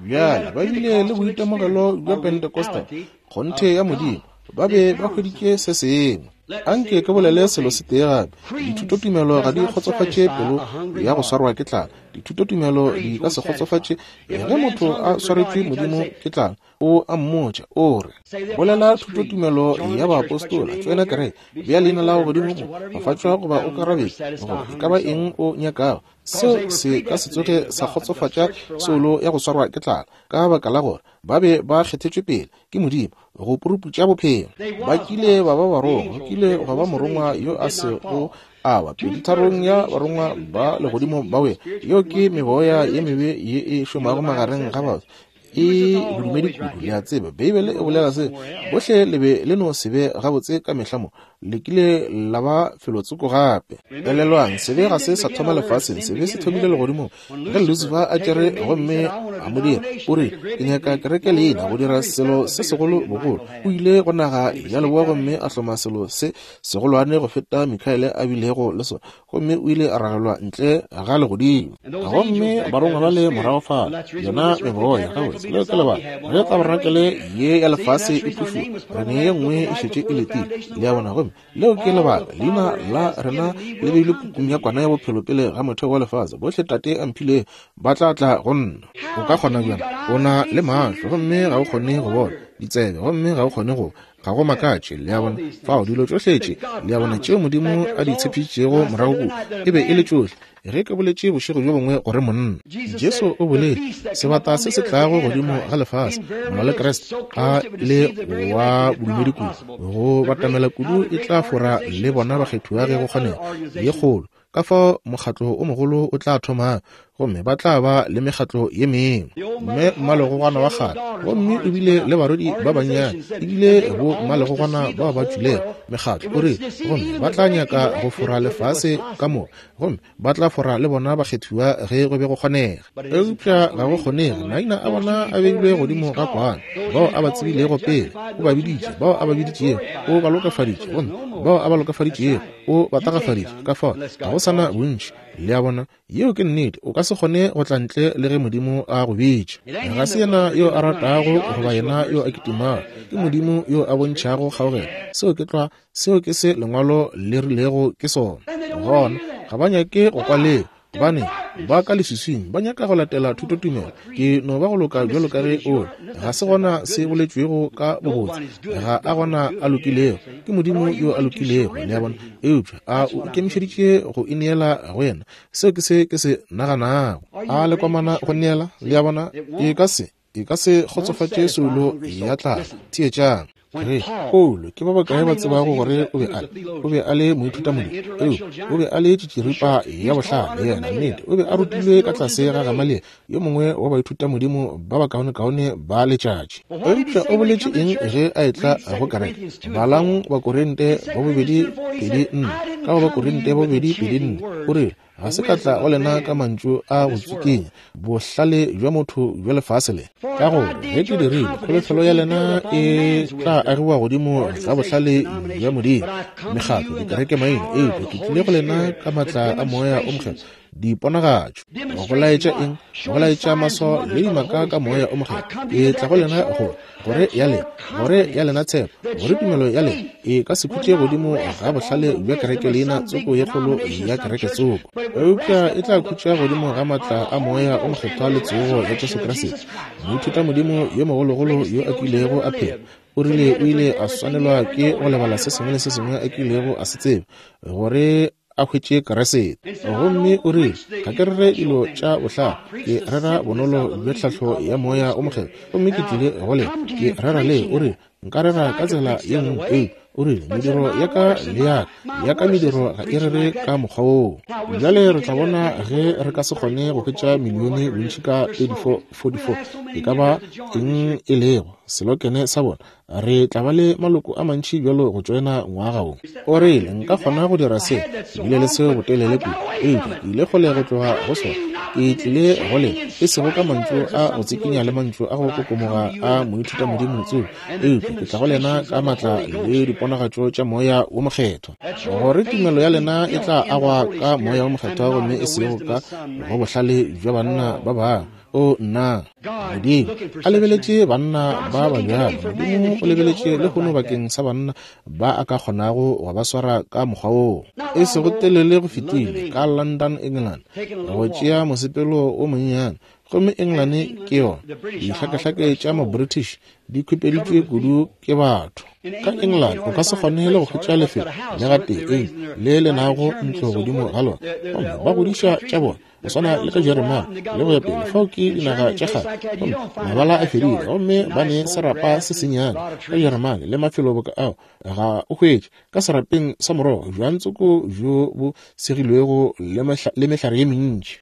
Bjale ba bile le boitemogelo bja Pentecostal, kgonthe ya Modimo, ba be ba hweditše se sengwe. Anke ke bolele selo se tee gape. Dithutotumelo ga di kgotsofatše pelo ya go swarwa ke tlala. Dithutotumelo di ka se kgotsofatše ge motho a swaretšwe Modimo ke tlala. O a mmotša, o re, bolela thutotumelo ya baapostola, tsena kereke, bea leina la gago godimo mo, fafatšwa goba o karabetše, goba e ka ba eng o nyakago. Seo se ka se tsoge sa kgotsofatša soulo ya go swarwa ke tlala, ka baka la gore ba be ba kgethetšwe pele ke Modimo go puruputša bophelo. Ba kile ba ba barongwa, go kile gwa ba morongwa yo a sego a wa peditharong ya barongwa ba legodimo ba wela. Yeo ke meboya ye mebe ye e šomago magareng ga batho, e bodumedi kudu. Le a tseba, Beibele e bolela se, bohle le be le no se be gabotse ka mehla mo, le kile la ba felotsoko gape. Elelwang, sebe ga se sa thoma lefaseng, sebe se thomile legodimong. Ge Lucifer a tšere gomme a mo dira, o re, ke nyaka kereke leina go dira selo se segolo bogolo. O ile go naga ya leboa gomme a hloma selo se segolwane go feta Mikaele a bilego le sona, gomme o ile a ragelwa ntle ga legodimo. Gomme barongwa ba le morago fale, yona meboya gabotse. Leo ke lebaka ge tabarenakele ye ya lefase e phušuwa, re ne ye nngwe e šetše e letile. Le a bona? Gomme leo ke lebaka leina la rena le beilwe pukung ya kwana ya bophelo pele ga motheo wa lefase. Bohle Tate a mphilego ba tla tla go nna. O ka kgona bjang? O na le mahlo gomme ga o kgone go bona, ditsebe gomme ga o kgone go, ga go makatše. Le a bona? Fao dilo tšohle tše, le a bona, tšeo Modimo a di tshepišitšego morago kua, e be e le tšohle. Ge ke boletše bošego bjo bongwe gore monna Jesu o boletše, sebata se se tlago godimo ga lefase, molwa le Kriste a le wa bodumedi kudu, go batamela kudu e tla fora le bona bakgethiwa ge go kgonega ye kgolo. Ka fao mokgatlo o mogolo o tla thoma, gomme ba tla ba le mekgatlo ye mengwe. Mme mmalegogwana wa kgale, gomme o bile le barwedi ba bannyane, ebile bo mmalegogwana bao ba tšwilego mekgatlo, o re, gomme ba tla nyaka go fora lefase ka moka, gomme ba tla fora le bona bakgethiwa ge go be go kgonega. Eupša ga go kgonege, maina a bona a beilwe godimo ga kwana. Bao a ba tsebilego pele o ba biditše, bao a ba biditšego o ba lokafaditše, gomme bao a ba lokafaditšego o ba tagafaditše. Ka fao ga go sana bontši. Le a bona? Yeo ke nnete. O ka se kgone go tla ntle le ge Modimo a go bitša. Ga se yena yo a ratago goba yena yo a kitimago, ke Modimo yo a bontšhago kgaogelo. Seo ke tlwa, seo ke se lengwalo le rilego ke sona. Gona ga ba nyake go kwa leo, gobane ba ka leswiswing, ba nyaka go latela thutotumelo. Ke no ba go loka bjalo ka ge o le. Ga se gona se boletšwego ka bobotse, ga a gona a lokilego, ke Modimo yo a lokilego. Le a bona? Eupša a o ikemišeditše go ineela go yena? Seo ke se ke se naganago. A le kwamana go neela? Le a bona? E ka se, e ka se kgotsofatše soulo ya tlala. Theetšang. Re Paulo, ke ba bakae ba tsebago gore o be a le, o be a le moithutamodimo? Eupša o be a le tšitširipa ya bohlale yena, nnete. O be a rutilwe ka tlase ga Gamaliele, yo mongwe wa baithutamodimo ba bakaonekaone ba letšatši. Eupša o boletše eng ge a etla go kereke? Balang Bakorinte ba bobedi pedi nne, ka go Bakorinte ba bobedi pedi nne, o rile, ga se ka tla go lena ka mantšu a go tsikinya bohlale bja motho bja lefase le, ka gore ge ke dirile, kholofelo ya lena e tla agiwa godimo ga bohlale bja Modimo, mekgatlo, dikereke maina. Eupša ke tlile go lena ka matla a Moya o Mokgethwa, diponagatšo, go laetša eng? Go laetša maswao le dimaka ka Moya o Mokgethwa. Ke tla go lena gore gore ya lena, gore ya lena tshepo, gore tumelo ya lena e ka se khutše godimo ga bohlale bja kereke leina tsoko ye kgolo ya kereke tsoko, eupša e tla khutša godimo ga matla a Moya o Mokgethwa le tsogo ya Jesu Kriste. Moithutamodimo yo mogologolo yo a kilego a phela o rile o ile a swanelwa ke go lebala se sengwe le se sengwe a kilego a se tseba gore a hwetše Kriste. Gomme o rile, ga ke rere dilo tša bohlale, ke rera bonolo bja tlhahlo ya Moya o Mokgethwa. Gomme ke tlile go lena ke rera le. O rile, nka rera ka tsela ye nngwe, eupša O rile, mediro ya ka le ya ka, ya ka mediro ga e rere ka mokgwa woo. Bjale re tla bona ge re ka se kgone go hwetša milione bontši ka thirty-four forty-four, e ka ba eng e lego selokene sa bona. Re tla ba le maloko a mantši bjalo go tšoena ngwaga wo. O rile, nka kgona go dira se, ke bile le seo botelele kudu, eupša ke ile kgole go tloga go sona. Ke tlile go le, e sego ka mantšu a go tsikinya le mantšu a go kokomoga a moithutamodimo tso, eupša ke tla go lena ka matla le diponagatšo tša Moya wo Mokgethwa, gore tumelo ya lena e tla agwa ka Moya wo Mokgethwa gomme e sego ka go bohlale bja banna ba bangwe. O nna, Modimo a lebeletše banna ba ba bjalo. Modimo o lebeletše lehono bakeng sa banna ba a ka kgonago go ba swara ka mokgwa woo. E sego telele go fetile ka London, England, go tšea mosepelo o monnyane. Gomme England ke yona dihlakahlake tša ma-British di khupeditšwe kudu ke batho. Ka England o ka se kgone le go hwetša lefelo le gatee le le nago ntlo godimo ga lona, gomme ba godiša tša bona go swana le ka Jeremane le go ya pele. Fao ke dinaga tša kgale, gomme mabala a fedile, gomme ba ne serapa se sennyane ka Jeremane le mafelo boka ao ga o hwetše ka serapeng sa morogo bjang tsoko bjo bo segilwego le mehlare ye mentši.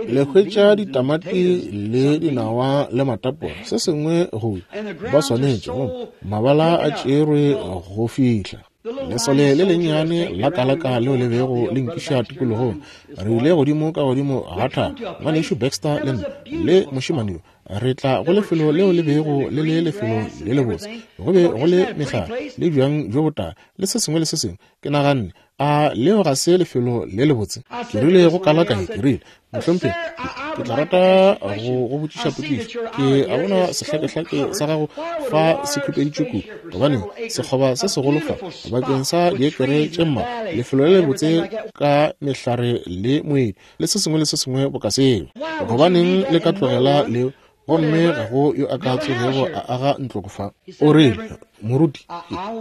Le hwetša ditamati le dinawa le matapola, se sengwe go ba swanetše, gomme mabala a tšerwe go fihla. Lesole le lennyane la kalaka leo le bego le nkiša tikologong. Re ile godimo ka godimo ga thaba, ngwanešu Baxter le nna le mošemane yo. Re tla go lefelo leo le bego le le lefelo le lebotse. Go be go le mehlare le bjang bjo botala le se sengwe le se sengwe. Ke naganne, a leo ga se lefelo le lebotse? Ke rile go kalaka, ke rile, mohlomphegi, ke tla rata go go botšiša potšišo. Ke a bona sehlakehlake sa gago fa se khupeditšwe kudu, gobane sekgoba se segolo fa bakeng sa diekere tše mmalwa, lefelo le lebotse ka mehlare le moedi le se sengwe le se sengwe boka seo. Gobaneng le ka tlogela leo? Gomme ga go yo a ka tsogego a aga ntlo go fa. O rile, moruti,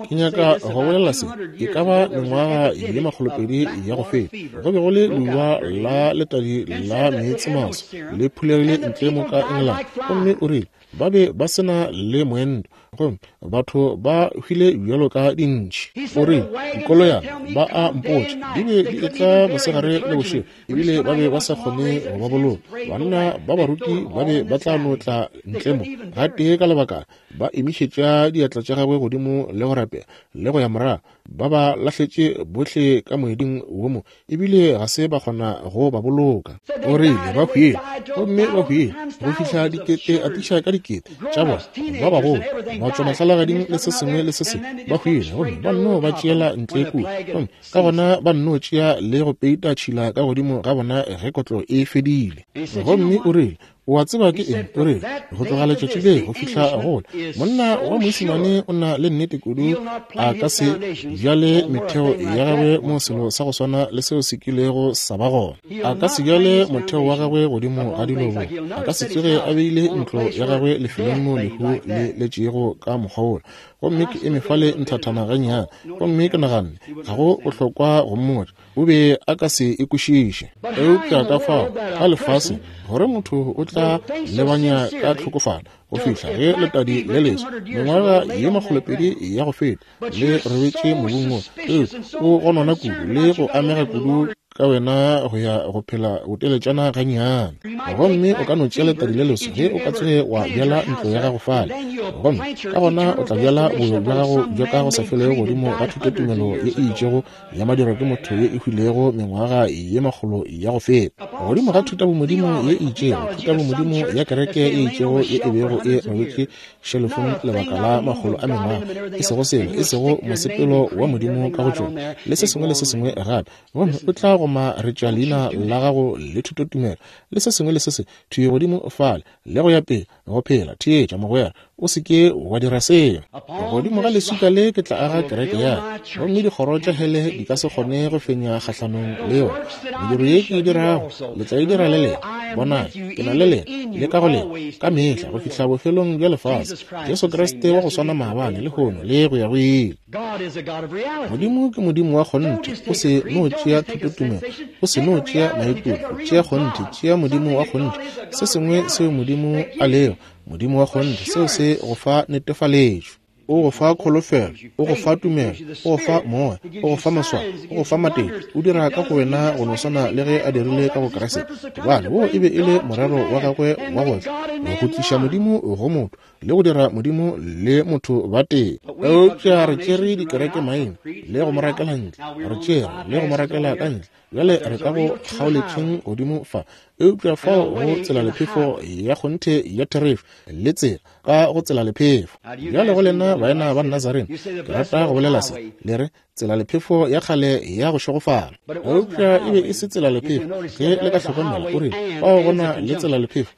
ke nyaka go bolela se, e ka ba mengwaga ye makgolopedi ya go feta, go be go le leuba la letadi la meetsemaso le phulegile ntle mo ka England. Gomme o rile, ba be ba se na le moento, gomme batho ba hwile bjalo ka dintši. O rile, dikoloyana ba a mpotša di be di etla mosegare le bošego, ebile ba be ba sa kgone go ba boloka. Banna ba baruti ba be ba tla no tla ntle mo gatee ka lebaka, ba emišetša diatla tša gagwe godimo le go rapela le go ya morago, ba ba lahletše bohle ka moeding wo mo, ebile ga se ba kgona go ba boloka. O rile ba hwile, gomme ba hwile go fihla dikete atiša ka dikete tša bona ba bagolo ba tšwa mahlalagading le se sengwe le se sengwe, ba hwile, gomme ba nno ba tšeela ntle kua, gomme ka gona ba nno tšea le go peita tšhila ka godimo ga bona ge kotlo e fedile. Gomme o rile, o a tseba ke eng? O rile, go tloga letšatši le go fihla gola, monna wa moisimane o na le nnete kudu a ka se bjale metheo ya gagwe mo selo sa go swana le seo se kilego sa ba gona. A ka se bjale motheo wa gagwe godimo ga dilo bo. A ka se tsoge a beile ntlo ya gagwe lefelong mo lehu le letšego ka mokgwa wola. Gomme ke eme fale nthathana gannyane, gomme ke naganne ga go bohlokwa go mmotša, o be a ka se e kwešiše. Eupša ka fao ka lefaseng gore motho o tla lebanya ka tlhokofalo go fihla ge letadi le leswa mengwaga ye makgolopedi ya go feta le robetše mobung wo, eupša o gonona kudu le go amega kudu ka wena go ya go phela boteletšana gannyane. Gomme o ka no tšea letadi le leswa ge o ka tsoge wa bjala ntlo ya gago fale, gomme ka gona o tla bjala boyo bja gago bja ka go sa felego godimo ga thutotumelo ye e itšego ya madirwa ke motho ye e hwilego mengwaga ye makgolo ya go feta, godimo ga thutabomodimo ye e itšego, thutabomodimo ya kereke ye itšego ye e bego e robetše šelofong lebaka la makgolo a mengwaga, e sego selo, e sego mosepelo wa Modimo ka go tšona le se sengwe le se sengwe gape. Gomme o tla gomaretša leina la gago le thutotumelo le se sengwe le se sengwe thwi godimo fale le go ya pele go phela. Theetša mogwera, o se ke wa dira seo. Godimo ga leswika le ke tla aga kereke ya ka, gomme dikgoro tša hele di ka se kgone go fenya kgahlanong le yona. Mediro ye ke e dirago le tla e dira le lena. Bonang, ke na le lena le ka go lena ka mehla go fihla bofelong bja lefase. Jesu Kriste wa go swana maabane, lehono le go ya go ile. Modimo ke Modimo wa kgonthe. O se no tšea thutotumelo, o se no tšea maikutlo, tšea kgonthe, tšea Modimo wa kgonthe, se sengwe seo Modimo a lego, Modimo wa kgonthe, seo se go fa netefaletšo. O go fa kholofelo, o go fa tumelo, o go fa moya, o go fa maswao, o go fa matete, o dira ka go wena go no swana le ge a dirile ka go Kriste. Gobane wo e be e le morero wa gagwe wa go tla, go tliša Modimo go motho le go dira Modimo le motho ba tee. Eupša re tšere dikereke maina le go mo rakela ntle, re tšere le go mo rakela ka ntle. Bjale re ka go kgaoletšeng godimo fa, eupša fao go tselalephefo ya kgonthe ya therešo le tsela ka go tselalephefo. Bjale go lena baena ba Nazarene, ke rata go bolela se, le re tselalephefo ya kgale ya go šegofala, eupša e be e se tselalephefo. Ge le ka hlokomela, o rile fao go na le tselalephefo,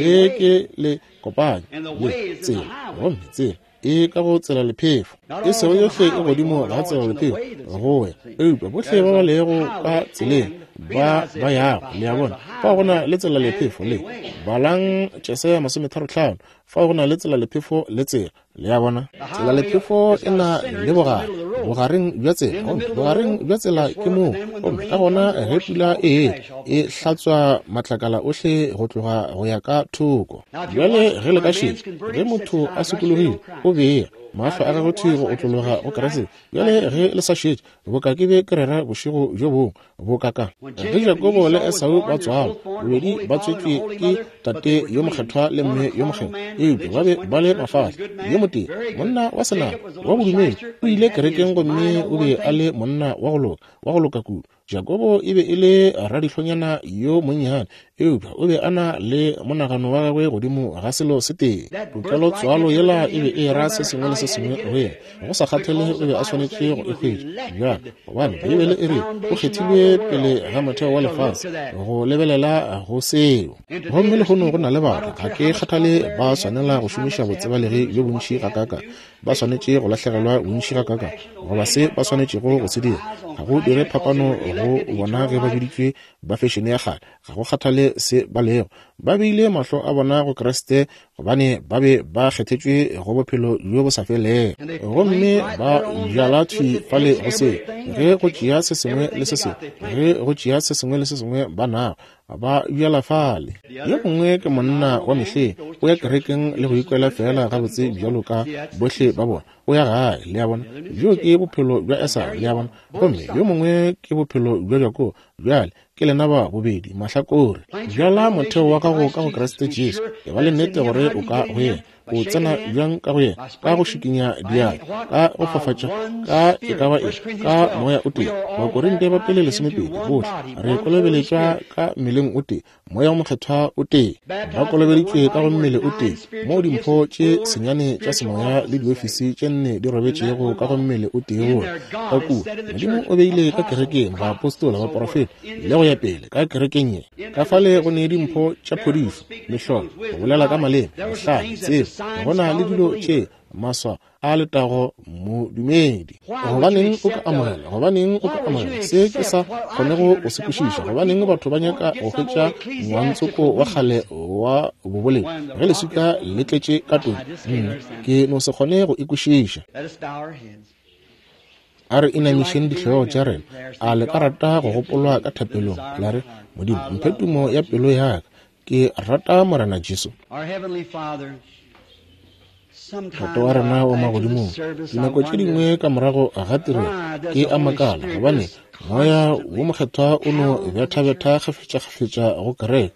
le ke le kopanya le tsela, gomme tsela e ka go tselalephefo. E sego yohle e godimo ga tselalephefo go ya, eupša bohle ba ba lego ka tseleng ba ba yago. Le a bona, fao go na le tselalephefo le balang Jesaya masometharo-hlano, fao go na le tselalephefo le tsela. Le a bona, tselalephefo e na le bogare, bogareng bja tsela, gomme bogareng bja tsela ke moo, gomme ka gona ge pula e e hlatswa matlakala ohle go tloga go ya ka thoko. Bjale ge le ka šetša, ge motho a sokologile o bea mahlo a gagwe thwi go otlologa go Kriste. Bjale ge le sa šetše, boka ke be ke rera bošego bjo bongwe, boka ka ge Jakobo le Esau ba tswalwa, bobedi ba tswetšwe ke tate yo mokgethwa le mme yo mokgethwa, eupša ba be ba le mafahla. Yo motee, monna wa senama wa bodumedi, o ile kerekeng gomme o be a le monna wa go loka, wa go loka kudu. Jakobo e be e le radihlonyana yo monnyane, eupša o be a na le monagano wa gagwe godimo ga selo se tee. Tokelo tswalo yela e be e ra se sengwe le se sengwe go yena, go sa kgathale o be a swanetše go e hwetša. Bjale, gobane Beibele e re o kgethilwe pele ga motheo wa lefase go lebelela go seo. Gomme lehono go na le batho, ga ke kgathale ba swanela go šomiša botsebalegi bjo bontši gakaakang, ba swanetše go lahlegelwa bontši gakaakang, goba se ba swanetšego go se dira, ga go dire phapano go bona ge ba biditšwe ba fešene ya kgale. Ga go kgathale se ba lego, ba beile mahlo a bona go Kriste, gobane ba be ba kgethetšwe go bophelo bjo bo sa felego, gomme ba bjala thwi fale go se. Ge go tšea se sengwe le se sengwe, ge go tšea se sengwe le se sengwe ba nago, ba bjala fale. Yo mongwe ke monna wa mehleng, o ya kerekeng le go ikwela fela gabotse bjalo ka bohle ba bona, o ya gae. Le a bona, bjo ke bophelo bja Esau, le a bona. Gomme yo mongwe ke bophelo bja Jakobo. Bjale ke lena ba bobedi mahlakore. Bjala motheo wa gago ka go Kriste Jesu, e ba le nnete gore o ka go yena. O tsena bjang ka go yena? Ka go šikinya diatla, ka go fafatša, ka e ka ba eng, ka moya o tee. Bakorinte ba pele lesomepedi, bohle re kolobeletšwa ka mmeleng o tee, moya o mokgethwa o tee. Ba kolobeditšwe ka go mmele o tee, moo dimpho tše senyane tša semoya le diofisi tše nne di robetšego ka go mmele o tee wola. Ka kua Modimo o beile ka kerekeng baapostola, baporofeta le go ya pele ka kerekeng ye. Ka fale go ne dimpho tša phodišo, mehlolo, go bolela ka maleme, bohlale, tsebo. Go na le dilo tše maswa a letago modumedi. Gobaneng o ka amogela? Gobaneng o ka amogela se ke sa kgonego go se kwešiša? Gobaneng batho ba nyaka go hwetša ngwantsoko wa kgale wa boboledi ge leswika le tletše ka todi? Nna ke no se kgone go e kwešiša. A re inamišeng dihlogo tša rena. A le ka rata go gopolwa ka thapelong? La re, Modimo, mphe tumo ya pelo ya ka. Ke rata Morena Jesu. Tate wa rena wa magodimong, dinako tše dingwe ka morago ga tirelo ke a makala, gobane moya wo mokgethwa o no bethabetha kgafetšakgafetša go kereke.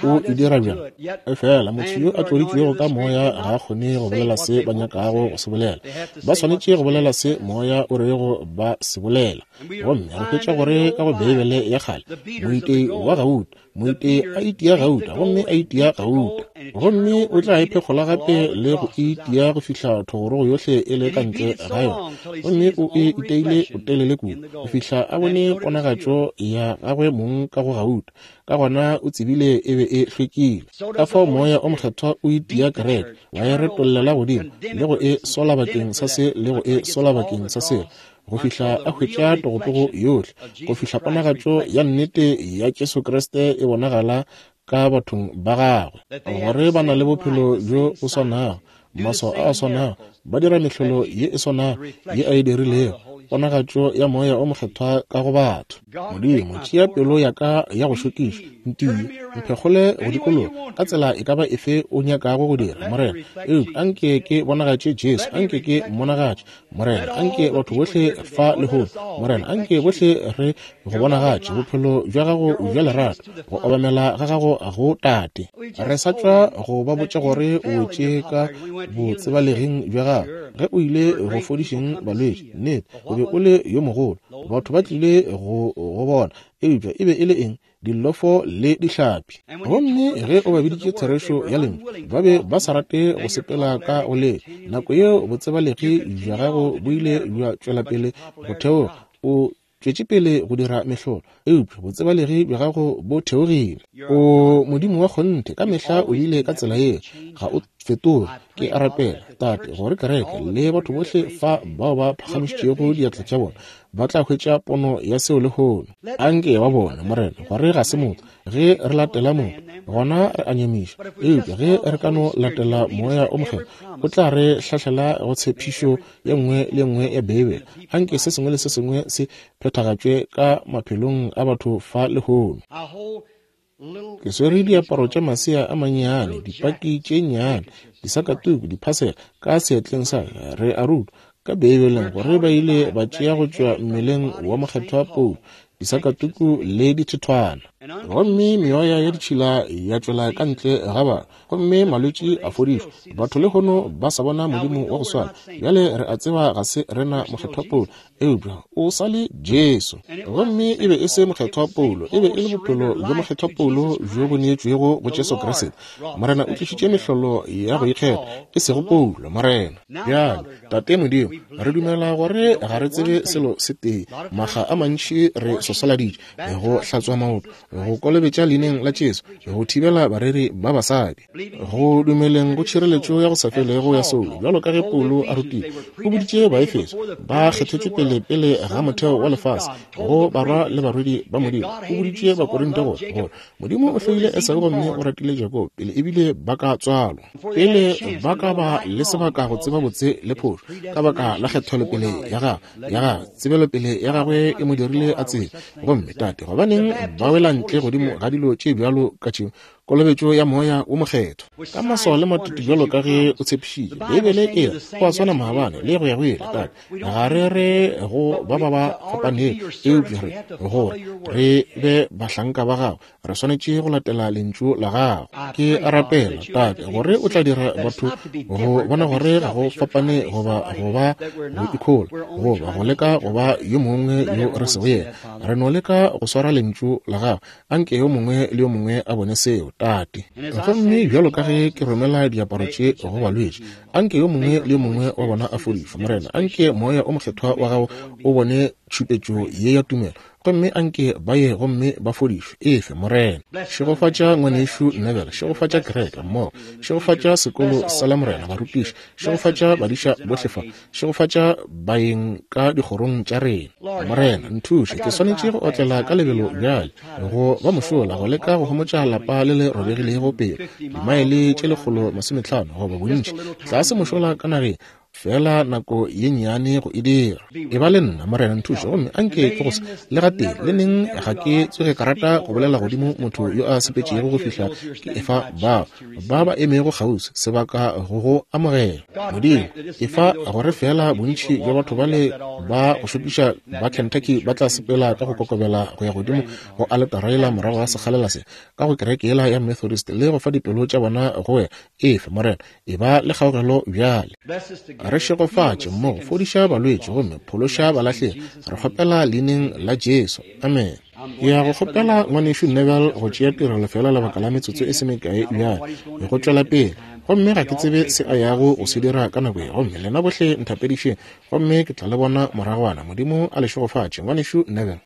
O e dira bjang? Efela motho yo a tloditšwego ka moya ga a kgone go bolela se ba nyakago go se bolela. Ba swanetše go bolela se moya o rego ba se bolela. Gomme re hwetša gore ka go Beibele ya kgale, moitei wa gauta, moitei a itia gauta, gomme a itia gauta, gomme o tla e phekgola gape le go itia go fihla thogorogo yohle e le ka ntle ga yona, gomme o e iteile botelele kudu go fihla a bone ponagatšo ya gagwe mong ka go gauta. Ka gona o tsebile e be e hlwekile. Ka fao moya o mokgethwa o itia kereke, wa e retollela godimo le go e sola bakeng sa se le go e sola bakeng sa sela, go fihla a hwetša togotogo yohle, go fihla ponagatšo ya nnete ya Jesu Kriste e bonagala ka bathong ba gagwe, gore ba na le bophelo bjo bo swanago, maswao a a swanago, ba dira mehlolo ye e swanago ye a e dirilego, ponagatšo ya Moya o Mokgethwa ka go batho. Modimo, tšea pelo ya ka ya go šokiša, ntie, mphekgole go dikologa ka tsela e ka ba efe o nyakago go dira, Morena. Eupša anke ke bonagatše Jesu, anke ke mmonagatše, Morena. Anke batho bohle fa lehono, Morena, anke bohle re go bonagatše bophelo bja gago bja lerato, go obamela ga gago go Tate. Re sa tšwa go ba botša gore o wetše ka botsebaleging bja gago ge o ile go fodišeng balwetši. Nnete, o be o le yo mogolo, batho ba tlile go go bona, eupša e be e le eng? Dillofo le dihlapi. Gomme ge o ba biditše therešo ya lentšu, ba be ba sa rate go sepela ka go le. Nako yeo botsebalegi bja gago bo ile bja tšwela pele go theoga, o tšwetše pele go dira mehlolo, eupša botsebalegi bja gago bo theogile. O Modimo wa kgonthe, ka mehla o ile ka tsela yeo, ga o fetoge. Ke a rapela, Tate, gore kereke le batho bohle fa bao ba phagamišitšego diatla tša bona ba tla hwetša pono ya seo lehono. Anke ba bone, Morena, gore ga se motho. Ge re latela motho, gona re a nyamiša, eupša ge re ka no latela Moya o Mokgethwa, o tla re hlahlela go tshepišo ye nngwe le nngwe ya Beibele. Anke se sengwe le se sengwe se phethagatšwe ka maphelong a batho fa lehono. Ke swere diaparo tša masea a mannyane, dipaki tše nnyane, disakatuku, diphasela ka seatleng sa ka. Re a rutwa ka Beibeleng gore ba ile ba tšea go tšwa mmeleng wa Mokgethwa Paulo disakatuku le dithethwana, gomme meoya ya ditšhila ya tšwela ka ntle ga batho, gomme malwetši a fodišwa. Batho lehono ba sa bona Modimo wa go swana. Bjale re a tseba ga se rena Mokgethwa Paulo, eupša o sa le Jesu. Gomme e be e se Mokgethwa Paulo, e be e le bophelo bja Mokgethwa Paulo bjo bo neetšwego go Jesu Kriste. Morena o tlišitše mehlolo ya go ikgetha, e sego Paulo, Morena. Bjale, Tate Modimo, re dumela gore ga re tsebe selo se tee. Makga a mantši re sosoladitše go hlatswa maoto, go kolobetša leineng la Jesu, go thibela bareri ba basadi, go dumeleng go tšhireletšo ya go sa felego ya soulo, bjalo ka ge Paulo a rutile. O boditše Baefeso ba kgethetšwe pele pele ga motheo wa lefase go barwa le barwedi ba Modimo. O boditše Bakorinte gore gore Modimo o hloile Esau gomme o ratile Jakobo pele ebile ba ka tswalwa, pele ba ka ba le sebaka go tseba botse le phošo, ka baka la kgethelopele ya gagwe ya gagwe tsebelopele ya gagwe e mo dirile a tsebe. Gomme Tate, gobaneng ba wela ntle godimo ga dilo tše bjalo ka tšeo, kolobetšo ya Moya wo Mokgethwa ka maswao le matete bjalo ka ge o tshepišitše? Beibele e re go a swana maabane le go ya go ile. Tate, ga re re go ba ba ba fapanego, eupša re gore re be bahlanka ba gago, re swanetše go latela lentšu la gago. Ke a rapela, Tate, gore o tla dira batho go bona gore ga go fapane goba go ba go ikhola goba go leka go ba yo mongwe yo re sego yena. Re no leka go swara lentšu la gago. Anke yo mongwe le yo mongwe a bone seo, Tate. Gomme bjalo ka ge ke romela diaparo tše go balwetši, anke yo mongwe le yo mongwe wa bona a fodišwe, Morena. Anke Moya o Mokgethwa wa gago o bone tšhupetšo ye ya tumelo, gomme anke ba ye gomme ba fodišwe. Efe, Morena. Šegofatša ngwanešu Neville, šegofatša kereke mmogo, šegofatša sekolo sa la Morena, barutiši, šegofatša badiša bohle fa, šegofatša baeng ka dikgorong tša rena. Morena, nthuše, ke swanetše go otlela ka lebelo bjale go ba mošola go leka go homotša lapa le le robegilego pelo, dimaele tše lekgolo masometlhano goba bontši tlase mošola ka nageng, fela nako ye nnyane go e dira. E ba le nna, Morena, nthuše, gomme anke ke go se le gatee le neng ga ke tsoge ka rata go bolela godimo motho yo a sepetšego go fihla ke efa bao ba ba emego kgauswi sebaka go go amogela. Modimo, efa gore fela bontši bja batho bale ba go šokiša ba Kentucky ba tla sepela ka go kokobela go ya godimo go aletara yela morago ga sekgalela se, ka go kereke yela ya Methodist, le go fa dipelo tša bona go wena. Efe, Morena, e ba le kgaogelo bjale. Re šegofatše mmogo, fodiša balwetši gomme phološa balahlegi. Re kgopela leineng la Jesu. Amen. Ke ya go kgopela ngwanešu Neville go tšea tirelo fela lebaka la metsotso e se mekae bjale go tšwela pele, gomme ga ke tsebe se a yago go se dira ka nako ye. Gomme lena bohle nthapedišeng, gomme ke tla le bona moragwana. Modimo a le šegofatše. Ngwanešu Neville.